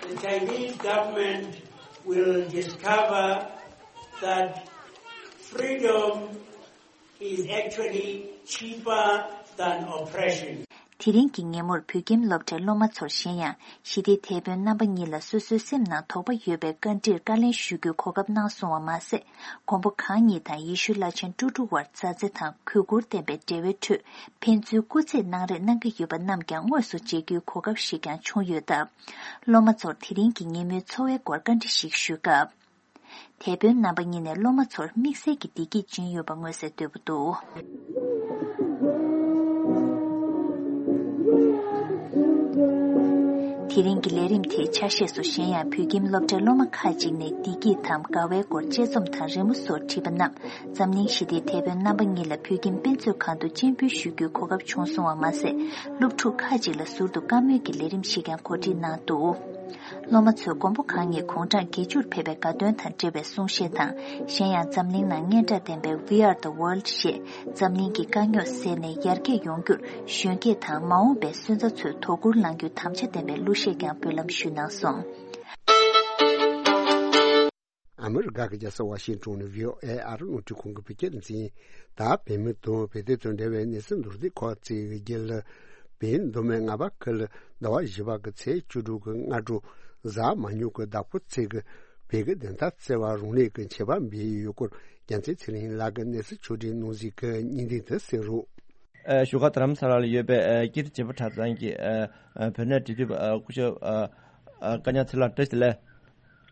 The Chinese government will discover that freedom is actually cheaper than oppression. དེ་རིང་གི་ཉིན་མོར་བོད་ཁྱིམ་སློབ་གྲྭའི་སློབ་མ་ཚོར་གཞན་ཡང་ཞི་བདེའི་དེད་དཔོན་རྣམ་པ་གཉིས་ལ་སོ་སོའི་སེམས་ནང་དོགས་པ་ཡོད་པའི་བཀའ་འདྲིར་བཀའ་ལན་ཞུ་རྒྱུའི་གོ་སྐབས་གནང་སོང་བ་མ་ཟད། མགོན་པོ་གང་ཉིད་དང་ཡེ་ཤུ་བླ་ཆེན་ཀྲུ་ཀྲུ་བར་མཛའ་བརྩེ་དང་གུས་བཀུར་ལྡན་པའི་འབྲེལ་བའི་ཁྲོད་ཕན་ཚུན་སྐུ་རྩེད་གནང་རེས་གནང་གི་ཡོད་པ་རྣམས་ཀྱང་དངོས་སུ་མཇལ་རྒྱུའི་གོ་སྐབས་ཤིག་ཀྱང་བྱུང་ཡོད་སྟབས། སློབ་མ་ཚོར་དེ་རིང་གི་ཉིན་མོའི་འཚོ་བའི་སྐོར་བཀའ་འདྲི་ཞིག་ཞུས་སྐབས། དེད་དཔོན་རྣམ་པ་གཉིས་ནས་སློབ་མ་ཚོར་དམིགས་བསལ་གྱི་བདེ་སྐྱིད་སྦྱིན་ཡོད་པ་མངོན་གསལ་དོད་པོ་འདུག་དེ་རིང་གི་ལས་རིམ་དེའི་ཆ་ཤས་སུ་གཞན་ཡང་བོད་ཁྱིམ་སློབ་གྲྭའི་སློབ་མ་ཁག་ཅིག་ནས་བདེ་སྐྱིད་དམ་དགའ་བའི་སྐོར་དཔྱད་རྩོམ་དང་རི་མོ་སོགས་བྲིས་པ་རྣམས་འཛམ་གླིང་ཞི་བདེའི་དེད་དཔོན་རྣམ་པ་གཉིས་ལ་བོད་ཁྱིམ་དཔེ་མཛོད་ཁང་དུ་སྤྱན་འབུལ་ཞུ་རྒྱུའི་གོ་སྐབས་བྱུང་སོང་བ་མ་ཟད། སློབ་ཕྲུག་ཁག་ཅིག་ལ་ཟུར་དུ་བཀའ་མོལ་གྱི་ལས་རིམ་ཞིག་ཀྱང་གོ་སྒྲིག་གནང་འདུག་སློབ་མ་ཚོས་མགོན་པོ་གང་ཉིད་དགུང་གྲངས་བརྒྱད་ཅུར་ཕེབས་པའི་དགའ་སྟོན་དང་འབྲེལ་བའི་གསུང་བཤད་དང་། གཞན་ཡང་འཛམ་གླིང་ནང་སྙན་གྲགས་ལྡན་པའི་We Are the World ཞེས་འཛམ་གླིང་གི་དཀའ་རྙོག་སེལ་ནས་ཡར་རྒྱས་ཡོང་རྒྱུར་གཞོན་སྐྱེས་དང་མ་འོངས་པའི་སོན་རྩ་ཚོས་དོ་ཁུར་གནང་རྒྱུའི་དམ་བཅའ་ལྡན་པའི་གླུ་གཞས་ཀྱང་འབུལ་ལམ་ཞུས་གནང་སོང་། ཨ་མི་རི་ཀ་གི་རྒྱལ་ས་ཝ་ཤིང་ཊོན་ནས་བྷི་ཨོ་ཨེ་ཨ་རི་རླུང་འཕྲིན་ཁང་གི་བོད་སྐད་སྡེ་ཚན། ད་བོད་མི་དང་བོད་དོན་དང་འབྲེལ་བའི་གནས་ཚུལ་མདོར་བསྡུས་ཁག་ཅིག་གི་རྒྱུད་ལ། བོད་མདོ་སྨད་རྔ་བ་ཁུལ་ཟླ་བ་བཞི་པ་གི་ཚེས་བཅུ་དྲུག་གི་སྔ་དྲོ་གཟའ་མ་ཉུང་གི་ཟླ་ཕོགས་ཚེས་ཀྱི་བོད་ཀྱི་བདེན་མཐའ་བརྩེ་བ་རང་ལུས་ཀྱི་མཆོད་པ་འབུལ་ཡོད་སྐོར། རྒྱལ་མཚན་ཚེ་རིང་ལགས་ཀྱིས་གནས་ཚུལ་ཕྱོགས་སྒྲིག་གནང་གཟིགས་ཀྱི་བརྙན་འཕྲིན་དུ་གསན་རོགས། ཨ། བཞུགས་སྒར་རྡ་རམ་ས་ལ་ལ་ཡོད་པའི་ཨ་ཀིརྟི་བྱེད་པ་གྲྭ་ཚང་གི་ཨ་ཨ་བོད་གནས་འབྲེལ་མཐུད་པ་ཨ་སྐུ་ཞབས་ཨ་ཨ་སྐལ་བཟང་ཚེ་ལགས་བཀྲ་ཤིས་བདེ་ལེགས།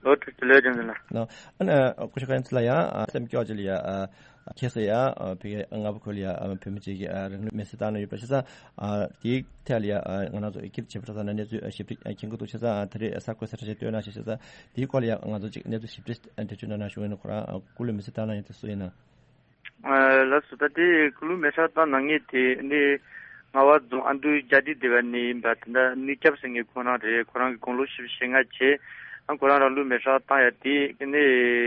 ལོ་བཀྲ་ཤིས་བདེ་ལེགས་ལྗང་ཚེ་ལགས། ལོ། ཨ་ནི་ཨ་སྐུ་ཞབས་སྐལ་བཟང་ཚེ་ལགས་ཡང་ཨ་སེམས་སྐྱོ་ཅིག་ལ་ཡ་ཨ་ཁྱེད་ས་ཡ་ཨ་བོད་ཀྱི་རྔ་བ་ཁུལ་ལ་ཡ་ཨ་བོད་མི་ཅིག་གིས་ཨ་རང་ལུས་མེར་སྲེག་བཏང་གནང་ཡོད་པ་བྱས་ཙང་ཨ་དེའི་ཐད་ལ་ཡ་ཨ་ང་རང་ཚོ་ཀིརྟི་བྱེད་པ་གྲྭ་ཚང་ནས་གནས་ཚུལ་ཨ་ཞིབ་ཕྲ་ཨ་མཁྱེན་གྱི་འདུག་བྱས་ཙང་ཨ་ད་རེས་གསར་འགོད་གསལ་བསྒྲགས་ཅིག་སྟོན་གནང་ཞེས་བྱས་ཙང་དེའི་སྐོར་ལ་ཡ་ང་ཚོ་ཅིག་གནས་ཚུལ་ཞིབ་ཕྲ་ཨ་འགྲེལ་བརྗོད་གནང་ན་ཞུ་ཡིན། ཁོ་རང་ཨ་སྐུ་ལུས་མེར་སྲེག་བཏང་གནང་ཡོད་དེ་སུ་ཡིན་ན། ཨ་ལགས་སོ། ད་དེ་སྐུ་ལུས་མེ་སྲེག་བཏང་གནང་མཁན་དེ་ནི་རྔ་བ་རྫོང་ཨ་མདོའི་རྒྱ་སྡེ་སྡེ་བ་ནས་ཡིན་པ། དེ་འདྲ་ནུས་སྐྱབས་ཟེར་མཁན་ཁོང་རང་རེད། ཁོ་རང་གི་དགུང་ལོ་བཞི་བཅུ་ཞེ་ལྔ་བྱས། ཨ་ཁོ་རང་རང་ལུས་མེ་སྲེག་བཏང་ཡ་དེ་ནི་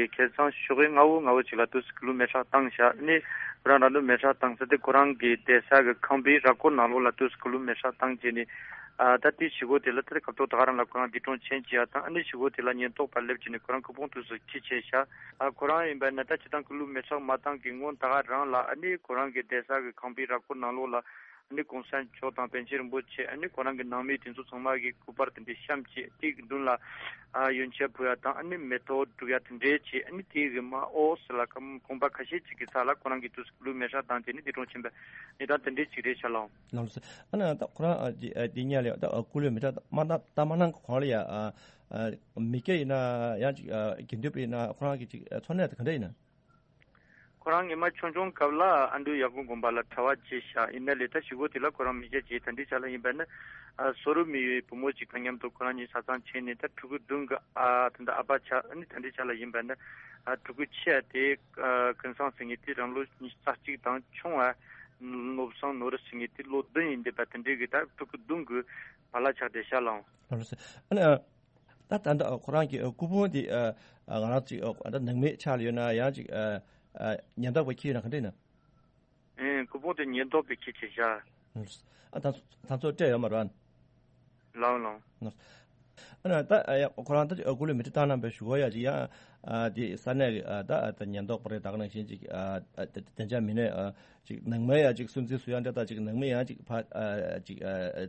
ཁ་སང་ཞོགས་ཀས་སྔ་བོ་སྔ་བོ་ཅིག་ལ་དུས་སུ་སྐུ་ལུས་མེ་སྲེག་བཏང་ཤག་ནི་ཁོ་རང་རང་ལུས་མེ་སྲེག་བཏང་ས་དེ་ཁོ་རང་གི་བསྡད་ས་གི་ཁང་པའི་ར་སྐོར་ནང་ལོགས་ལ་དུས་སུ་སྐུ་ལུས་མེ་སྲེག་བཏང་བྱས་ནས། ཨ་ད་དེའི་ཞུ་སྒོ་དེ་ལ་ད་ལྟ་སྐབས་ཐོག་ད་ག་རང་ལ་ཁོ་རང་འདས་གྲོངས་ཕྱིན་བྱས་ཡ་དང་། ཨ་ནི་ཞུ་སྒོ་དེ་ལ་ཉེན་རྟོག་པ་སླེབས་བྱས་ནས་ཁོ་རང་སྐུ་ཕུང་དུས་སུ་འཁྱེར་བྱས་ཤག་ཨ་ཁོ་རང་ཡིན་པ་ན་ད་སྤྱིར་བཏང་སྐུ་ལུས་མེ་སྲེག་མ་བཏང་གི་སྔོན་ད་ག་རང་ལ་ཨ་ནི་ཁོ་རང་གི་བསྡད་ས་གི་ཁང་པའི་ར་སྐོར་ནང་ལོགས་ལ་ཨ་ནི་གོང་ས་མཆོག་དང་པཎ་ཆེན་རིན་པོ་ཆེ། ཨ་ནི་ཁོ་རང་གི་ནང་མི་དེ་ཚོ་ཚང་མ་གི་སྐུ་པར་དེ་འདྲའི་བཤམས་བྱས། དེ་གི་མདུན་ལ་ཨ་ཡོན་ཆབ་ཕུལ་ཡ་དང་། ཨ་ནི་མེ་ཏོག་སྒྲུག་ཡ་དེ་འདྲའི་བྱས། ཨ་ནི་དེ་གི་མ་འོག་ཟེར་ལ་ཁང་པ་ཁ་ཤས་ཅིག་གི་ས་ལ་ཁོ་རང་གི་དུས་སུ་སྐུ་ལུས་མེ་སྲེག་བཏང་བྱས་ནས་འདས་གྲོངས་ཕྱིན་པའི་གནས་སྟངས་དེ་འདྲའི་ཅིག་རེད་ཤག་ལགས། ལགས་སོ། ཨ་ནི་ད་ཁོ་རང་ཨ་འདི་ཨ་འདི་གཉིས་ལ་ད་སྐུ་ལུས་མེ་སྲེག་མ་བཏང་ད་མ་གནང་གོང་ལ་ཡ་ཨ་ཨ་མི་སྐྱ་ཡིན་ན་ཡང་ཅིག་ཨ་དགེ་འདུན་པ་ཡིན་ན་ཁོ་རང་གི་ཅིག་ཨ་འཚོ་གནས་དེ་ག་འདྲ་ཡིན་ན། ཁོ་རང་སྔོན་མ་ཆུང་ཆུང་སྐབས་ལ་ཨ་འབྲུག་ཡར་ཀོང་དགོན་པ་ལ་གྲྭ་པ་བྱས་ཤག་ཡིན་ན་ལས་ད་ཞུ་སྒོ་དེ་ལ་ཁོ་རང་མི་སྐྱ་བྱས། ད་འདི་ཆ་ལ་ཡིན་པ་ན་ཨ་སོ་རུ་མི་ཡོད་བུ་མོ་ཅིག་དང་མཉམ་དུ་ཁོ་རང་གཉིས་ཆ་ཚང་ཕྱིན་ནས། ད་ཕྲུ་གུ་བདུན་གི་ཨ་ད་ད་ཨ་ཕ་ཆགས། ཨ་ནི་ད་འདི་ཆ་ལ་ཡིན་པ་ན་ཨ་ཕྲུ་གུ་ཆེ་བ་དེ་ཨ་ཀུན་བཟང་ཟེར་མཁན་དེ་རང་ལོ་ཉི་ཤུ་རྩ་གཅིག་དང་། ཆུང་བ་ནོར་བཟང་ནོར་རི་ཟེར་མཁན་དེ་ལོ་བདུན་ཡིན་བསྡད་པ། དེ་འདྲའི་གི་ད་ཕྲུ་གུ་བདུན་གི་པཱ་ལགས་ཆགས་བསྡད་ཤག་ལགས། ལགས་སོ། ཨ་ནི་ད་ད་ལྟ་ཁོ་རང་གི་སྐུ་ཕུང་དེ་ཨ་ང་རང་ཅིག་ཨ་ད་ནང་མི་ཆགས་ལ་ཡོད་ན་ཡང་ཅིག་ཨ་ཨ་ཉེན་རྟོག་པས་འཁྱེར་ཡོད་ན་ག་འདྲ་ཡིན་ན། ཨེ་སྐུ་ཕུང་དེ་ཉེན་རྟོག་པས་འཁྱེར་བྱས་ཤག་ཨ་ད་ད་ཚོ་སྤྲད་ཡོད་མ་རེད། ལགས་ལགས། ཨ་ན་ད་ཨ་ཡ་ཁོ་རང་ད་ཨ་སྐུ་ལུས་མི་ཁྲི་བཏང་གནང་པའི་ཞུ་གོ་ཡ་ཅིག་ཡང་ཨ་དེ་ས་གནས་ཀྱི་ཨ་ད་ཨ་ད་ཉེན་རྟོག་པ་རེད། ད་ག་ནང་བཞིན་ཅིག་ཨ་ཨ་ད་དེ་འདྲ་མི་སྣས་ཨ་ཅིག་ནང་མའི་ཡ་ཅིག་སུན་གཙེར་བཟོ་ཡ་འདྲ་ད་ཅིག་ནང་མི་ཡང་ཅིག་ཕ་ཨ་ཅིག་ཨ་ཨ་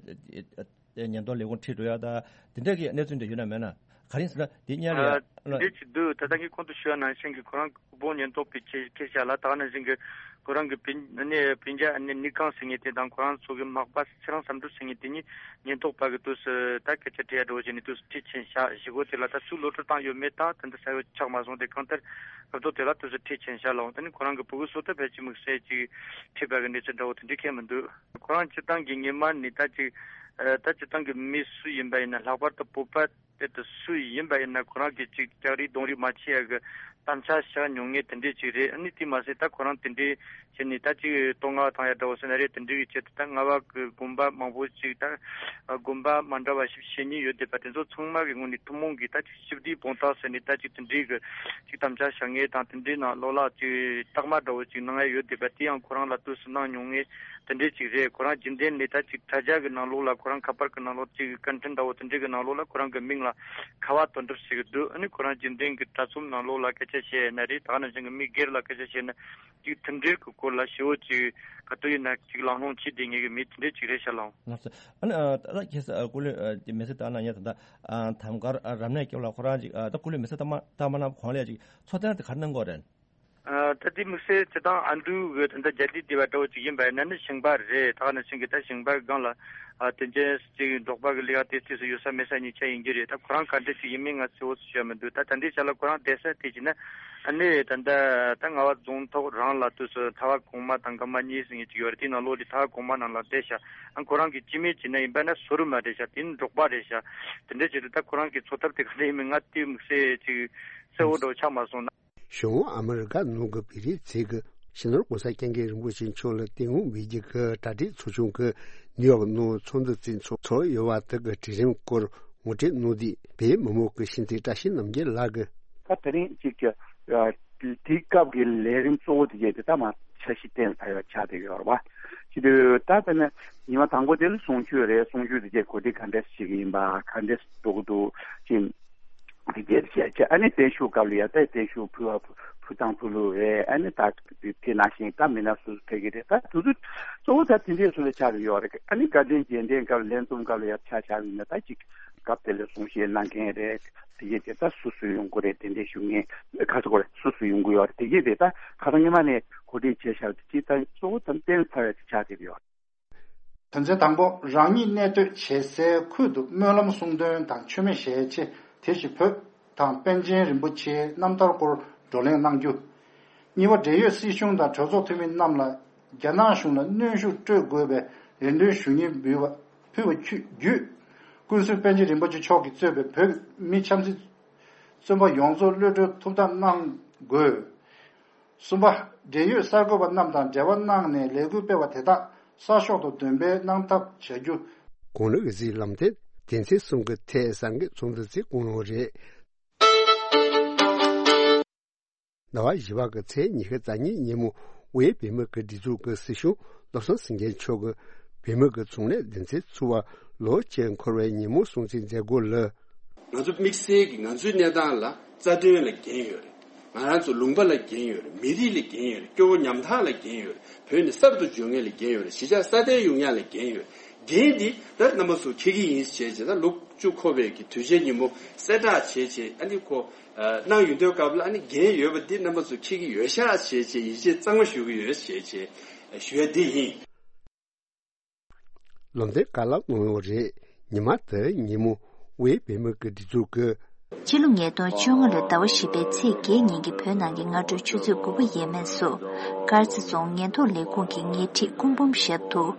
ཨ་ཨ་ཉེན་རྟོག་ལས་ཁུངས་ཁྲིད་འགྲོ་ཡ་ད་དེ་འདྲ་གི་གནས་ཚུལ་འདྲ་ཡོད་ན་མེད་ན། ག་རེ་ཟེར་ན་དེ་སྔོན་ལ་ཡ་ཨ་ཨ་འདི་ཅིག་འདུག་ད་ལྟ་ངས་གོང་དུ་ཞུས་པ་ནང་བཞིན་གྱི་ཁོ་རང་སྐུ་ཕུང་ཉེན་རྟོག་པས་ཁྱེར་ཁྱེར་བཞག་ལ། ད་ག་ནང་བཞིན་གྱི་ཁོ་རང་གི་སྤུན་ཨ་ནི་སྤུན་ཀྱག་ཨ་ནི་ནི་ཀང་ཟེར་མཁན་དེ་དང་ཁོ་རང་ཚོ་གི་མག་པ་ཚེ་རིང་བསམ་གྲུབ་ཟེར་མཁན་དེ་གཉིས་ཉེན་རྟོག་པ་གི་དུས་སུ་ད་སྐད་ཆ་དྲི་ཡ་འགྲོ་བྱས་ནས་དུས་སུ་ཁྲིད་ཕྱིན་བཞག་བཞེས་སྒོ་དེ་ལ་ད་ཚུར་གློད་བཀྲོལ་བཏང་ཡོད་མེད་དང་དེ་འདྲ་ས་ཡོད་ཆགས་མ་སོང་། དེ་གང་ལྟར་སྐབས་ཐོག་དེ་ལ་དུས་སུ་ཁྲིད་ཕྱིན་བཞག་ལ། འོང་ད་ནི་ཁོ་རང་གི་ཕྲུ་གུ་སོ་ཐར་ཕལ་ཆེར་དམིགས་བསལ་ཅིག་ཁྲིད་པ་གི་གནས་ཚུལ་འདྲ་བོ་དེ་འདྲ་གང་ཡང་མི་འདུག་ཁོ་རང་སྤྱིར་བཏང་གི་སྔོན་མ་ནས་ད་ཅིག་ཨ་ད་སྤྱིར་བཏང་གི་མི་སུ་ཡིན་པ་ཡིན་ན་ལྷག་པར་དུ་བོད་པ་དེ་དུ་སུ་ཡིན་པ་ཡིན་ན་ཁོ་རང་གིས་ཅིག་སྐྱག་རིས་གདོང་རིས་མ་བྱེད་ཡ་གི་དམ་བཅའ་བཞག་མྱོང་མཁན་དེ་འདྲས་ཅིག་རེད། ཨ་ནི་དེ་མ་ཟད་ད་ཁོ་རང་དེ་འདྲས་བྱས་ནས་ད་ཅིག་བསྟོད་བསྔགས་བཏང་ཡ་འདྲ་བོ་ཟེར་ན་རེད། དེ་འདྲས་ཀྱི་ཆེད་དུ་ད་རྔ་བ་གི་དགོན་པ་མང་པོ་ཅིག་ད་དགོན་པ་མ་འདྲ་བ་བཞི་བཅུ་ཞེ་གཉིས་ཡོད་བསྡད་པ་དེ་ཚོ་ཚང་མ་གི་ངོས་ནས་ཐུན་མོང་གི་ད་ཅིག་ཞི་བདེའི་དཔང་རྟགས་ཟེར་ནས་ད་ཅིག་དེ་འདྲས་ཀྱི་ཅིག་དམ་བཅའ་བཞག་མཁན་དང་དེ་འདྲས་ནང་ལོགས་ལ་ཅིག་རྟགས་མ་འདྲ་བོ་ཅིག་གནང་ཡ་ཡོད་བསྡད་པ་དེ་ཡང་ཁོ་རང་ལ་དུས་སུ་གནང་མྱོང་མཁན་དེ་འདྲས་ཅིག་རེད། ཁོ་རང་རྒྱུན་ལྡན་ནས་ད་ཅིག་དྲ་རྒྱ་གི་ནང་ལོགས་ལ་ཁོ་རང་ཁ་པར་གི་ནང་ལོགས་ཅིག་བཀའ་འཕྲིན་འདྲ་བོ་དེ་འདྲས་གི་ནང་ལོགས་ལ་ཁོ་རང་གི་མིང་ལ་ཁ་བ་དོན་གྲུབ་ཟེར་གི་འདུག་ཨ་ནི་ཁོ་རང་རྒྱུན་ལྡན་གི་དྲ་ཚོམས་ནང་ལོགས་ལ་སྐད་ཆ་བཤད་ཡ་ན་རེད། ད་ག་ནང་བཞིན་གི་མི་སྒེར་ལ་སྐད་ཆ་བཤད་ན་ཅིག་དེ་འདྲས་གི་སྐོར་ལ་ཞེ་བོ་ཅིག་ག་དུས་ཡིན་ན་ཅིག་ལང་ལོང་བྱེད་བསྡད་མཁན་གི་མི་དེ་འདྲས་ཅིག་རེད་ཤག་ལགས། ལགས་སོ། ཨ་ནི་ཨ་ད་ལྟ་ཁྱེད་ས་ཨ་སྐུ་ལུས་ཨ་དེ་མི་ཚེ་ལྟར་ན་ཡ་ད་ལྟ་ཨ་ཐང་དཀར་ཨ་རབ་གནས་སྐབས་ལ་ཁོ་རང་ཅིག་ཨ་ད་སྐུ་ལུས་མི་ཚེ་ལྟར་མ་ལྟར་མ་གནང་གོང་ལ་ཡ་ཅིག་འཚོ་རྟེན་དེ་ག་རེ་གནང་གི་ཡོད་རེད། ཨ་ད་དེ་དམིགས་བསལ་སྤྱིར་བཏང་ཨ་འབྲུག་གི་ད་ལྟ་རྒྱ་སྡེ་སྡེ་བ་འདྲ་བོ་ཅིག་ཡིན་པ་ཡིན་ན་ནི་ཞིང་པ་རེད། ད་ག་ནང་བཞིན་གྱི་ད་ཞིང་པ་སྒང་ལ་ཨ་དེ་འདྲས་ཅིག་འབྲོག་པ་གི་ལས་ཀ་དེ་དུས་སུ་ཡོད་ས་མེད་ས་གཉིས་ཆ་ཡིན་གྱི་རེད། ད་ཁོ་རང་ག་འདྲས་ཅིག་ཡིན་མིན་ང་གསལ་བོ་ཞུ་ཡ་མི་འདུག་ད་ད་ལྟའི་ཆ་ལ་ཁོ་རང་བསྡད་ས་དེ་བྱས་ན་ཨ་ནི་ད་ལྟ་ད་རྔ་བ་རྫོང་ཐོག་རང་ལ་དུས་སུ་ཐ་བ་གོང་མ་དང་འགག་མ་གཉིས་ཟེར་མཁན་ཅིག་ཡོད་རེད། དེའི་ནང་ལོགས་ལ་ཐ་བ་གོང་མ་ནང་ལ་བསྡད་ཤག་ཨ་ཁོ་རང་གི་སྤྱི་མིང་བྱས་ན་ཡིན་པ་ན་སོ་རུ་མ་རེད་ཤག་དེ་ནི་འབྲོག་པ་རེད་ཤག་དེ་འདྲས་བྱས་ཏེ་ད་ཁོ་རང་གི་འཚོ་ཐབས་དེ་ག་འདྲས་ཡིན་མིན་ང་དེ་དམིགས་བསལ་ཅིག་གསལ་བོ་འདྲ་བོ་ཆགས་མ་སོང་ན། གཞུང་ཨ་མི་རི་ཀ་ནང་གི་བོད་རིགས་ཚོས་ཀྱི་སྤྱི་ནོར་༸གོང་ས་༸སྐྱབས་མགོན་རིན་པོ་ཆེ་མཆོག་ལ་བསྟོད་བསྔགས་འབུལ་རྒྱུ་གི་གྲ་སྒྲིག་ཚོགས་ཆུང་གིས་ནིའུ་ཡོག་ནང་ཚོགས་འདུ་རྩིས་ཚོགས་ཚོགས་ཡོད་པ་དེ་གི་གྲོས་རིམ་སྐོར་ངོ་སྤྲོད་གནང་དུས་བོད་མི་མང་གི་གཤམ་དུ་བཀྲ་ཤིས་རྣམ་རྒྱལ་ལགས་ཀྱིས། ད་དེ་རིང་གཅིག་གི་ཨ་དེའི་སྐབས་ཀྱི་ལས་རིམ་གཙོ་བོ་དེ་གས་དེ་ད་མ་འཆར་གཞི་གཏན་ལ་ཕབ་ཡ་ཆགས་བསྡད་ཡོད་རེད་པ། ཅི་དུས་ད་ལྟ་ནི་ཉི་མ་དང་པོ་དེ་ལ་གསུང་ཆོས་རེད། གསུང་ཆོས་དེ་གས་གོ་སྒྲིག་ག་འདྲས་བྱེད་ཀྱི་ཡིན་པ་ག་འདྲས་འགྲོ་གི་འདུག་ཅིང་། དེ་གས་བྱས་བྱས་ཨ་ནི་བརྟན་བཞུགས་སྐབས་ལ་ཡ་ད་བརྟན་བཞུགས་ཕུལ་བ་ཕུལ་དང་ཕུལ་ལུགས་རེད། ཨ་ནི་ད་དེ་ནང་བཞིན་ད་མི་སྣ་སོ་སོ་ཕེབས་ཀྱི་རེད། ད་དུས་ཚོད་གཙོ་བོ་ད་དེ་འདྲས་སུ་ལ་ཆགས་ཀྱི་ཡོད་རེད། ཨ་ནི་དགའ་ལྡན་དགྱེས་སྟོན་སྐབས་ལས་འཛོམས་སྐབས་ལ་ཡ་ཆ་བཞག་པ་ཡིན་ན་ད་ཅིག་སྐབས་དེ་ལ་གསུང་བཤད་གནང་མཁན་རེད། དེ་གས་དེ་ད་སུ་སུ་ཡོང་གི་རེད། དེ་འདྲས་ཞུ་མཁན་ག་ཚོད་གོ་རེད། སུ་སུ་ཡོང་གི་ཡོད་རེད། དེ་གས་དེ་ད་ཁ་སང་ཉི་མ་ནས་གོ་སྒྲིག་བྱས་བཞག་དེ་ཅིག་ད་གཙོ་བོ་ད་གཏན་ལ་ཕབ་ཡ་དེ་ཆགས་བསྡད་ཡོད། དོན་ཚན་དང་པོ། རང་ཉིད་གནས་སྡོད་བྱེད་སའི་ཁུལ་དུ་སྨོན་ལམ་གསུང་འདོན་དང་མཆོད་མེ་ཞལ་ཕྱེ། དེ་བཞིན་བོད་དང་པཎ་ཆེན་རིན་པོ་ཆེའི་རྣམ་ཐར་སྐོར་བགྲོ་གླེང་གནང་རྒྱུ། གཉིས་པ། འབྲེལ་ཡོད་སྲིད་གཞུང་དང་གྲོས་ཚོགས་འཐུས་མི་རྣམས་ལ་རྒྱ་ནག་གཞུང་ལ་གནོན་ཤུགས་སྤྲོད་དགོས་པའི་རེ་འདུན་ཞུ་སྙན་འབུལ་བ་ཕུལ་བ་བརྒྱུད། ཀུན་གཟིགས་པཎ་ཆེན་རིན་པོ་ཆེ་མཆོག་གིས་གཙོས་པའི་བོད་མི་ཆབ་སྲིད་བཙོན་པ་ཡོངས་རྫོགས་གློད་གྲོལ་ཐུབ་ཐབས་གནང་དགོས། གསུམ་པ། འབྲེལ་ཡོད་གསར་འགོད་པ་རྣམས་དང་འབྲེལ་བ་གནང་ནས་ལས་འགུལ་སྤེལ་བ་དེ་དག་གསར་ཤོག་ཏུ་འདོན་སྤེལ་གནང་ཐབས་བྱ་རྒྱུ། གོང་ནས་གཟིགས་ལམ་སྟོན་སྡེ་ཚན་གསུམ་གྱི་ཐད་གསར་འགོད་ཚོགས་འདུ་ཚོགས་གནང་རེད། ཟླ་བ་བཞི་པ་གི་ཚེས་ཉི་ཤུ་རྩ་གཉིས་ཉིན་མོ་དབུས་བོད་མི་གི་སྒྲིག་འཛུགས་ཀྱི་སྲིད་སྐྱོང་བློ་བཟང་སེང་གེ་མཆོག་གིས་བོད་མི་གི་ཚོང་ལས་སྡེ་ཚན་ཚུགས་པ་ལོ་གཅིག་འཁོར་བའི་ཉིན་མོ་སྲུང་བརྩི་མཛད་སྒོ་ལ། ང་ཚོ་དམིགས་བསལ་གྱིས་ང་ཚོའི་གནས་སྟངས་ལ་རྩ་དོན་ལ་འགན་ཡོད་རེད། ང་རང་ཚོ་ལུང་པ་ལ་འགན་ཡོད་རེད། མི་རིགས་ལ་འགན་ཡོད་རེད། སྐྱོ་བོ་ཉམ་ཐག་ལ་འགན་ཡོད་རེད། བོད་ནས་གསར་དུ་འབྱོར་མཁན་ལ་འགན་ཡོད་རེད། གཞིས་ཆགས་སྲ་བརྟན་ཡོང་ཡག་ལ་འགན་ཡོད་རེད། འགན་འདི་ད་རྣམ་པ་ཚོ་འཁྱེར་གྱི་ཡིན་ཞེས་བྱས་ན་ལོ་བཅུ་འཁོར་བའི་གི་དུས་ཆེན་ཉིན་མོ་གསལ་བསྒྲགས་བྱས་བྱས་ཨ་ནི་ཁོ་གནང་ཡོང་དུས་སྐབས་ལ་ཨ་ནི་འགན་ཡོད་པ་འདི་རྣམ་པ་ཚོ་འཁྱེར་གྱི་ཡོད་ཤག་ཞེས་བྱས་ཡིད་ཆེས་གཙང་མ་ཞུ་གི་ཡོད་ཞེས་བྱས་ཞུ་ཡ་འདི་ཡིན། ལམ་སྟོན་བཀའ་སློབ་གནང་ཡོད་རེད། ཉི་མ་དེ་ཉིན་མོ་དབུས་བོད་མི་གི་སྒྲིག་འཛུགས་ཀྱི། ཕྱི་ལོ་ཉིས་སྟོང་བཅོ་ལྔ་ལོའི་ཟླ་བ་བཞི་པའི་ཚེས་བརྒྱད་ཉིན་གྱི་བོད་ནང་གི་སྔ་དྲོའི་ཆུ་ཚོད་དགུ་པ་ཡས་མས་སུ། དཀར་མཛེས་རྫོང་ཉེན་རྟོག་ལས་ཁུངས་ཀྱི་ཉེ་འཁྲིས་སྐུ་འབུམ་ཞབས་ཏོག་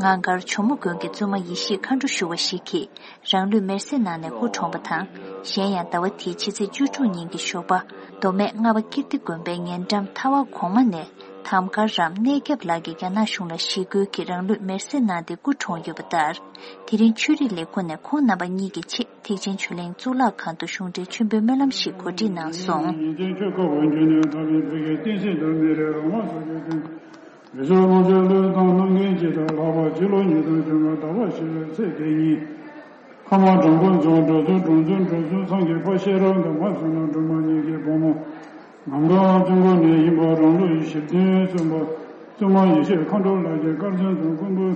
ངང་དཀར་ཇོ་མོ་དགོན་གྱི་བཙུན་མ་ཡེ་ཤེས་མཁའ་འགྲོ་ཞུ་བ་ཞིག་གིས་རང་ལུས་མེར་སྲེག་གནང་ནས་སྐུ་གྲོངས་པ་དང་། གཞན་ཡང་ཟླ་བ་འདིའི་ཕྱི་ཚེས་བཅུ་དྲུག་ཉིན་གྱི་ཞོགས་པ་མདོ་སྨད་རྔ་བ་ཀིརྟི་དགོན་པའི་ཉེ་འགྲམ་ཐ་བ་གོང་མ་ནས། ཐམ་གར་རམ་གནས་སྐྱབས་ལགས་ཀྱིས་རྒྱ་ནག་གཞུང་ལ་ཞི་རྒོལ་གྱིས་རང་ལུས་མེར་སྲེག་གནང་སྟེ་སྐུ་གྲོངས་ཡོད་པ་ལྟར། དེ་རིང་ཆོས་རིག་ལས་ཁུངས་ནས་ཁོང་རྣམ་པ་གཉིས་ཀྱི་ཆེད་ཐེག་ཆེན་ཆོས་གླིང་གཙུག་ལག་ཁང་དུ་གཞུང་འབྲེལ་མཆོད་འབུལ་སྨོན་ལམ་ཞིག་གོ་སྒྲིག་གནང་སོང་། ཕ་མ་དྲང་པོ་འཛོམས་འགྲོ་ཚུལ་དྲང་བརྩོན་འགྲོ་ཚུལ་སངས་རྒྱས་པ་ཤེས་རབ་འདབ་མ་བསོད་ནམས་སྒྲོལ་མ་ཉིད་ཀྱི་བུ་མོ། ངམ་དགའ་བཙུན་མགོ་ནས་ཡིན་པ་རང་ལུས་ཞིག་བདུན་གསུམ་པ། བཙུན་མ་ཡེ་ཤེས་མཁའ་འགྲོ་ལགས་ཀྱི་དཀར་ཆེན་དང་ཀུན་འབུལ།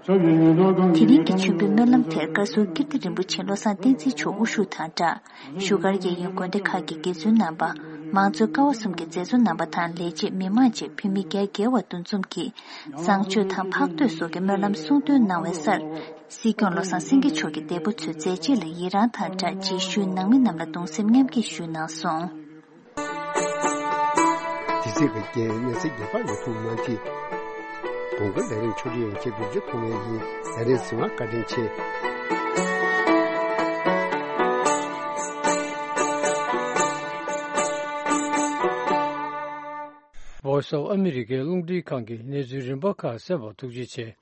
ཞབས་ཀྱི་ཉེ་ཚོགས་གང་དེ་གི་རིང་གི་མཆོད་འབུལ་སྨོན་ལམ་དེར་བཀའ་ཟུར་ཀིརྟི་རིན་པོ་ཆེ་བློ་བཟང་བསྟན་འཛིན་མཆོག་དབུ་བཞུགས་དང་སྦྲགས། བཞུགས་སྒར་རྒྱལ་ཡོངས་དགོན་སྡེ་ཁག་གི་དགེ་ཚུལ་རྣམ་པ། མང་གཙོའི་ཀ་བ་གསུམ་གྱི་མཛད་གཙོ་རྣམ་པ་དང་ལས་བྱེད་མི་མང་བཅས་བོད་མི་བརྒྱ་བརྒལ་བ་འདུ་འཛོམས་ཀྱིས། བཟང་སྤྱོད་དང་འཕགས་བསྟོད་སོགས་ཀྱི་སྨོན་ལམ་གསུང་འདོན་གནང་བའི་སར། སྲིད་སྐྱོང་བློ་བཟང་སེང་གེ་མཆོག་གིས་འདས་པོ་ཚོའི་མཛད་རྗེས་ལ་ཡི་རངས་དང་སྦྲགས་རྗེས་ཤུལ་ནང་མི་རྣམས་ལ་གདུང་སེམས་མཉམ་སྐྱེད་ཞུས་གནང་སོང་། དེ་ཚེ་གི་རྐྱེན་གནས་ཚེ་རྒྱས་པ་ལ་ཐུགས་མ་ཐིག་གོང་གི་ལས་རིམ་ཆུ་རིན་ཡང་ཁྱེད་བེད་སྤྱོད་ཐུབ་ངེས་ཡིན། ལས་རིམ་གཟིགས་པར་བཀའ་དྲིན་ཆེ། Voice of America རླུང་འཕྲིན་ཁང་གི་གནས་ཚུལ་རིམ་པ་ཁག་གསན་པར་ཐུགས་རྗེ་ཆེ།